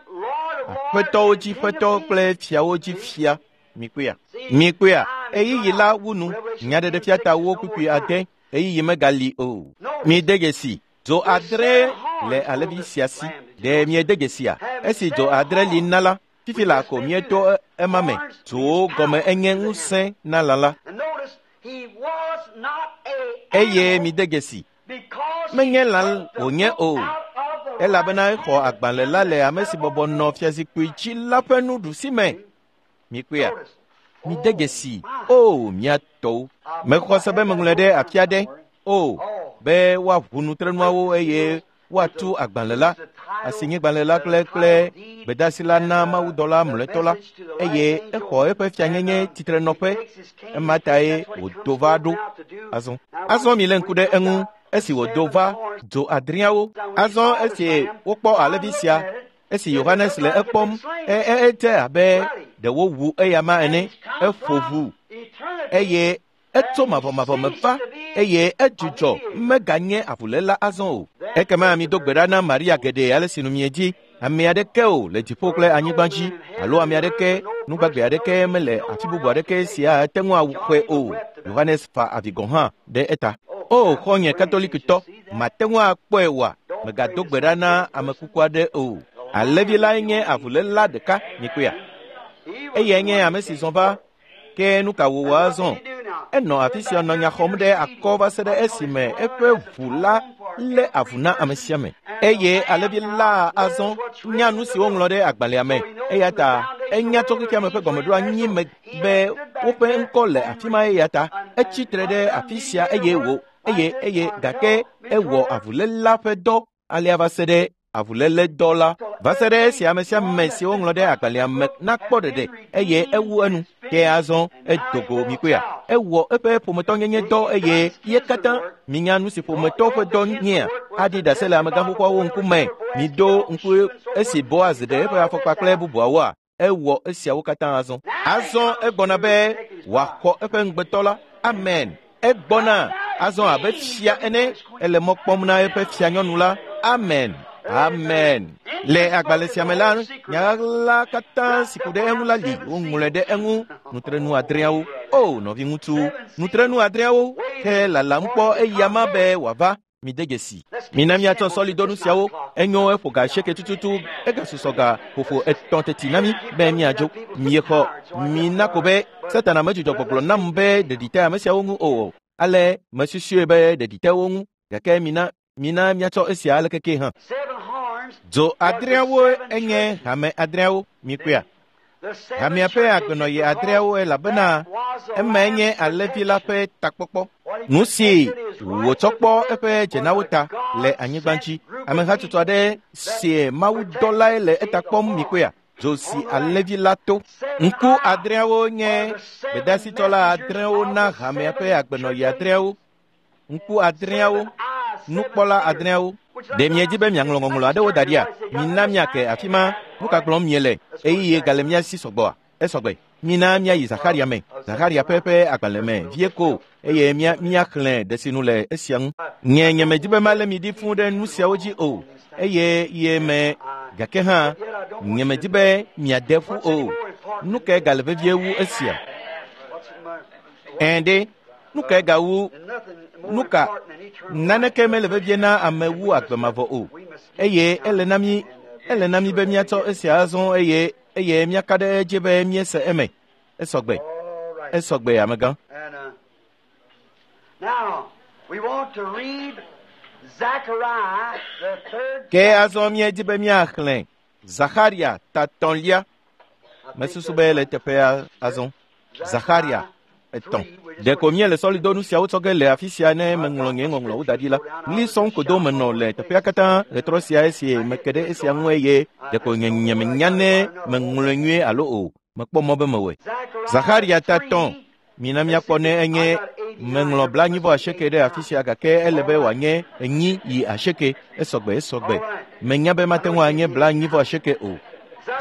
Aƒetɔwo dzi ƒetɔ kple fiawo dzi fia. Mikpɔea? Mikpɔea? Ɣeyiɣi la wu nu. Nyaɖeɖefiatawo kpukpui ade. Ɣeyiɣi megali o. Mide dzesi. Dzo adre le alẽvi sia si. Ɖe miede dzesia? Esi dzo adre li na la, fifi la ko mieto ema me. Dzowo gɔme enye ŋusẽ na lã la. Eye mide dzesi. Menye lã wònye o, elabena exɔ agbalẽ la le ame si bɔbɔ nɔ fiazikpui dzi la ƒe nuɖusi me. Mikpɔea? Mide dzesi. O mía tɔwo. Mexɔ se be meŋlɔe ɖe afi aɖe. O be woaʋu nutrenuawo eye woatu agbalẽ la, asinyigbalẽ la kple kple gbedeasi la na mawudɔla mlɔetɔ la, eye exɔ eƒe fianyenye tsitrenɔƒe. Ema tae wòdo va ɖo. Azɔ azɔ milé ŋku ɖe eŋu esi wòdo va dzo adreawo. Azɔ esi wokpɔ alẽvi sia, esi Yohanes le ekpɔm, edze abe ɖe wowu eyama ene. Eƒo ʋu eye etso mavɔmavɔ me va, eye edzudzɔ meganye avuléla azɔ o. Ekema mido gbe ɖa na Maria geɖe ale si nu miedzi. Ame aɖeke o le dziƒo kple anyigba dzi, alo ame aɖeke, nugbagbe aɖeke mele afi bubu aɖeke sia ate ŋu awɔe o. Yohanes fa avi gɔ̃ hã ɖe eta. O xɔ̃nye katolikitɔ, mate ŋu akpɔe oa? Mègado gbe ɖa na ame kuku aɖe o. Alẽvi lae nye avuléla ɖeka, mikpɔea? Eyae nye ame si zɔ va. Ke nu ka wòwɔ azɔ? Enɔ afi sia nɔ nya xɔm ɖe akɔ va se ɖe esime eƒe ʋu la lé avu na ame sia ame. Eye alẽvi la azɔ nya nu si woŋlɔ ɖe agbalẽa me. Eya ta enya tso xexeame ƒe gɔmeɖoanyi me be woƒe ŋkɔ le afi ma. Eya ta etsi tre ɖe afi sia eye wò eye eye gake ewɔ avuléla ƒe dɔ alea va se ɖe avuléledɔ la va se ɖe esi ame sia ame si woŋlɔ ɖe agbalẽa me nakpɔ ɖeɖe, eye ewu enu. Ke azɔ edo go mikpɔea? Ewɔ eƒe ƒometɔnyenye dɔ eye ye katã minya nu si ƒometɔ ƒe dɔ nyea. Aɖi ɖase le amegãxoxoawo ŋkume. Miɖo ŋku esi Boaz ɖe eƒe afɔkpa kple bubuawoa? Ewɔ esiawo katã azɔ. Azɔ egbɔna be wòaxɔ eƒe ŋugbetɔ la. Amen. Egbɔna azɔ abe fia ene. Ele mɔ kpɔm na eƒe fianyɔnu la. Amen. Amen. Le agbalẽ sia me la, nyaɣaɣla katã si ku ɖe eŋu la li. Woŋlɔe ɖe eŋu. Nutrenu adreawo. O nɔviŋutsu, nutrenu adreawo. Ke lalam kpɔ eyama be wòava. Mide dzesi. Mina miatsɔ sɔlidonu siawo. Enyo eƒo ga asieke tututu. Egasusɔ ga ƒoƒo etɔ̃ teti na mi be miadzo. Miexɔ. Mina ko be Satana medzudzɔ gbɔgblɔ nam be ɖeɖi te ame siawo ŋu o. Ale mesusue be ɖeɖi te wo ŋu. Gake mina Mina míatsɔ esia ale keke hã. Dzo adreawo enye hame adreawo mikpɔea. Hamea ƒe agbenɔɣi adreawo elabena emae nye alẽvi la ƒe takpɔkpɔ. Nu si wòtsɔ kpɔ eƒe dzenawo ta le anyigba dzi. Amehatsotso aɖe si mawudɔlae le eta kpɔm mikpɔea. Dzo si alẽvi la to. Ŋku adreawo nye gbedasitsɔla adreawo na hamea ƒe agbenɔɣi adreawo. Ŋku adreawo, nukpɔla adreawo. Ɖe miedi be miaŋlɔ ŋɔŋlɔ aɖewo da ɖia? Mina miake afi ma. Nu ka gblɔm miele? Eye gale mía si sɔgbɔa? Esɔgbe. Mina míayi Zaxaria me, Zaxaria ƒe ƒe agbalẽ me vie ko eye mía míaxlẽ ɖe si nu le esia ŋu. Nye nyemedi be malé mi ɖi fũu ɖe nu siawo dzi o eye ye me gake hã nyemedi be miade ƒu o. Nu kae gale vevie wu esia? Ɛ̃ ɖe, nu kae gawu nu ka? Naneke mele vevie na ame wu agbe mavɔ o eye ele na mí ele na mí be míatsɔ esia azɔ eye eye míaka ɖe edzi be míese eme. Esɔgbe. Esɔgbe amegã. Ke azɔ míedi be míaxlẽ Zaxaria ta etɔ̃lia. Mesusu be le teƒea azɔ. Zaxaria etɔ̃. Ɖeko míele sɔlidonu siawo tsɔ ge le afi sia ne meŋlɔ nye ŋɔŋlɔwo da ɖi la. Ɣli sɔŋ ko do menɔ le teƒea katã ɣetrɔ sia esi meke ɖe esia ŋu eye ɖeko nye nyemenya ne meŋlɔe nyuie alo o. Mekpɔ mɔ be mewɔe. Zaxaria ta etɔ̃. Mina míakpɔ ne enye meŋlɔ blaenyi vɔ asieke ɖe afi sia gake ele be wòanye enyi yi asieke. Esɔgbe esɔgbe. Menya be mate ŋu anye blaenyi vɔ asieke o.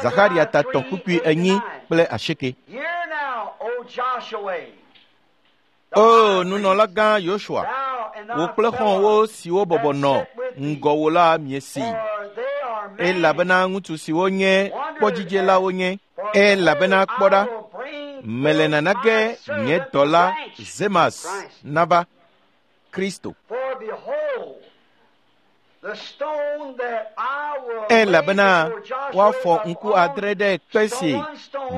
Zaxaria ta etɔ̃ kpukpui enyi kple asieke. O nunɔlagã Yosua, wò kple xɔ̃wò siwo bɔbɔ nɔ ŋgɔwò la miesi. Elabena ŋutsu siwo nye kpɔdzidzelawo nye. Elabena kpɔ ɖa, mele nana ge nye dɔla Zemas nava Kristo. Elabena woafɔ ŋku adre ɖe kpe si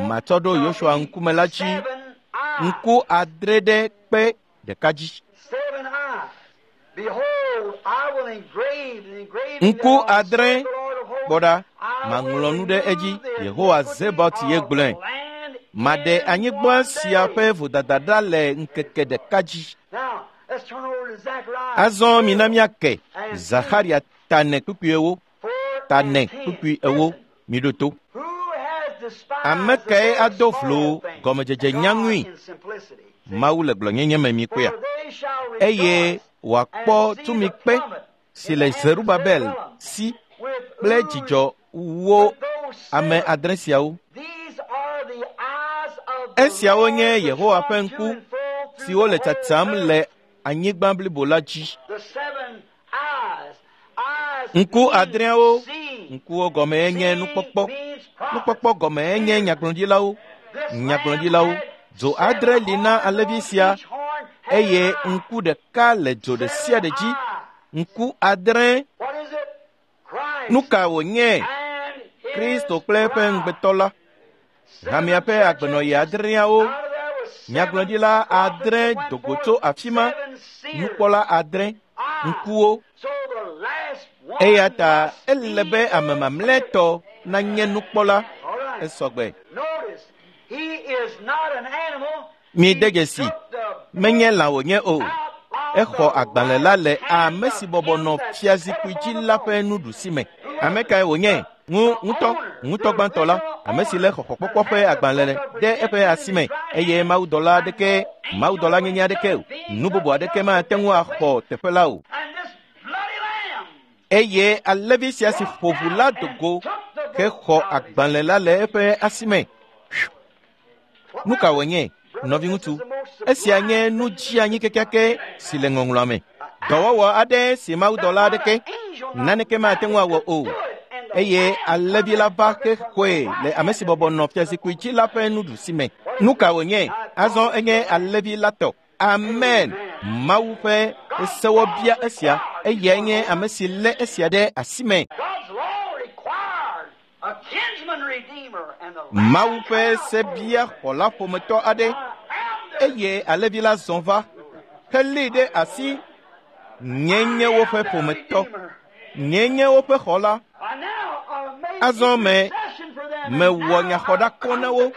matsɔ ɖo Yosua ŋkume la dzi. Ŋku adre ɖe kpe ɖeka dzi. Ŋku adre, kpɔ ɖa, maŋlɔ nu ɖe edzi. Yehowa Zebaot ye gblɔe. Maɖe anyigba sia ƒe vodada ɖa le ŋkeke ɖeka dzi. Azɔ mina míake Zaxaria ta ene kpukpui ewo, ta ene kpukpui ewo, miɖo to. Ame kae ado vlo gɔmedzedze nyaŋui? Mawu le gblɔnyenye me mikpɔea. Eye wòakpɔ tumikpe si le Zerubabel si kple dzidzɔ wo ame adre siawo. Esiawo nye Yehowa ƒe ŋku siwo le tsatsam le anyigba blibo la dzi. Ŋku adreawo, ŋkuwo gɔmee nye nukpɔkpɔ. Nukpɔkpɔ gɔmee nye nyagblɔɖilawo. Nyagblɔɖilawo. Dzo adre li na alẽvi sia eye ŋku ɖeka le dzo ɖe sia ɖe dzi. Ŋku adre. Nu ka wònye? Kristo kple eƒe ŋugbetɔ la. Hamea ƒe agbenɔɣi adreawo. Nyagblɔɖila adre do go tso afi ma. Nukpɔla adre. Ŋkuwo. Eya ta ele be ame mamlɛtɔ nanye nukpɔla. Esɔgbe. Mide dzesi, menye lã wònye o. Exɔ agbalẽ la le ame si bɔbɔ nɔ fiazikpui dzi la ƒe nuɖusi me. Ame kae wònye? Ŋu ŋutɔ, ŋutɔ gbãtɔ la, ame si lé xɔxɔkpɔkpɔ ƒe agbalẽ ɖe eƒe asi me eye mawudɔla aɖeke, mawudɔla nyenye aɖeke o, nu bubu aɖeke mate ŋu axɔ teƒe la o. Eye alẽvi sia si ƒo ʋu la do go hexɔ agbalẽ la le eƒe asi me. Nu ka wònye, nɔviŋutsu? Esia nye nu dzianyi kekeake si le ŋɔŋlɔa me. Dɔwɔwɔ aɖe si mawudɔla aɖeke naneke mate ŋu awɔ o. Eye alẽvi la va hexɔe le ame si bɔbɔ nɔ fiazikpui dzi la ƒe nuɖusi me. Nu ka wònye? Azɔ enye alẽvi la tɔ. Amen. Mawu ƒe sewɔ bia esia. Eyae nye ame si lé esia ɖe asi me. Mawu ƒe se bia xɔla ƒometɔ aɖe eye alẽvi la zɔ va helée ɖe asi. Nye nye woƒe ƒometɔ. Nye nye woƒe xɔla. Azɔ me mewɔ nyaxɔɖakɔ na wo.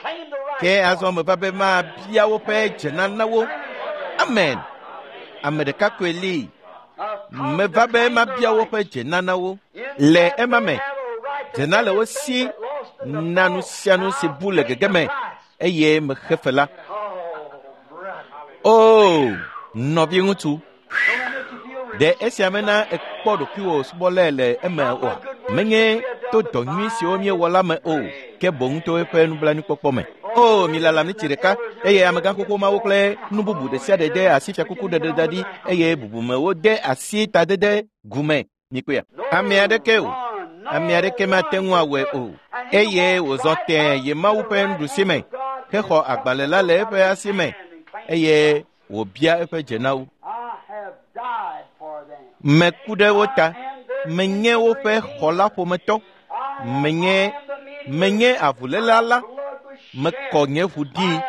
Ke azɔ meva be mabia woƒe dzena na wo. Amen. Ame ɖeka koe li. Meva be mabia woƒe dzena na wo. Le ema me, dzena le wo si na nu sia nu si bu le gege me eye mexe fe la. Oo, nɔviŋutsu, ɖe esia mena ekpɔ ɖokuiwò subɔlae le eme oa? Menye to dɔ nyui siwo míewɔ la me o, ke boŋ to eƒe nublanuikpɔkpɔ me. O, milala miti ɖeka eye amegãxoxo mawo kple nu bubu ɖe sia ɖe de asi fiakuku ɖeɖe da ɖi eye bubumewo de asi tadede gume. Mikpɔea? Ame aɖeke o. Ame aɖeke mate ŋu awɔe o. Eye wòzɔ tẽe yi Mawu ƒe nuɖusi me, hexɔ agbalẽ la le eƒe asi me eye wòbia eƒe dzenawo. Meku ɖe wo ta. Menye woƒe xɔla ƒometɔ. Menye menye avuléla la. Mekɔ nye ʋu ɖi.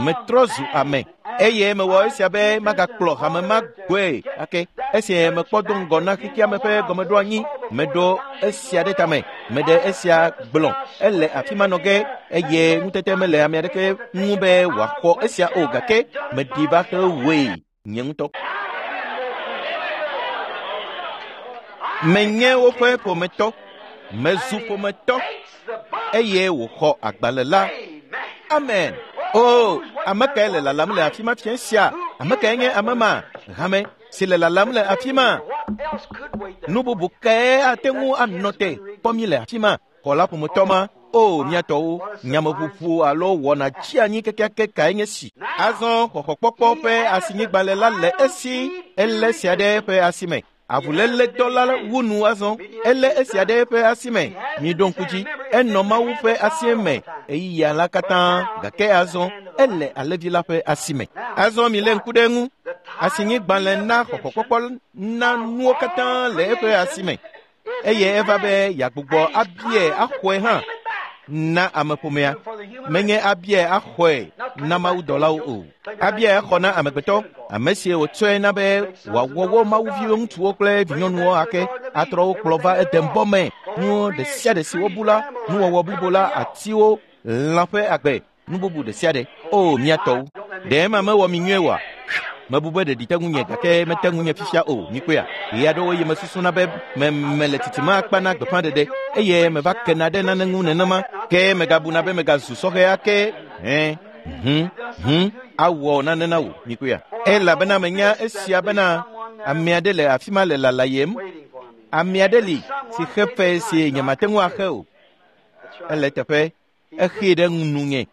Metrɔ zu ame eye mewɔ esia be magakplɔ hame ma gbɔe ake. Esi mekpɔ do ŋgɔ na xexeame ƒe gɔmeɖoanyi, meɖo esia ɖe tame, meɖe esia gblɔ. Ele afi ma nɔ ge eye ŋutete mele ame aɖeke ŋu be wòaxɔ esia o gake meɖi va hewɔe nye ŋutɔ. Menye woƒe ƒometɔ, mezu ƒometɔ eye wòxɔ agbalẽ la. Amen. O, ame kae le lalam le afi ma fia sia? Ame kae nye ame ma? Hame si le lalam le afi ma. Nu bubu kae ate ŋu anɔ te kpɔ mi le afi ma? Xɔla ƒometɔ ma. O, mía tɔwo, nyameʋuʋu alo wɔna tsi anyi kekeake kae nye si. Azɔ xɔxɔkpɔkpɔ ƒe asinyigbalẽ la le esi elé sia ɖe eƒe asi me. Avuléledɔ la wu nu azɔ. Elé esia ɖe eƒe asi me. Miɖo ŋku dzi. Enɔ Mawu ƒe asi me ɣeyiɣia la katã gake azɔ ele alẽvi la ƒe asi me. Azɔ milé ŋku ɖe eŋu. Asinyigbalẽ na xɔxɔkpɔkpɔ na nuwo katã le eƒe asi me eye eva be yeagbugbɔ abiae axɔe hã na ameƒomea. Menye abiae axɔe na mawudɔlawo o. Abiae axɔ na amegbetɔ, ame si wòtsɔe na be wòawɔ wo mawuviwo ŋutsuwo kple vinyɔnuwo ake atrɔ wo kplɔ va edembɔ me. Nuwo ɖe sia ɖe si wobu la, nuwɔwɔ blibo la, atiwo, lã ƒe agbe, nu bubu ɖe sia ɖe. O, mía tɔwo, ɖe ema mewɔ mi nyuie oa? Mebu be ɖeɖi te ŋunye gake mete ŋunye fifia o. Mikpɔea? Ɣe aɖewo yi mesusuna be me mele tsitsime akpa na gbeƒãɖeɖe eye meva kena ɖe nane ŋu nenema ke megabuna be megazu sɔhɛ ake. Hẽ, hũ, hũ, awɔ nane na wò. Mikpɔea? Elabena menya esia bena ame aɖe le afi ma le lalayem. Ame aɖe li si xe fe si nyemate ŋu axe o. Ele teƒe. Exee ɖe nunye.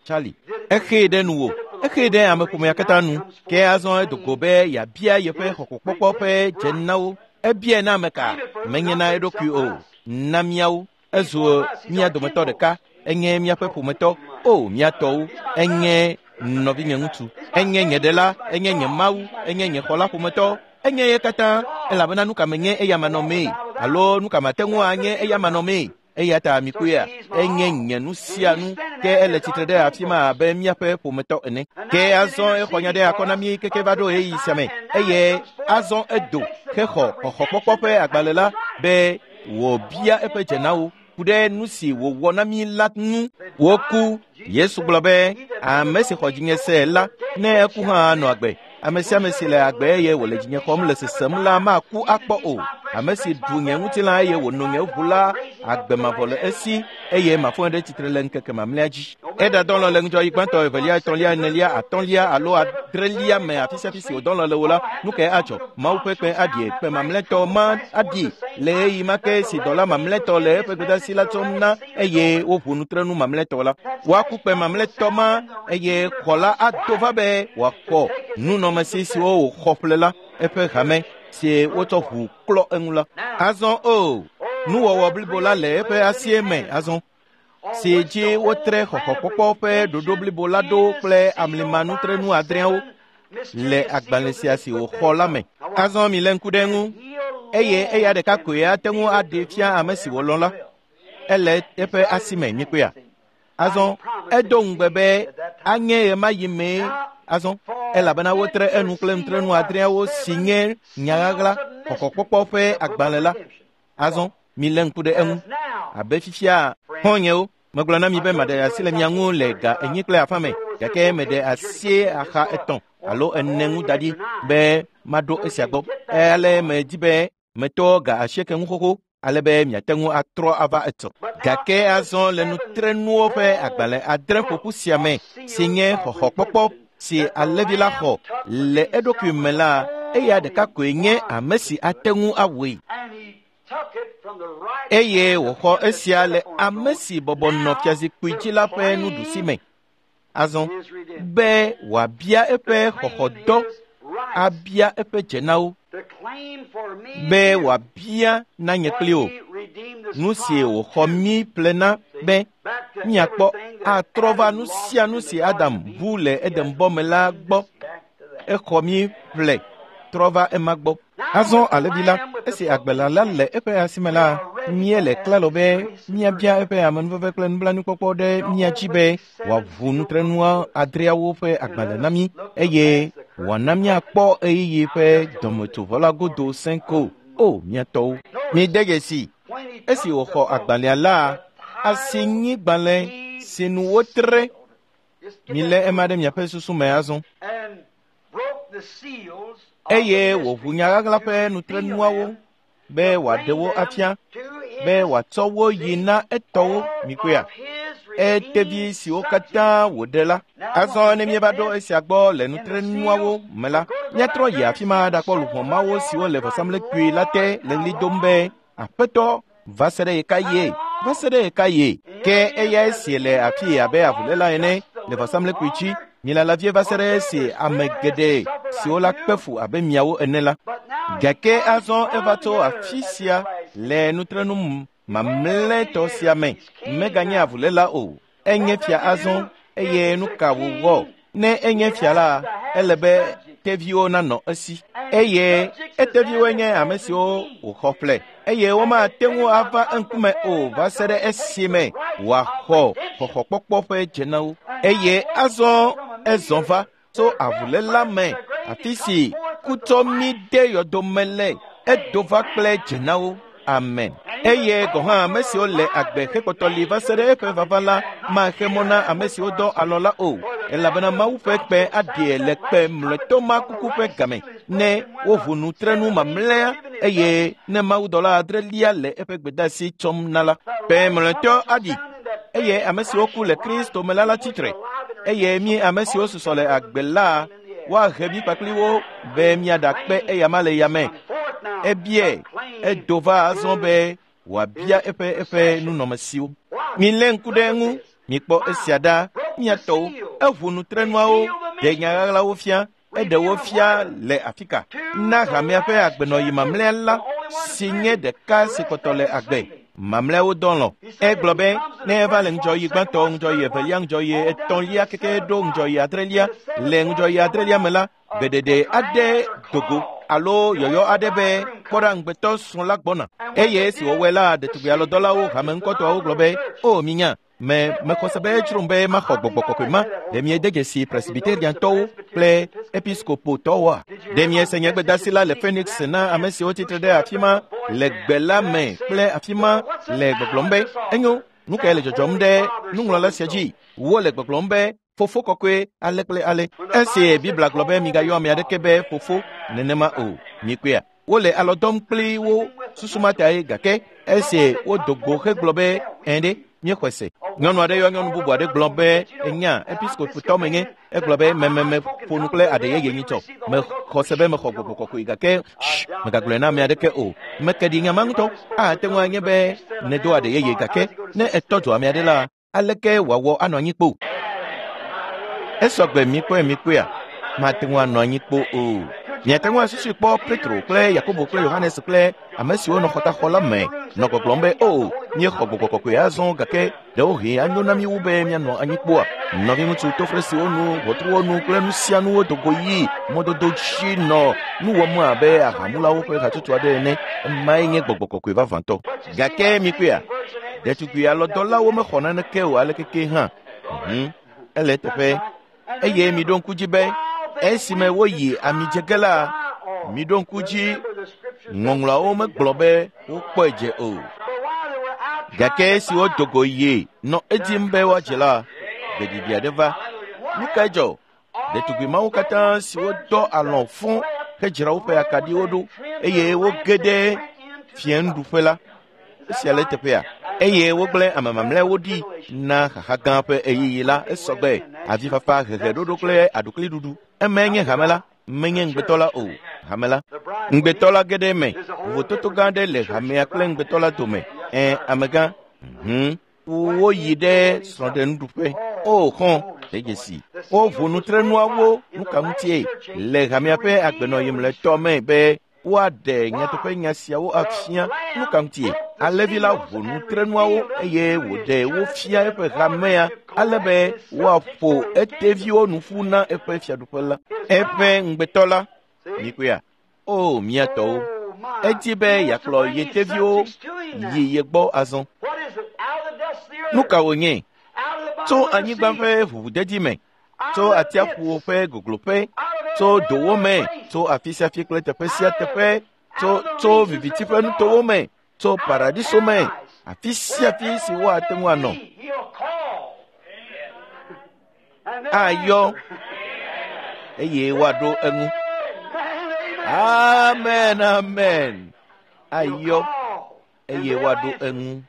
Charlie, exee ɖe nuwò. Exee ɖe ameƒomea katã nu. Ke azɔ edo go be yeabia yeƒe xɔxɔkpɔkpɔ ƒe dzenawo. Ebiae na ame ka? Menye na eɖokui o. Na míawo. Ezu mía dometɔ ɖeka. Enye míaƒe ƒometɔ. O, mía tɔwo. Enye nɔvinye ŋutsu. Enye nye ɖela. Enye nye Mawu. Enye nye xɔla ƒometɔ. Enye ye katã. Elabena nu ka menye eya manɔmee alo nu ka mate ŋu anye eya manɔmee. Eya ta mikpɔea, enye nye nu sia nu ke ele tsitre ɖe afi ma abe míaƒe ƒometɔ ene. Ke azɔ exɔ nya ɖe akɔ na mí keke va ɖo ɣeyiɣi sia me eye azɔ edo hexɔ xɔxɔkpɔkpɔ ƒe agbalẽ la be wòbia eƒe dzenawo ku ɖe nu si wòwɔ na mí la ŋu. Woku. Yesu gblɔ be ame si xɔ dzinye se la, ne eku hã anɔ agbe. Ame sia ame si le agbe eye wòle dzinye xɔm le sesem la maku akpɔ o. Ame si ɖu nye ŋutilã eye wòno nye ʋu la, agbe mavɔ le esi eye mafɔe ɖe tsitre le ŋkeke mamlɛa dzi. Eɖadɔlɔ̃ le ŋudzɔɣi gbãtɔ, evelia, etɔ̃lia, enelia, atɔ̃lia alo adrelia me afi sia afi si wòdɔlɔ̃ le wo la, nu kae adzɔ? Mawu ƒe kpẽ aɖie, kpẽ mamlɛtɔ ma aɖi le ɣeyiɣi ma ke si dɔla mamlɛtɔ le eƒe gbedeasi la tsɔm na eye woʋu nutrenu mamlɛtɔ la. Woaku kpẽ mamlɛtɔ ma eye xɔ la ado va be wòaxɔ nunɔamesi siwo wòxɔ ƒle la, eƒe hame si wotsɔ ʋu klɔ eŋu la. Azɔ o, nuwɔwɔ blibo la le eƒe asie me azɔ si dzi wotre xɔxɔkpɔkpɔ ƒe ɖoɖo blibo la ɖo kple amlimanutrenu adreawo le agbalẽ sia si wòxɔ la me. Azɔ milé ŋku ɖe eŋu eye eya ɖeka koe ate ŋu aɖee fia ame si wòlɔ̃ la. Ele eƒe asi me mikpɔea? Azɔ edo ŋugbe be anye ɣemaɣi mee. Azɔ Elabena wotre enu kple nutrenu adreawo si nye nyaɣaɣla xɔxɔkpɔkpɔ ƒe agbalẽ la. Azɔ milé ŋku ɖe eŋu. Abe fifia xɔ̃nyewo, megblɔ na mi be maɖe asi le mia ŋu le ga enyi kple afã me, gake meɖe asi axa etɔ̃ alo ene ŋu da ɖi be maɖo esia gbɔ. Ale medi be metɔ ga asieke ŋu xoxo ale be miate ŋu atrɔ ava etɔ. Gake azɔ le nutrenuwo ƒe agbalẽ adre ƒoƒu sia me si nye xɔxɔkpɔkpɔ si alẽvi la xɔ le eɖokui me la, eya ɖeka koe nye ame si ate ŋu awɔe. Eye wòxɔ esia le ame si bɔbɔ nɔ fiazikpui dzi la ƒe nuɖusi me. Azɔ be wòabia eƒe xɔxɔdɔ, abia eƒe dzenawo, be wòabia na nye kpli wò nu si wòxɔ mí ƒle na be míakpɔ atrɔ va nu sia nu si Adam bu le Edenbɔ me la gbɔ. Exɔ mí ƒle trɔ va ema gbɔ. Azɔ alẽvi la, esi agbela la le eƒe asime la, míele klalo be míabia eƒe amenuveve kple nublanuikpɔkpɔ ɖe mía dzi be wòaʋu nutrenua adreawo ƒe agbalẽ na mí eye wòana míakpɔ ɣeyiɣi ƒe dɔmetsovɔ la godo sẽko. O mía tɔwo, mide dzesi esi wòxɔ agbalẽa la, asinyigbalẽ si nu wotre. Milé ema ɖe miaƒe susu me azɔ. Eye wòʋu nyaɣaɣla ƒe nutrenuawo be wòaɖe wo afia, be wòatsɔ wo yi na etɔwo mikpɔea, etevi siwo katã wòɖe la. Azɔ ne míeva ɖo esia gbɔ le nutrenuawo me la, míatrɔ yi afi ma ɖakpɔ luʋɔ mawo siwo le vɔsamlekpui la te le ɣli dom be, Aƒetɔ, va se ɖe ɣekaɣie? Va se ɖe ɣekaɣie? Ke eyae si le afii abe avuléla ene le vɔsamlekpui dzi. Milala vie va se ɖe esi ame geɖe siwo la kpe fu abe miawo ene la. Gake azɔ eva tso afi sia le nutrenu mamlɛtɔ sia me. Meganye avuléla o. Enye fia azɔ eye nu ka wòwɔ? Ne enye fia la, ele be teviwo nanɔ esi. Eye eteviwoe nye ame siwo wòxɔ ƒle. Eye womate ŋu ava eŋkume o va se ɖe esime wòaxɔ xɔxɔkpɔkpɔ ƒe dzenawo. Eye azɔ ezɔ va tso avuléla me, afi si kutɔ mí de yɔdome le, edo va kple dzenawo. Amen. Eye gɔ̃ hã ame siwo le agbe hekpɔtɔ li va se ɖe eƒe vava la maxe mɔ na ame siwo dɔ alɔ la o, elabena Mawu ƒe kpe aɖie le kpe mlɔetɔ ma kuku ƒe game ne woʋu nutrenu mamlɛa eye ne mawudɔla adrelia le eƒe gbedeasi tsɔm na la. Kpe mlɔetɔ aɖi eye ame siwo ku le Kristo me la la tsitre eye mí ame siwo susɔ le agbe la woahe mí kpakpli wo be míaɖakpe eyama le yame. Ebie edo va azɔ be wòabia eƒe eƒe nunɔmesiwo. Milé ŋku ɖe eŋu, mikpɔ esia ɖa, mía tɔwo. Eʋu nutrenuawo, ɖe nyaɣaɣlawo fia, eɖe wo fia le afi ka. Na hamea ƒe agbenɔɣi mamlɛa la si nye ɖeka si kpɔtɔ le agbe. Mamlɛawo dɔ lɔ̃. Egblɔ be ne eva le ŋudzɔɣi gbãtɔ, ŋudzɔɣi evelia, ŋudzɔɣi etɔ̃lia keke ɖo ŋudzɔɣi adrelia. Le ŋudzɔɣi adrelia me la, gbeɖeɖe aɖe dogo alo yɔyɔ aɖe be kpɔ ɖa ŋugbetɔ srɔ̃ la gbɔna. Eye esi wòwɔe la, ɖetugbi alɔdɔlawo hame ŋkɔtɔawo gblɔ be, o minya, me mexɔ se be edzrom be maxɔ gbɔgbɔ kɔkɔe ma. Ɖe miede dzesi presbyteriantɔwo kple episkopotɔwoa? Ɖe miese nye gbedeasi la le Phoenix na ame siwo tsitre ɖe afi ma le gbe la me kple afi ma le gbɔgblɔm be, enyo, nu kae le dzɔdzɔm ɖe nuŋlɔla sia dzi? Wole gbɔgblɔm be fofo kɔkɔe ale kple ale. Esi Biblia gblɔ be migayɔ ame aɖeke be fofo nenema o, mikpɔea. Wole alɔ dɔm kpli wo susu ma tae gake esi wodo go hegblɔ be ɛ̃ ɖe míexɔe se. Nyɔnu aɖe yɔ nyɔnu bubu aɖe gblɔ be enya episkopotɔ menye. Egblɔ be mememe ƒo nu kple aɖe yeye nyitsɔ. Mexɔ se be mexɔ gbɔgbɔ kɔkɔe gake shh, megagblɔe na ame aɖeke o. Meke ɖi nya ma ŋutɔ. Ate ŋu anye be nèdo aɖe yeye gake ne etɔ dzo ame aɖe la, aleke wòawɔ anɔ anyi kpo? Esɔgbe mikpɔe mikpɔea, mate ŋu anɔ anyi kpo o. Miate ŋu asusui kpɔ Petro kple Yakobo kple Yohanes kple ame siwo nɔ xɔtaxɔ la me nɔ gbɔgblɔm be o míexɔ gbɔgbɔ kɔkɔe azɔ gake ɖewohĩ anyo na mí wu be míanɔ anyi kpoa. Nɔviŋutsu tofresiwo nu, ʋɔtruwo nu kple nu sia nuwo do go yi mɔdodo dzi nɔ nu wɔm abe ahamulawo ƒe hatsotso aɖe ene. Emae nye gbɔgbɔ kɔkɔe vavãtɔ. Gake mikpɔea, ɖetugbi alɔdɔlawo mexɔ naneke o alekeke hã. Mhm, ele eteƒe. Eye miɖo ŋku dzi be Esime woyi amidzege la, miɖo ŋku dzi, ŋɔŋlɔawo megblɔ be wokpɔe dze o. Gake esi wodo go yi nɔ edim be woadze la, gbeɖiɖi aɖe va. Nu kae dzɔ? Ɖetugbi mawo katã siwo dɔ alɔ̃ fũ hedzra woƒe akaɖiwo ɖo eye woge ɖe fiẽnuɖuƒe la, esia le teƒea eye wogblẽ ame mamlɛawo ɖi na xaxa gã ƒe ɣeyiɣi la esɔgbe avifafa heheɖoɖo kple aɖukliɖuɖu. Emae nye hame la, menye ŋugbetɔ la o. Hame la, ŋugbetɔ la ge ɖe eme. Vovototo gã aɖe le hamea kple ŋugbetɔ la dome. Ẽ, amegã, hũm, woyi ɖe srɔ̃ɖenuɖuƒe. O xɔ, de dzesi. Woʋu nutrenuawo nuka ŋutie le hamea ƒe agbenɔɣi mlɔetɔ me be woaɖe nyateƒe nya siawo afia nuka ŋutie. Alẽvi la ʋu nutrenuawo eye wòɖe wo fia eƒe hamea ale be woaƒo eteviwo nu ƒu na eƒe fiaɖuƒe la. Eƒe ŋugbetɔ la, mikpɔea? O mía tɔwo, edi be yeakplɔ ye teviwo yi ye gbɔ azɔ. Nu ka wònye? Tso anyigba ƒe ʋuʋudedi me, tso atsiaƒuwo ƒe gogloƒe, tso dowo me, tso afi sia afi kple teƒe sia teƒe, tso tso viviti ƒe nutowo me, tso paradiso me, afi sia afi si woate ŋu anɔ. Ayɔ eye woaɖo eŋu. Amen, amen. Ayɔ eye woaɖo eŋu.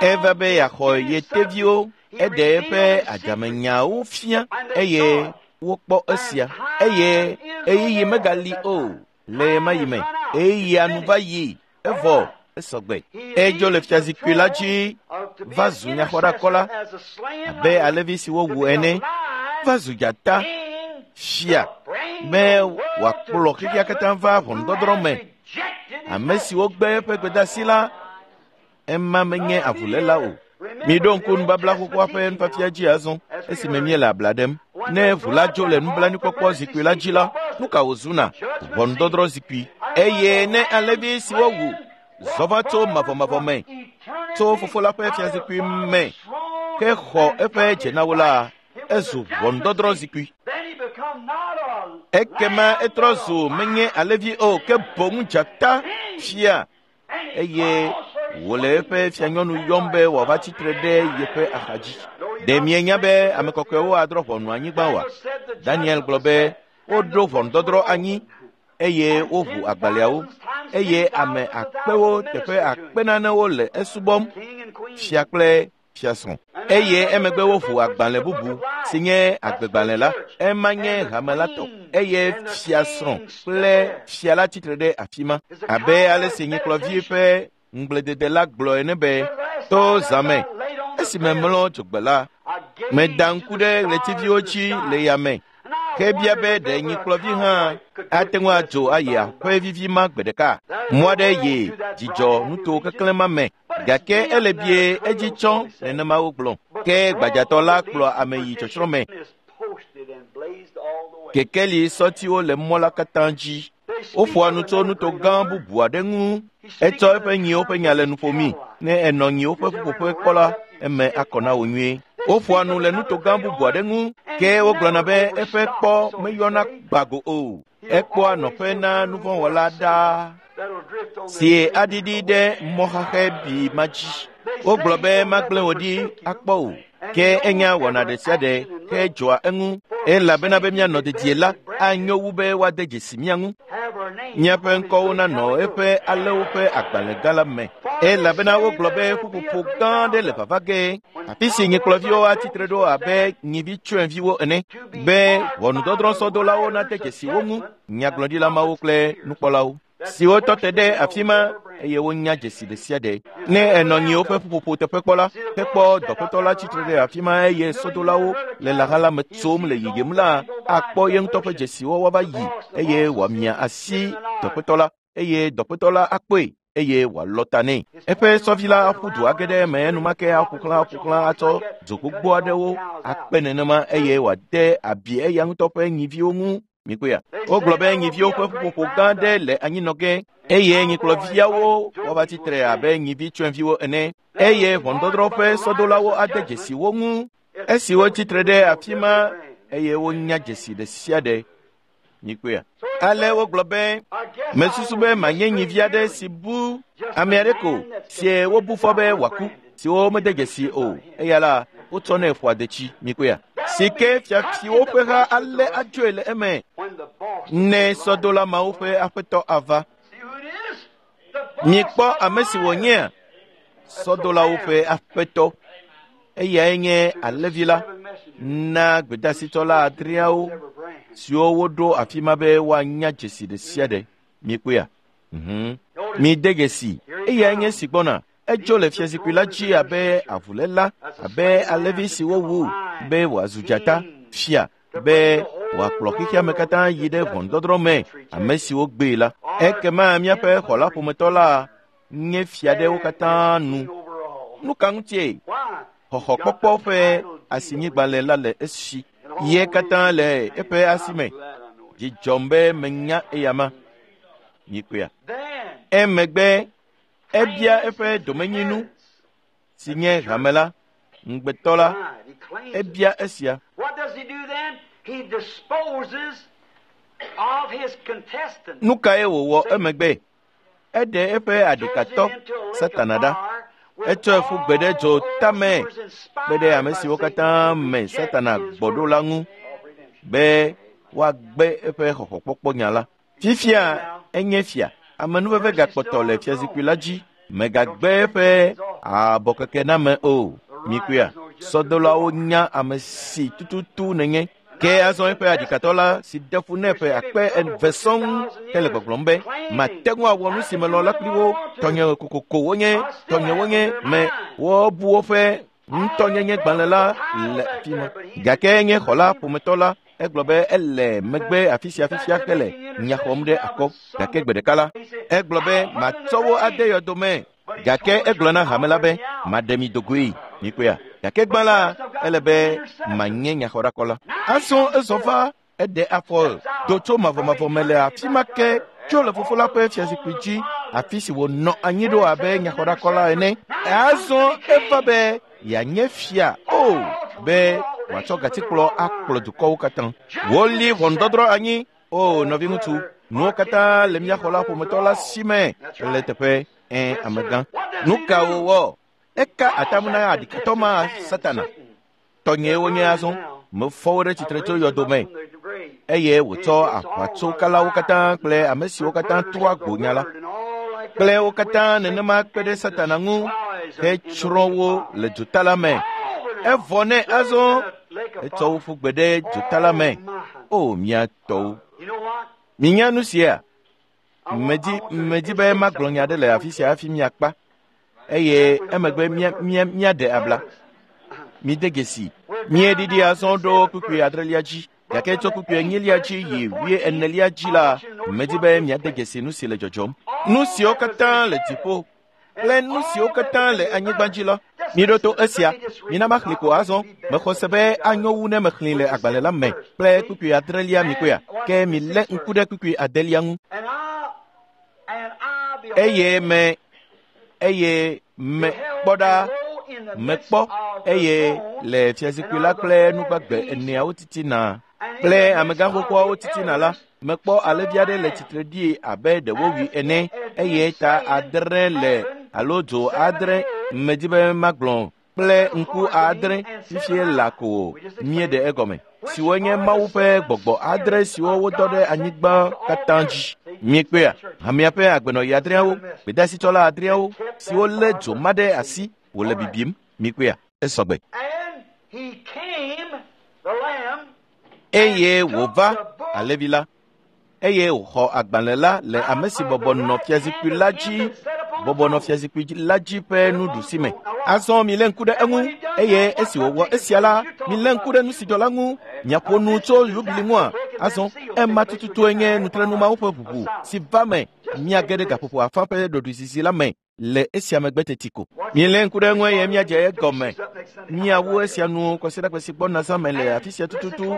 Eva be yeaxɔ ye teviwo, eɖe eƒe adzamenyawo fia eye wokpɔ esia eye ɣeyiɣi megali o le ɣemaɣi me. Ɣeyiɣia nu va yi evɔ esɔgbe. Edzo le fiazikpui la dzi va zu nyaxɔɖakɔla abe alẽvi si wowu ene, va zu dzata fia be wòakplɔ xexea katã va ʋɔnudɔdrɔ̃ me. Ame siwo gbe eƒe gbedeasi la, ema menye avuléla o. Miɖo ŋku nubabla xoxoa ƒe nufiafia dzi azɔ esime míele abla ɖem. Ne ʋu la dzo le nublanuikpɔkpɔ zikpui la dzi la, nu ka wòzuna? Ʋɔnudɔdrɔ̃ zikpui. Eye ne alẽvi si wowu zɔ va tso mavɔmavɔ me, tso fofo la ƒe fiazikpui me, ke xɔ eƒe dzenawo la, ezu ʋɔnudɔdrɔ̃ zikpui. Ekema etrɔ zu menye alẽvi o, ke boŋ dzata fia eye wòle eƒe fianyɔnu yɔm be wòava tsitre ɖe yeƒe axadzi. Ɖe mienya be ame kɔkɔewo adrɔ̃ ʋɔnu anyigba oa? Daniel gblɔ be woɖo ʋɔnudɔdrɔ̃ anyi eye woʋu agbalẽawo eye ame akpewo teƒe akpe nanewo le esubɔm, fia kple fiasrɔ̃. Eye emegbe woʋu agbalẽ bubu si nye agbegbalẽ la, ema nye hame la tɔ eye fiasrɔ̃ kple fia la tsitre ɖe afi ma. Abe ale si nyikplɔvi ƒe ŋugbledede la gblɔ ene be, to zã me, esime mlɔ dzogbe la, meda ŋku ɖe ɣletiviwo dzi le yame, ke bia be ɖe nyikplɔvi hã ate ŋu adzo ayi aƒe vivi ma gbe ɖeka. Mɔ aɖe yi dzidzɔ nuto keklẽ ma me, gake ele bie edzi tsɔ nenema wogblɔ. Ke gbadzatɔ la kplɔ ame yi tsɔtsrɔ̃ me. Kekeli sɔtiwo le mɔ la katã dzi. Woƒoa nu tso nuto gã bubu aɖe ŋu. Etsɔ eƒe nyiwo ƒe nya le nu ƒomi. Ne enɔ nyiwo ƒe ƒuƒoƒe kpɔ la, eme akɔ na wò nyuie. Woƒoa nu le nuto gã bubu aɖe ŋu, ke wogblɔna be eƒe kpɔ meyɔna gbago o. Ekpɔa nɔƒe na nuvɔ̃wɔla ɖaa si aɖiɖi ɖe mɔxaxɛ bi ma dzi. Wogblɔ be magblẽ wò ɖi akpɔ o, ke enya wɔna ɖe sia ɖe hedzɔa eŋu. Elabena be míanɔ dedie la, anyo wu be woade dzesi mía ŋu. Míaƒe ŋkɔwo nanɔ eƒe alẽwo ƒe agbalẽ gã la me. Elabena wogblɔ be ƒuƒoƒo gã aɖe le vava ge, afi si nyikplɔviwo atsitre ɖo abe nyivi tsyɔ̃eviwo ene, be ʋɔnudɔdrɔ̃sɔdolawo nade dzesi wo ŋu, nyagblɔɖila mawo kple nukpɔlawo siwo tɔ te ɖe afi ma eye wonya dzesi ɖe sia ɖe. Ne enɔ nyiwo ƒe ƒuƒoƒo teƒe kpɔ la, hekpɔ dɔƒetɔ la tsitre ɖe afi ma eye sɔdolawo le lãha la me tsom le yiyim la, akpɔ ye ŋutɔ ƒe dzesiwo woava yi eye wòamia asi dɔƒetɔ la eye dɔƒetɔ la akpɔe eye wòalɔ ta nɛ. Eƒe sɔvi la aƒu du age ɖe eme enumake aƒo xlã aƒo xlã atsɔ dzo gbogbo aɖewo akpe nenema eye wòade abi eya ŋutɔ ƒe nyiviwo ŋu. Mikpɔea? Wogblɔ be nyiviwo ƒe ƒuƒoƒo gã aɖe le anyinɔ ge eye nyikplɔviawo woava tsitre abe nyivi tsyɔ̃eviwo ene eye ʋɔnudɔdrɔ̃ ƒe sɔdolawo ade dzesi wo ŋu. Esi wotsitre ɖe afi ma eye wonya dzesi ɖe sia ɖe, Mikpɔea. Ale wogblɔ be mesusu be manye nyivi aɖe si bu ame aɖe ko sie wobu fɔ be wòaku si womede dzesi o. Eya la wotsɔnɛ ƒoa detsi. Mikpɔea. Si ke fiafiwo ƒe ha alé adzoe le eme ne sɔdola mawo ƒe aƒetɔ ava. Mikpɔ ame si wònyea sɔdolawo ƒe aƒetɔ. Eyae nye alẽvi la na gbedasitsɔla adreawo siwo woɖo afi ma be woanya dzesi ɖe sia ɖe. Mikpɔea? Mhm. Mide dzesi. Eyae nye si gbɔna. Edzo le fiazikpui la dzi abe avuléla, abe alẽvi si wowu be wòazu dzata, fia be wòakplɔ xexeame katã yi ɖe ʋɔnudɔdrɔ̃ me ame siwo gbee la. Ekema míaƒe xɔla ƒometɔ la nye fia ɖe wo katã nu. Nu ka ŋutie? Xɔxɔkpɔkpɔ ƒe asinyigbalẽ la le esi. Ye katã le eƒe asi me. Dzi dzɔm be menya eyama. Mikpɔea. Emegbe ebia eƒe domenyinu si nye hame la, ŋugbetɔ la, ebia esia. Nu kae wòwɔ emegbe? Eɖe eƒe aɖikatɔ Satana ɖa. Etsɔe ƒu gbe ɖe dzo tame kpe ɖe ame siwo katã me Satana gbɔ ɖo la ŋu be woagbe eƒe xɔxɔkpɔkpɔ nya la. Fifia enye fia. Amenuveve gakpɔtɔ le fiazikpui la dzi. Megagbe eƒe abɔkekename o. Mikpɔea, sɔdolawo nya ame si tututu nenye. Ke azɔ eƒe aɖikatɔ la si ɖe fu nɛ ƒe akpe eve sɔŋ hele gbɔgblɔm be mate ŋu awɔ nu si melɔ la kpli wo. Tɔnye kokoko wonye, tɔnye wonye me wobu woƒe ŋutɔnyenye gbalẽ la le afi ma. Gake nye xɔla ƒometɔ la egblɔ be ele megbe afi sia fifia hele nya xɔm ɖe akɔ. Gake gbe ɖeka la egblɔ be matsɔ wo ade yɔdome. Gake egblɔ na hame la be maɖe mi dogoe. Mikpɔea. Gake gbã la ele be manye nyaxɔɖakɔ la. Azɔ ezɔ va eɖe afɔ do tso mavɔmavɔ me le afi ma ke tso le fofo la ƒe fiazikpui dzi afi si wònɔ anyi ɖo abe nyaxɔɖakɔ la ene. Azɔ eva be yeanye fia o be wòatsɔ gatikplɔ akplɔ dukɔwo katã. Woli ʋɔnudɔdrɔ̃ anyi. O nɔviŋutsu, nuwo katã le mía xɔla ƒometɔ la si me le teƒe ẽ amegã. Nu ka wòwɔ? Eka atam na aɖikatɔ ma Satana. Tɔnyee wonye azɔ. Mefɔ wo ɖe tsitre tso yɔdome eye wòtsɔ aʋatsokalawo katã kple ame siwo katã trɔa gbo nya la kple wo katã nenema kpe ɖe Satana ŋu hetsrɔ̃ wo le dzota la me. Evɔ nɛ azɔ etsɔ wo ƒu gbe ɖe dzota la me. O mía tɔwo, minya nu sia. Medi medi be magblɔ nya aɖe le afi sia hafi miakpa eye emegbe mía mía míaɖe abla. Mide dzesi. Míeɖiɖi azɔ ɖo kpukpui adrelia dzi. Gake tso kpukpui enyilia dzi yi wui enelia dzi la, medi be miade dzesi nu si le dzɔdzɔm. Nu siwo katã le dziƒo kple nu siwo katã le anyigba dzi la, miɖo to esia. Mina maxlẽ ko azɔ. Mexɔ se be anyo wu ne mexlẽ le agbalẽ la me kple kpukpui adrelia mikpɔea. Ke milé ŋku ɖe kpukpui adelia ŋu. Eye me eye me kpɔ ɖa mekpɔ eye le fiazikpui la kple nugbagbe eneawo titina kple amegãxoxoawo titina la, mekpɔ alẽvi aɖe le tsitre ɖi abe ɖe wowui ene eye ta adre le alo dzo adre medi be magblɔ kple ŋku adre fifie la ko míeɖe egɔme siwo nye Mawu ƒe gbɔgbɔ adre siwo wodɔ ɖe anyigba katã dzi. Miekpɔea, hamea ƒe agbenɔɣi adreawo, gbedasitsɔla adreawo siwo lé dzo ma ɖe asi wòle bibim. Mikpɔea, esɔgbe. Eye wòva alẽvi la eye wòxɔ agbalẽ la le ame si bɔbɔ nɔ fiazikpui la dzi bɔbɔ nɔ fiazikpui la dzi ƒe nuɖusi me. Azɔ milé ŋku ɖe eŋu eye esi wòwɔ esia la, milé ŋku ɖe nu si dzɔ la ŋu. Miaƒo nu tso yubili ŋua? Azɔ ema tututue nye nutrenumawo ƒe ʋuʋu si va me. Miage ɖe gaƒoƒo afã ƒe ɖoɖoezizi la me le esia megbe teti ko. Milé ŋku ɖe eŋu eye miadze egɔme. Miawu esia nu kɔsiɖagbe si gbɔna zã me le afi sia tututu.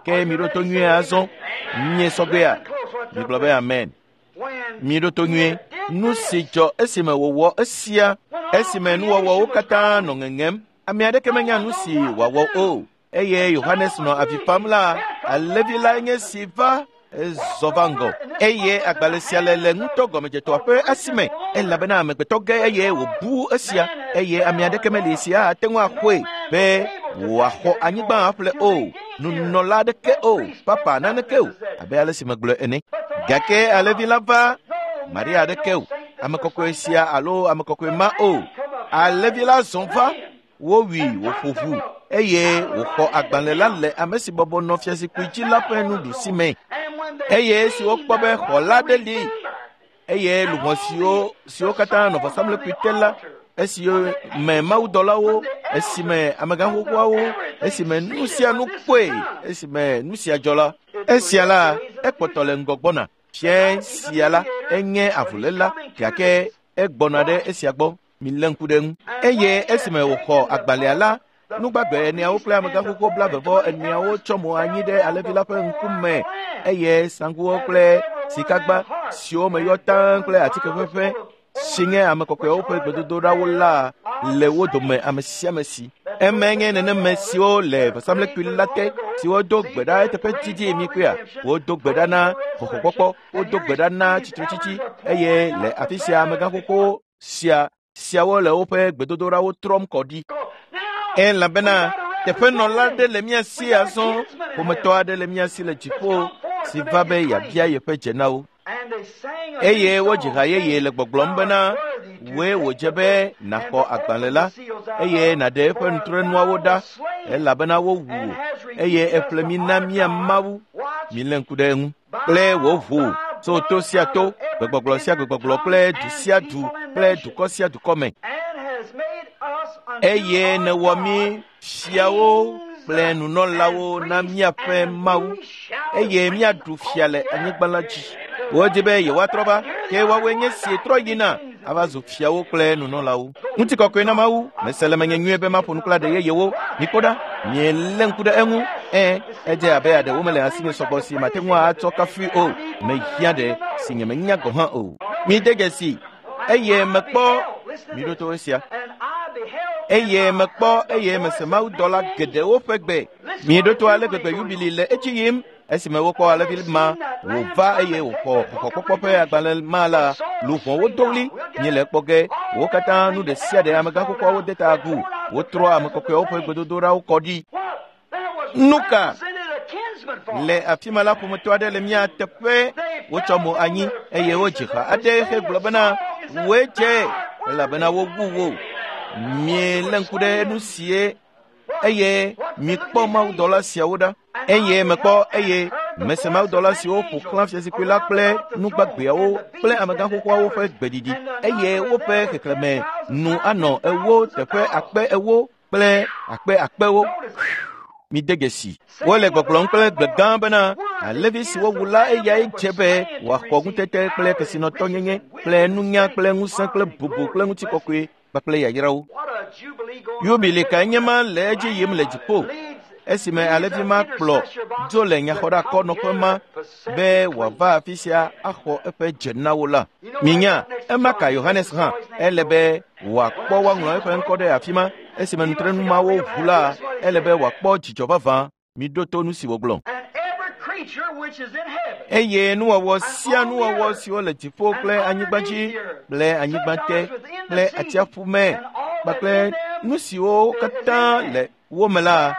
Ke miɖo to nyuie azɔ. Mie sɔgbea? Migblɔ be amen. Miɖo to nyuie. Nu si dzɔ esime wòwɔ esia, esime nuwɔwɔwo katã nɔ ŋeŋem, ame aɖeke menya nu si wòawɔ o. Eye Yohanes nɔ avi fam la, alẽvi lae nye si va Ezɔ va ŋgɔ eye agbalẽ sia le le ŋutɔ gɔmedzetɔa ƒe asime elabena amegbetɔ ge eye wòbu esia eye ame aɖeke meli sia ate ŋu axɔe be wòaxɔ anyigba aƒle o nunɔla aɖeke o papa naneke o abe ale si megblɔe ene gake alẽvi la va Maria aɖeke o ame kɔkɔe sia alo ame kɔkɔe ma o alẽvi la zɔ va wowui wòƒo ʋu eye wòxɔ agbalẽ la le ame si bɔbɔ nɔ fiazikpui dzi la ƒe nuɖusi me eye esi wokpɔ be xɔla ɖe li eye luʋɔ siwo siwo katã nɔ vɔsamlekpui te la esi me mawudɔlawo esime amegãxoxoawo esime nu sia nu kpɔe esime nu sia dzɔ la esia la ekpɔtɔ le ŋgɔ gbɔna fia sia la enye avuléla gake egbɔna ɖe esia gbɔ milé ŋku ɖe ŋu eye esime wòxɔ agbalẽa la nugbagbe eneawo kple amegãxoxo blaeve eneawo tsɔ mo anyi ɖe alẽvi la ƒe ŋkume eye saŋkuwo kple sikagba siwo me yɔ taŋ kple atike ʋeʋẽ si nye ame kɔkɔewo ƒe gbedodoɖawo la le wo dome ame sia ame si eme nye neneme siwo le vɔsamlekpui la te siwo do gbe ɖa eteƒe didi mi kpea wodo gbe ɖa na xɔxɔkpɔkpɔ wodo gbe ɖa na tsitretsitsi eye le afi sia amegãxoxo sia siawo le woƒe gbedodoɖawo trɔm kɔ ɖi elabena teƒenɔla aɖe le mía si azɔ ƒometɔ aɖe le mía si le dziƒo si va be yeabia yeƒe dze na wo eye wodzi ha yeye le gbɔgblɔm bena wòe wòdze be nàxɔ agbalẽ la eye nàɖe eƒe nutrenuawo ɖa elabena wowu wò eye eƒle mí na mía Mawu milé ŋku ɖe eŋu kple wò ʋu tso to sia to gbegbɔgblɔ sia gbegbɔgblɔ kple du sia du kple dukɔ sia dukɔ me eye nèwɔ mí fiawo kple nunɔlawo na míaƒe Mawu eye míaɖu fia le anyigba la dzi. Wodi be yewoatrɔ va ke woawoe nye si trɔ yina ava zu fiawo kple nunɔlawo. Ŋutikɔkɔe na Mawu mese le menye nyuie be maƒo nu kple aɖe yeyewo mikpɔ ɖa mielé ŋku ɖe eŋu ẽ edze abe aɖewo mele asinye sɔgbɔ si mate ŋu atsɔ kafui o mehiã ɖe si nyemenya gɔ̃ hã o. Mide dzesi eye mekpɔ miɖo to esia eye mekpɔ eye mese mawudɔla geɖewo ƒe gbe miɖo to ale gbegbe yubili le edzi yim esime wokpɔ alẽvi ma wòva eye wòxɔ xɔxɔkpɔkpɔ ƒe agbalẽ ma la luʋɔwo do ɣli míele ekpɔ ge wo katã nu ɖe sia ɖe amegãxoxoawo de ta agu wotrɔ ame kɔkɔewo ƒe gbedodoɖawo kɔ ɖi nu ka le afi ma la ƒometɔ aɖe le mía teƒe wotsɔ mo anyi eye wodzi ha aɖe hegblɔ bena wòe dze elabena wowu wò mielé ŋku ɖe nu sie eye mikpɔ mawudɔla siawo ɖa eye mekpɔ eye mese mawudɔla siwo ƒo xlã fiazikpui la kple nugbagbeawo kple amegãxoxoawo ƒe gbeɖiɖi eye woƒe xexlẽme nu anɔ ewo teƒe akpe ewo kple akpe akpewo mide dzesi wole gbɔgblɔm kple gbe gã bena alẽvi si wowu la eyae dze be wòaxɔ ŋutete kple kesinɔtɔnyenye kple nunya kple ŋusẽ kple bubu kple ŋutikɔkɔe kpakple yayrawo yubili kae nye ma le edzi yim le dziƒo esime alẽvi ma kplɔ dzo le nyaxɔɖakɔnɔƒe ma be wòava afi sia axɔ eƒe dze na wo la minya ema ka Yohanes hã ele be wòakpɔ woaŋlɔ eƒe ŋkɔ ɖe afi ma esime nutrenu mawo ʋu la ele be wòakpɔ dzidzɔ vavã miɖo to nu si wògblɔ eye nuwɔwɔ sia nuwɔwɔ siwo le dziƒo kple anyigba dzi kple anyigba te kple atsiaƒu me kpakple nu siwo katã le wo me la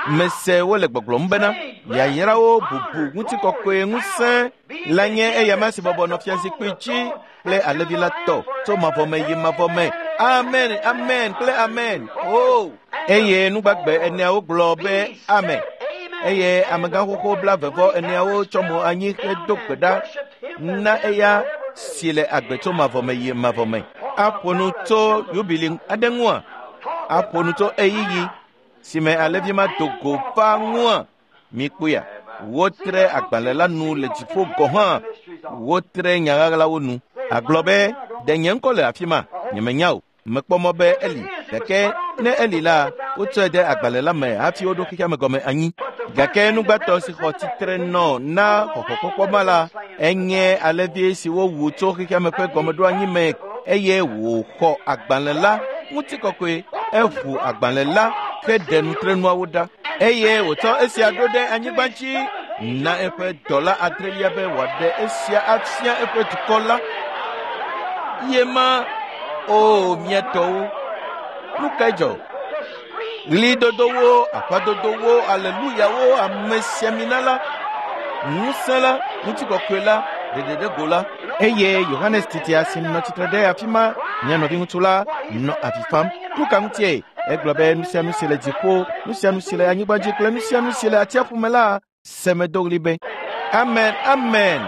mese wole gbɔgblɔm bena yayrawo bubu ŋutikɔkɔe ŋusẽ la nye eyama si bɔbɔ nɔ fiazikpui dzi kple alẽvi la tɔ tso mavɔ me yi mavɔ me amen amen kple amen o eye nugbagbe eneawo gblɔ be amen eye amegãxoxo blaeve-vɔ eneawo tsɔ mo anyi hedo gbe ɖa na eya si le agbe tso mavɔ me yi mavɔ me aƒo nu tso yubili aɖe ŋua aƒo nu tso eyiyi si me alẽvi ma do go va ŋua mikpɔea wotre agbalẽ la nu le dziƒo gɔ̃ hã wotre nya ɣaɣlawo nu agblɔ be ɖe nye ŋkɔ le afi ma nyemenya o mekpɔ mɔ be eli gake ne eli la wotsɔe de agbalẽ la me hafi woɖo xexea me gɔme anyi gake nugbãtɔ si xɔ tsitre nɔ na xɔxɔkpɔkpɔ ma la enye alẽvi si wowu tso xexea me ƒe gɔmeɖoanyi me eye wòxɔ agbalẽ la ŋutikɔkɔe eʋu agbalẽ la heɖe nutrenuawo ɖa eye wòtsɔ esia ɖo ɖe anyigba dzi na eƒe dɔla adrelia be wòaɖe esia afia eƒe dukɔ la. Ye ma, o mía tɔwo, nu kae dzɔ? Ɣlidodowo, aƒadodowo, aleluyawo, amesiamina la, ŋusẽ la, ŋutikɔkɔe la, ɖeɖeɖego la. Eye Yohanes titia si nɔ tsitre ɖe afi ma, mía nɔviŋutsu la, nɔ avi fam. Nu ka ŋutie? Egblɔ be nu sia nu si le dziƒo, nu sia nu si le anyigba dzi kple nu sia nu si le atsiaƒu me la, semedo ɣli be, Amen, amen.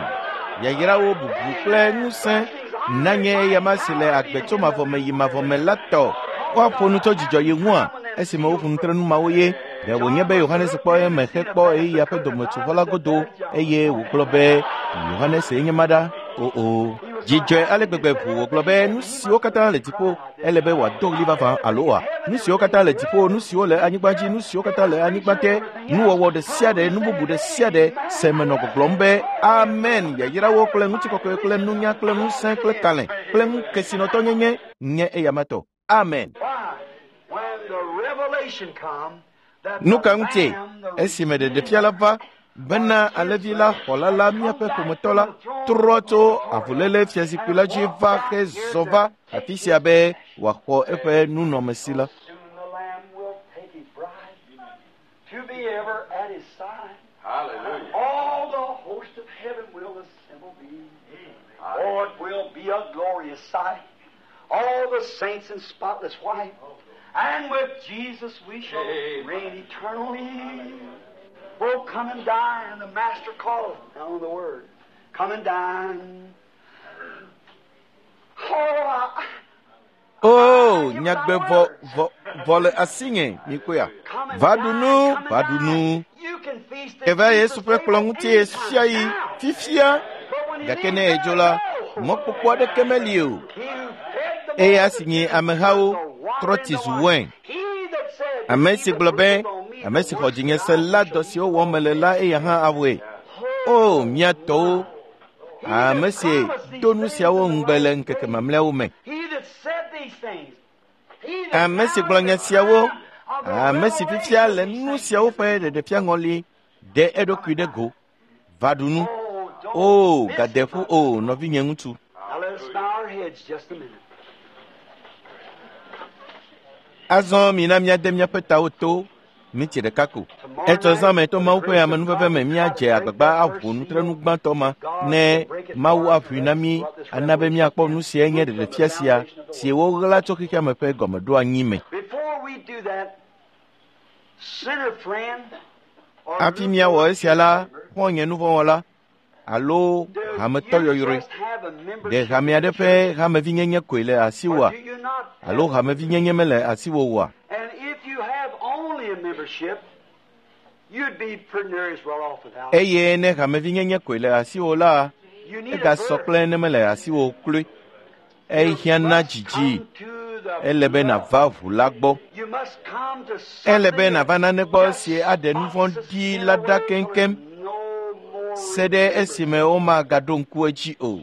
Yayrawo, bubu kple ŋusẽ nanye eyama si le agbe tso mavɔ me yi mavɔ me la tɔ. Woaƒo nu tso dzidzɔ yi ŋua esime woƒo nu tre nu mawo ye. Ɖe wònye be Yohanes kpɔ eme hekpɔ ɣeyiɣia ƒe dometsovɔ la godo eye wògblɔ be Yohanes ye nye ma ɖa? O o. Dzidzɔe ale gbegbe ʋu wògblɔ be nu siwo katã le dziƒo ele be wòado ɣli vavã alo oa? Nu siwo katã le dziƒo, nu siwo le anyigba dzi, nu siwo katã le anyigba te, nuwɔwɔ ɖe sia ɖe, nu bubu ɖe sia ɖe se menɔ gbɔgblɔm be amen, yayrawo kple ŋutikɔkɔe kple nunya kple ŋusẽ kple kalẽ kple ŋukesinɔtɔnyenye nye eyama tɔ. Amen. Nu ka ŋutie? Esime ɖeɖefia la va bena alẽvi la xɔla la míaƒe ƒometɔ la trɔ tso avuléle fiazikpui la dzi va hezɔ va afi sia be wòaxɔ eƒe nunɔamesi la. All the saints in spotless white, and with Jesus we shall reign eternally. Oh, come and dine, the Master calleth now the word. Come and dine. Oh, I, Oh, nyagbe vɔ vɔ vɔ le asinye mikoya. Va ɖu nu, va ɖu nu. Eva Yesu ƒe kplɔ̃ ŋuti ɣe sia ɣi fifia, gake ne edzo la, mɔkpɔkpɔ aɖeke meli o. Eya si nye amehawo trɔ tsi zu wain. Ame si gblɔ be ame si xɔ dzinye se la dɔ siwo wɔm mele la eya hã awɔe. O mía tɔwo, ame si do nu siawo ŋugbe le ŋkeke mamlɛawo me. Ame si gblɔ nya siawo, ame si fifia le nu siawo ƒe ɖeɖefia ŋɔli ɖe eɖokui ɖe go. Va ɖu nu. O gade ƒu o nɔvinye ŋutsu. Azɔ mina míade míaƒe tawo to miti ɖeka ko. Etsɔ zã me to Mawu ƒe amenuveve me míadze agbagba aʋu nutrenu gbãtɔ ma ne Mawu aʋui na mí ana be míakpɔ nu siae nye ɖeɖefia sia si woɣla tso xexea me ƒe gɔmeɖoanyi me. Hafi míawɔ esia la, xɔ̃nye nuvɔ̃wɔla alo hametɔ yɔyrɔe, ɖe hame aɖe ƒe hamevinyenye koe le asiwòa alo hamevinyenye mele asiwò oa? Eye ne hamevinyenye koe le asiwò la, egasɔ kple ne mele asiwò kloe. Ehiã na dzidzi. Ele be nàva ʋu la gbɔ. Ele be nàva nane gbɔ si aɖe nu vɔ̃ ɖi la ɖa keŋkeŋ se ɖe esime womagaɖo ŋku edzi o.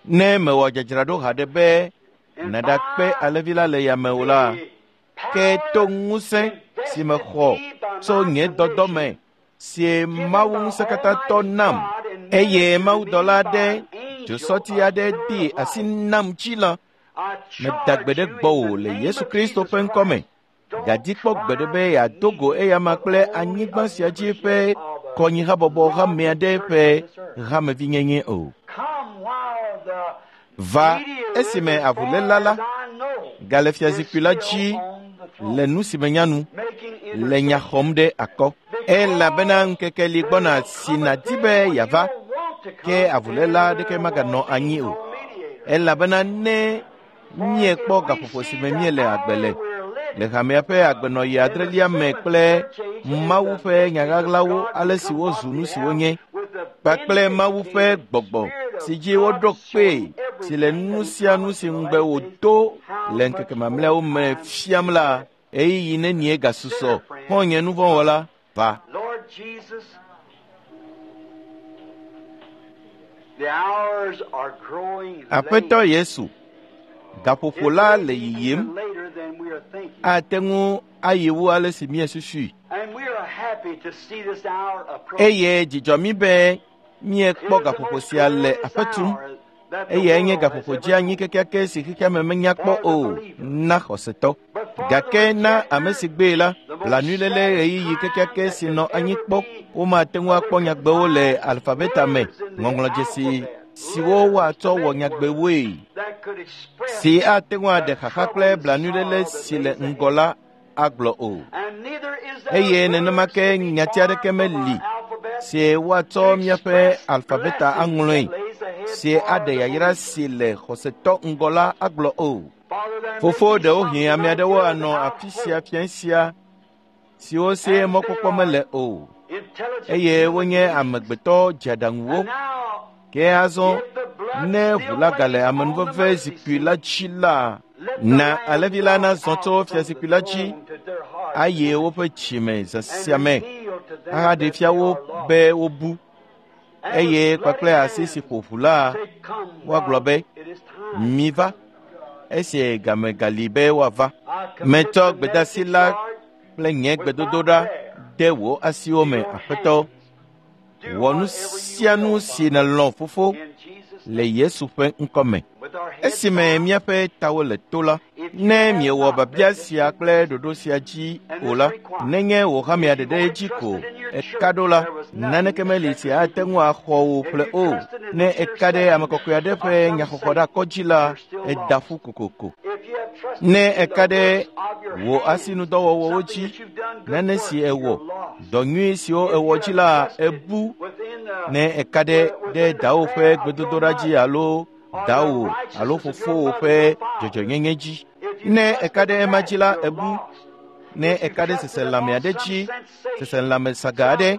Ne mewɔ dzadzraɖo haɖe be nàɖakpe alẽvi la le yame o la, ke to ŋusẽ si mexɔ tso nye dɔdɔ me si Mawu ŋusẽkatãtɔ nam eye mawudɔla aɖe dzosɔti aɖe de asi nam dzi la, meda gbe ɖe gbɔwò le Yesu Kristo ƒe ŋkɔ me. Gadi kpɔ gbe ɖe be yeado go eyama kple anyigba sia dzi ƒe kɔnyihabɔbɔ hame aɖe ƒe hamevinyenye o. Va esime avuléla la gale fiazikpui la dzi le nu si menya nu le nya xɔm ɖe akɔ. Elabena ŋkeke li gbɔna si nàdi be yeava, ke avuléla aɖeke maganɔ anyi o. Elabena ne míekpɔ gaƒoƒo si me míele agbe le le hamea ƒe agbenɔɣi adrelia me kple Mawu ƒe nyaɣaɣlawo ale si wozu nu si wonye kpakple Mawu ƒe gbɔgbɔ si dzi woɖo kpee si le nu sia nu si ŋugbe wòdo le ŋkeke mamlɛawo me fiam la, ɣeyiɣi nenie gasusɔ xɔ̃nye nuvɔ̃wɔla va. Aƒetɔ Yesu, Gaƒoƒo la le yiyim, ate ŋu ayi wu ale si míesusui. Eye dzidzɔ mí be míekpɔ gaƒoƒo sia le aƒe tum. Eyae nye gaƒoƒo dzeanyi kekeake si xexeame menya kpɔ o na xɔsetɔ. Gake na ame si gbee la, blanuiléle ɣeyiɣi kekeake si nɔ anyi kpɔ, womate ŋu akpɔ nyagbewo le alfabeta me, ŋɔŋlɔdzesi siwo woatsɔ wɔ nyagbewoe, si ate ŋu aɖe xaxa kple blanuiléle si le ŋgɔ la agblɔ o. Eye nenema ke nyati aɖeke meli si woatsɔ míaƒe alfabeta aŋlɔe, si aɖe yayra si le xɔsetɔ ŋgɔ la agblɔ o. Fofo, ɖewohĩ ame aɖewo anɔ afi sia fia sia siwo si mɔkpɔkpɔ mele o, eye wonye amegbetɔ dzeaɖaŋuwo. Ke azɔ ne ʋu la gale amenuveve zikpui la dzi la, na alẽvi la nazɔ tso fiazikpui la dzi ayi woƒe dzime zã sia me ahaɖe fia wo be wobu, eye kpakple asi si ƒo ʋu la, woagblɔ be, miva, esi game gali be woava. Metsɔ gbedeasi la kple nye gbedodoɖa de wò asiwo me, Aƒetɔ. Wɔ nu sia nu si nèlɔ̃, Fofo, le Yesu ƒe ŋkɔ me. Esime míaƒe tawo le to la, ne miewɔ biabia sia kple ɖoɖo sia dzi o la, nenye wò hamea ɖeɖe dzi ko eka ɖo la, naneke meli si ate ŋu axɔ wò ƒle o. Ne eka ɖe ame kɔkɔe aɖe ƒe nyaxɔxɔɖakɔ dzi la, eda ƒu kokoko. Ne eka ɖe wò asinudɔwɔwɔwo dzi, nane si ewɔ, dɔ nyui siwo ewɔ dzi la, ebu. Ne eka ɖe ɖe dawò ƒe gbedodoɖa dzi alo dawò alo fofowò ƒe dzɔdzɔnyenye dzi, ne eka ɖe ema dzi la, ebu. Ne eka ɖe seselãme aɖe dzi, seselãme saga aɖe,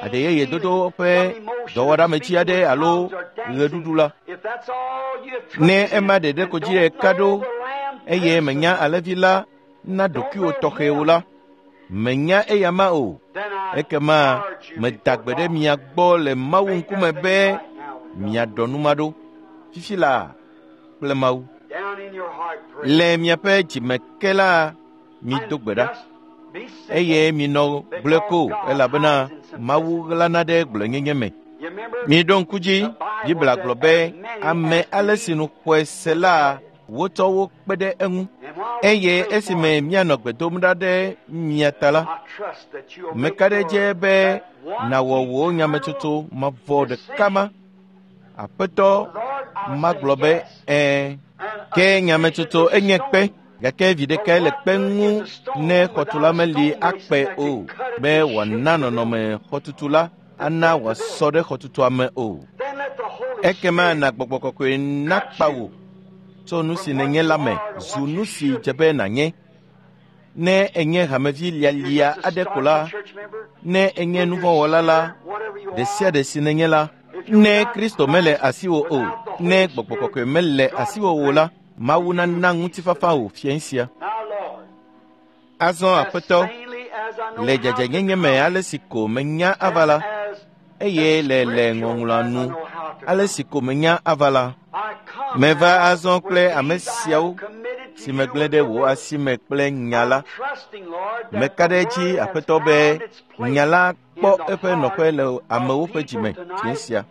aɖe yeye dodo ƒe dɔwɔɖametsi aɖe alo ɣeɖuɖu la, ne ema ɖeɖe ko dzi eka ɖo eye menya alẽvi la na ɖokuiwò tɔxɛ o la, menya eyama o. Ekema meda gbe ɖe mia gbɔ le Mawu ŋkume be miaɖɔ nu ma ɖo fifi laa kple Mawu. Le miaƒe dzime ke la, mido gbe ɖa, eye minɔ gblɔe ko, elabena Mawu ɣlana ɖe gblɔenyenye me. Miɖo ŋku dzi, Biblia gblɔ be ame ale si nu xɔe se la, wotsɔ wo kpe ɖe eŋu. Eye esime míanɔ gbe dom ɖa ɖe mia ta la, meka ɖe edzi be nàwɔ wò nyametsotso mavɔ ɖeka ma. Aƒetɔ magblɔ be ɛ̃. Ke nyametsotso enye kpe, gake vi ɖekae le kpe ŋu ne xɔtula meli akpe o, be wòana nɔnɔme xɔtutu la ana wòasɔ ɖe xɔtutua me o. Ekema na gbɔgbɔ kɔkɔe nakpa wò tso nu si nènye la me zu nu si dze be nànye. Ne enye hamevi lialia aɖe ko la, ne enye nuvɔ̃wɔla la, ɖe sia ɖe si nènye la, ne Kristo mele asiwò o, ne gbɔgbɔ kɔkɔe mele asiwò o la, Mawu nana ŋutifafa wò fiẽ sia. Azɔ Aƒetɔ, le dzadzɛnyenye me ale si ko menya ava la, eye le le ŋɔŋlɔa nu ale si ko menya ava la, meva azɔ kple ame siawo si megblẽ ɖe wò asi me kple nya la. Meka ɖe edzi, Aƒetɔ, be nya la kpɔ eƒe nɔƒe le amewo ƒe dzime fiẽ sia.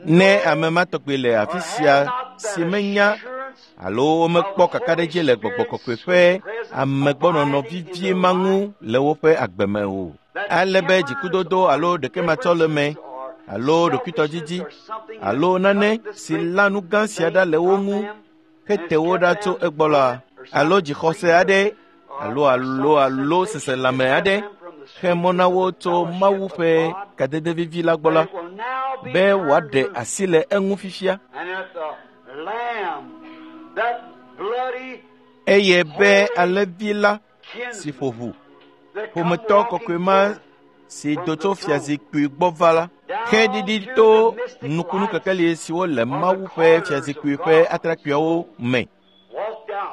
Ne ame ma tɔgbi le afi sia si menya alo womekpɔ kakaɖedzi le gbɔgbɔ kɔkɔe ƒe amegbɔnɔnɔ vivie ma ŋu le woƒe agbe me o, ale be dzikudodo alo ɖekematsɔleme alo ɖokuitɔdzidzi alo nane si la nu gã sia ɖa le wo ŋu hete wo ɖa tso egbɔ la, alo dzixɔse aɖe alo alo alo seselãme aɖe xe mɔ na wo tso Mawu ƒe kadede vivi la gbɔ la, be wòaɖe asi le eŋu fifia, eye be alẽvi la si ƒo ʋu, ƒometɔ kɔkɔe ma si do tso fiazikpui gbɔ va la, xe ɖiɖi to nukunu kekeli siwo le Mawu ƒe fiazikpui ƒe atrakpuiawo me,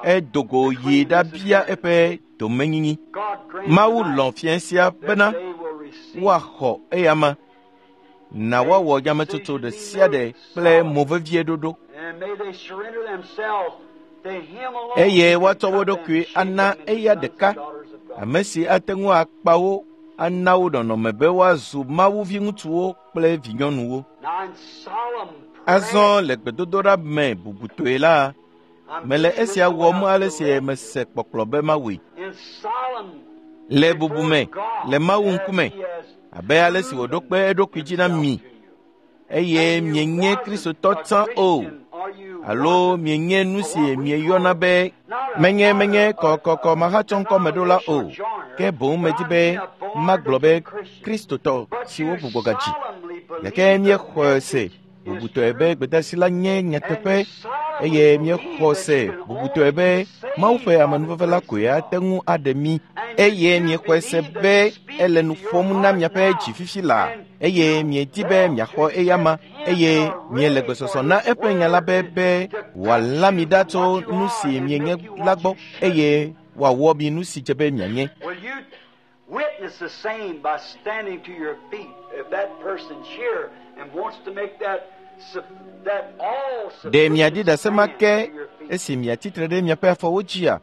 edo go yi ɖabia eƒe domenyinyi. Mawu lɔ̃ fiẽ sia bena woaxɔ eyama Na woawɔ nyametsotso ɖe sia ɖe kple mo vevie ɖoɖo. Eye woatsɔ wo ɖokui ana eya ɖeka, ame si ate ŋu akpa wo ana wo nɔnɔme be woazu Mawu viŋutsuwo kple vinyɔnuwo. Azɔ le gbedodoɖa me bubutɔe la, mele esia wɔm ale si mese kpɔkplɔ be mawɔe. Le bubu me, le Mawu ŋkume, abe ale si wòɖo kpe eɖokui dzi na mi, eye mienye Kristotɔ tsã o, alo mienye nu si mieyɔna be menye menye kɔkɔkɔ mahatsɔŋkɔmeɖola o, ke boŋ medi be magblɔ be Kristotɔ siwo gbugbɔ gadzi. Gake míexɔe se bubutɔe be gbedeasi la nye nyateƒe eye míexɔ se bubutɔe be Mawu ƒe amenuveve la koe ate ŋu aɖe mí eye míexɔe se be ele nu ƒom na miaƒe dzi fifi laa eye miedi be miaxɔ eyama eye miele gbesɔsɔ na eƒe nya la be be wòalã mi ɖa tso nu si mienye la gbɔ eye wòawɔ mi nu si dze be mianye. Witness the same by standing to your feet. If that person's here and wants to make that that all Ɖe miaɖi ɖase ma ke esi miatsitre ɖe miaƒe afɔwo dzia?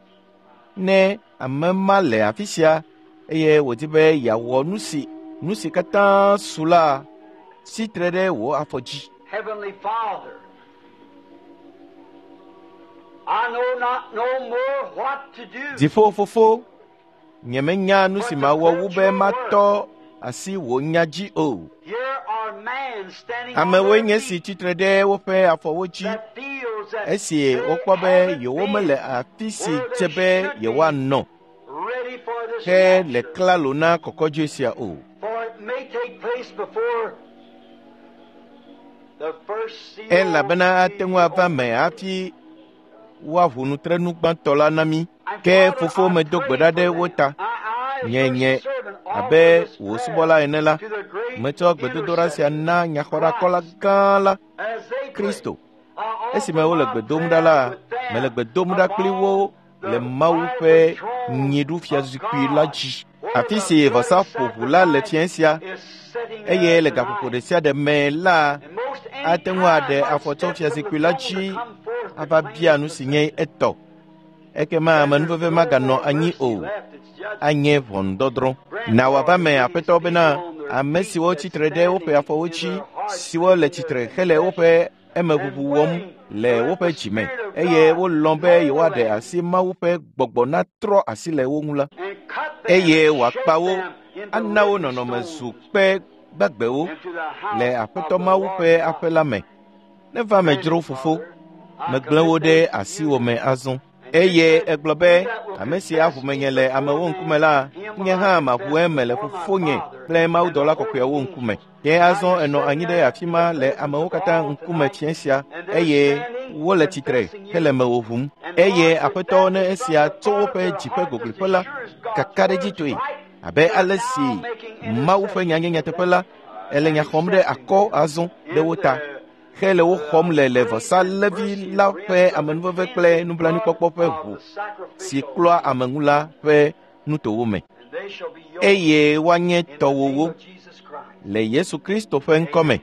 Ne ame ma le afi sia eye wòdi be yeawɔ nu si nu si katã su la, tsitre ɖe wò afɔ dzi. Heavenly Father, I know not no more what to do. Dziƒo fofo, nyemenya nu si mawɔ wu be matɔ asi wò nya dzi o. Here are men standing on Amewoe their nye si feet tsitre ɖe woƒe afɔwo dzi that feels that esi they wokpɔ be haven't yewomele been afi si dze be yewoanɔ ready for this he le rapture. klalo na kɔkɔdzoe sia o. For it may take place before the first seal Elabena ate ŋu ava be me hafi woaʋu nutrenu gbãtɔ la na mí. Ke fofo medo gbe ɖa ɖe wo ta. Nye nye abe wò subɔla ene la, metsɔ gbedodoɖa sia na nyaxɔɖakɔla gã la, Kristo. Esime wole gbe dom ɖa la, mele gbe dom ɖa kpli wo le Mawu ƒe nyiɖufiazikpui la dzi. Afi si vɔsa ƒo ʋu la le fiẽ sia, eye le gaƒoƒo ɖe sia ɖe me la, ate ŋu aɖe afɔ tso fiazikpui la dzi ava bia nu si nye etɔ. Ekema amenuveve maganɔ anyi o, anye ʋɔnudɔdrɔ̃. Na wòava me Aƒetɔ bena ame siwo tsitre ɖe woƒe afɔwo dzi, siwo le tsitre hele woƒe emeʋuʋu wɔm le woƒe dzi me, eye wolɔ̃ be yewoaɖe asi Mawu ƒe gbɔgbɔ natrɔ asi le wo ŋu la, eye wòakpa wo, ana wo nɔnɔme zu kpe gbagbewo le Aƒetɔ Mawu ƒe aƒe la me. Neva me dzro fofo, megblẽ wo ɖe asiwò me azɔ. Eye egblɔ be, ame si aʋu menye le amewo ŋkume la, nye hã maʋu eme le fofonye kple mawudɔla kɔkɔeawo ŋkume. Ke azɔ enɔ anyi ɖe afi ma le amewo katã ŋkume fiẽ sia eye wole tsitre hele mewò ʋum. Eye Aƒetɔ ne esia tso woƒe dzi ƒe goglƒe la, kakaɖedzitɔe, abe ale si Mawu ƒe nya nye nyateƒe la, ele nya xɔm ɖe akɔ azɔ ɖe wo ta hele wo xɔm le le vɔsalẽvi la ƒe amenuveve kple nublanuikpɔkpɔ ƒe ʋu si klɔa ame ŋu la ƒe nutowo me eye woanye tɔwòwo le Yesu Kristo ƒe ŋkɔ me.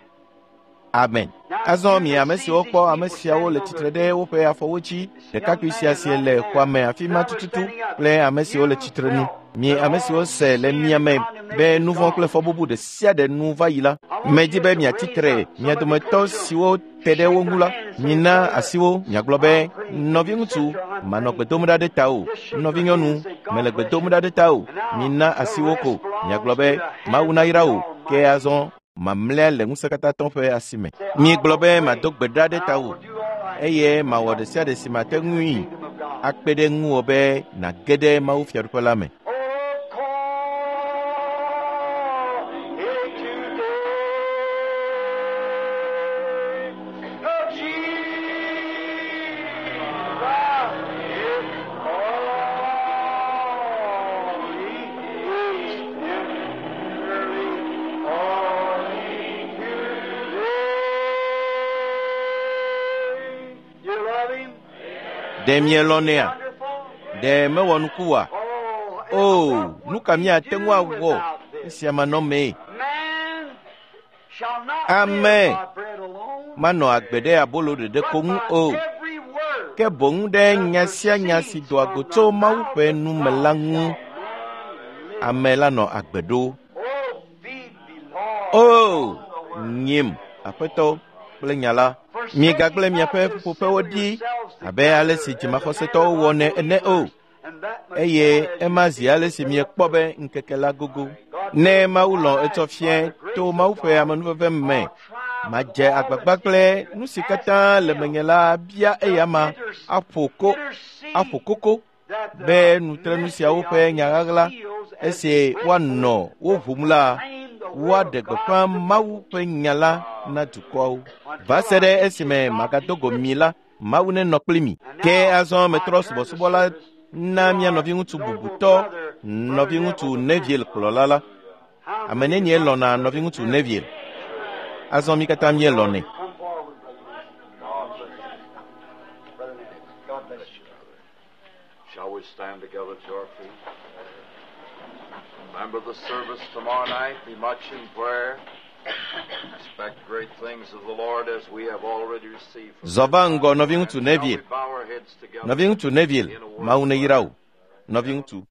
Amen. Azɔ mi ame siwo kpɔ ame siawo le tsitre ɖe woƒe afɔwo dzi, ɖekakpui sia si le xɔa me afi ma tututu kple ame siwo le tsitre nu. Mi ame siwo se le mia me be nu vɔ̃ kple fɔbubu ɖe sia ɖe nu va yi la, medi be miatsi tre mia dometɔ siwo te ɖe wo ŋu la, mina asi wo miagblɔ be, nɔviŋutsu, manɔ gbe dom ɖa ɖe tawò, nɔvinyɔnu, mele gbe dom ɖa ɖe tawò, mina asi wo ko, miagblɔ be, Mawu nayra wò, ke azɔ mamlɛa le ŋusẽkatãtɔ ƒe asi me. Miegblɔ be mado gbe ɖa ɖe tawò eye mawɔ ɖe sia ɖe si mate ŋui akpe ɖe ŋuwò be nàge ɖe Mawu fiaɖuƒe la me. Oh, call it today. Oh, Jesus is calling. He's tenderly calling today. You love him? Ɖe mielɔ̃nɛa? Wonderful. Ɖe mewɔ nuku oa? Oh, O, nu ka míate ŋu awɔ esia manɔmee? Man shall not Ame live by bread alone, manɔ agbe ɖe abolo ɖeɖe but ko ŋu by o every word ke boŋ ɖe nya sia nya si doa go tso Mawu ƒe nu me la ŋu ame la nɔ agbe ɖo. Oh, feed me, Lord. O on the word. nyim Aƒetɔ kple nya la. Migagblẽ miaƒe ƒuƒoƒewo ɖi abe ale si dzimaxɔsetɔwo wɔnɛ ene o eye ema zi ale si miekpɔ be ŋkeke la gogo. Ne Mawu lɔ̃ etsɔ fiẽ to Mawu ƒe amenuveve me, madze agbagba kple nu si katã le menye la bia eyama aƒo ko aƒo koko be nutrenu siawo ƒe nya ɣaɣla esi woanɔ wo ʋum la, woaɖe gbeƒã Mawu ƒe nya la na dukɔawo. Va se ɖe esime magado go mi la, Mawu nenɔ kpli mi. Ke azɔ metrɔ subɔsubɔ la na mía nɔviŋutsu bubutɔ, nɔviŋutsu Neville kplɔla la. Ame nenie lɔ̃na nɔviŋutsu Neville? Azɔ mí katã míelɔ̃nɛ. Come forward, brother. God bless you. Brother Neville, God bless you. Shall we stand together to our feet? Remember the service tomorrow night. Be much in prayer. Expect great things of the Lord as we have already received from Zɔ va ŋgɔ nɔviŋutsu Shall Neville. we bow our heads together? Nɔviŋutsu Neville, Mawu neyra wò. Nɔviŋutsu.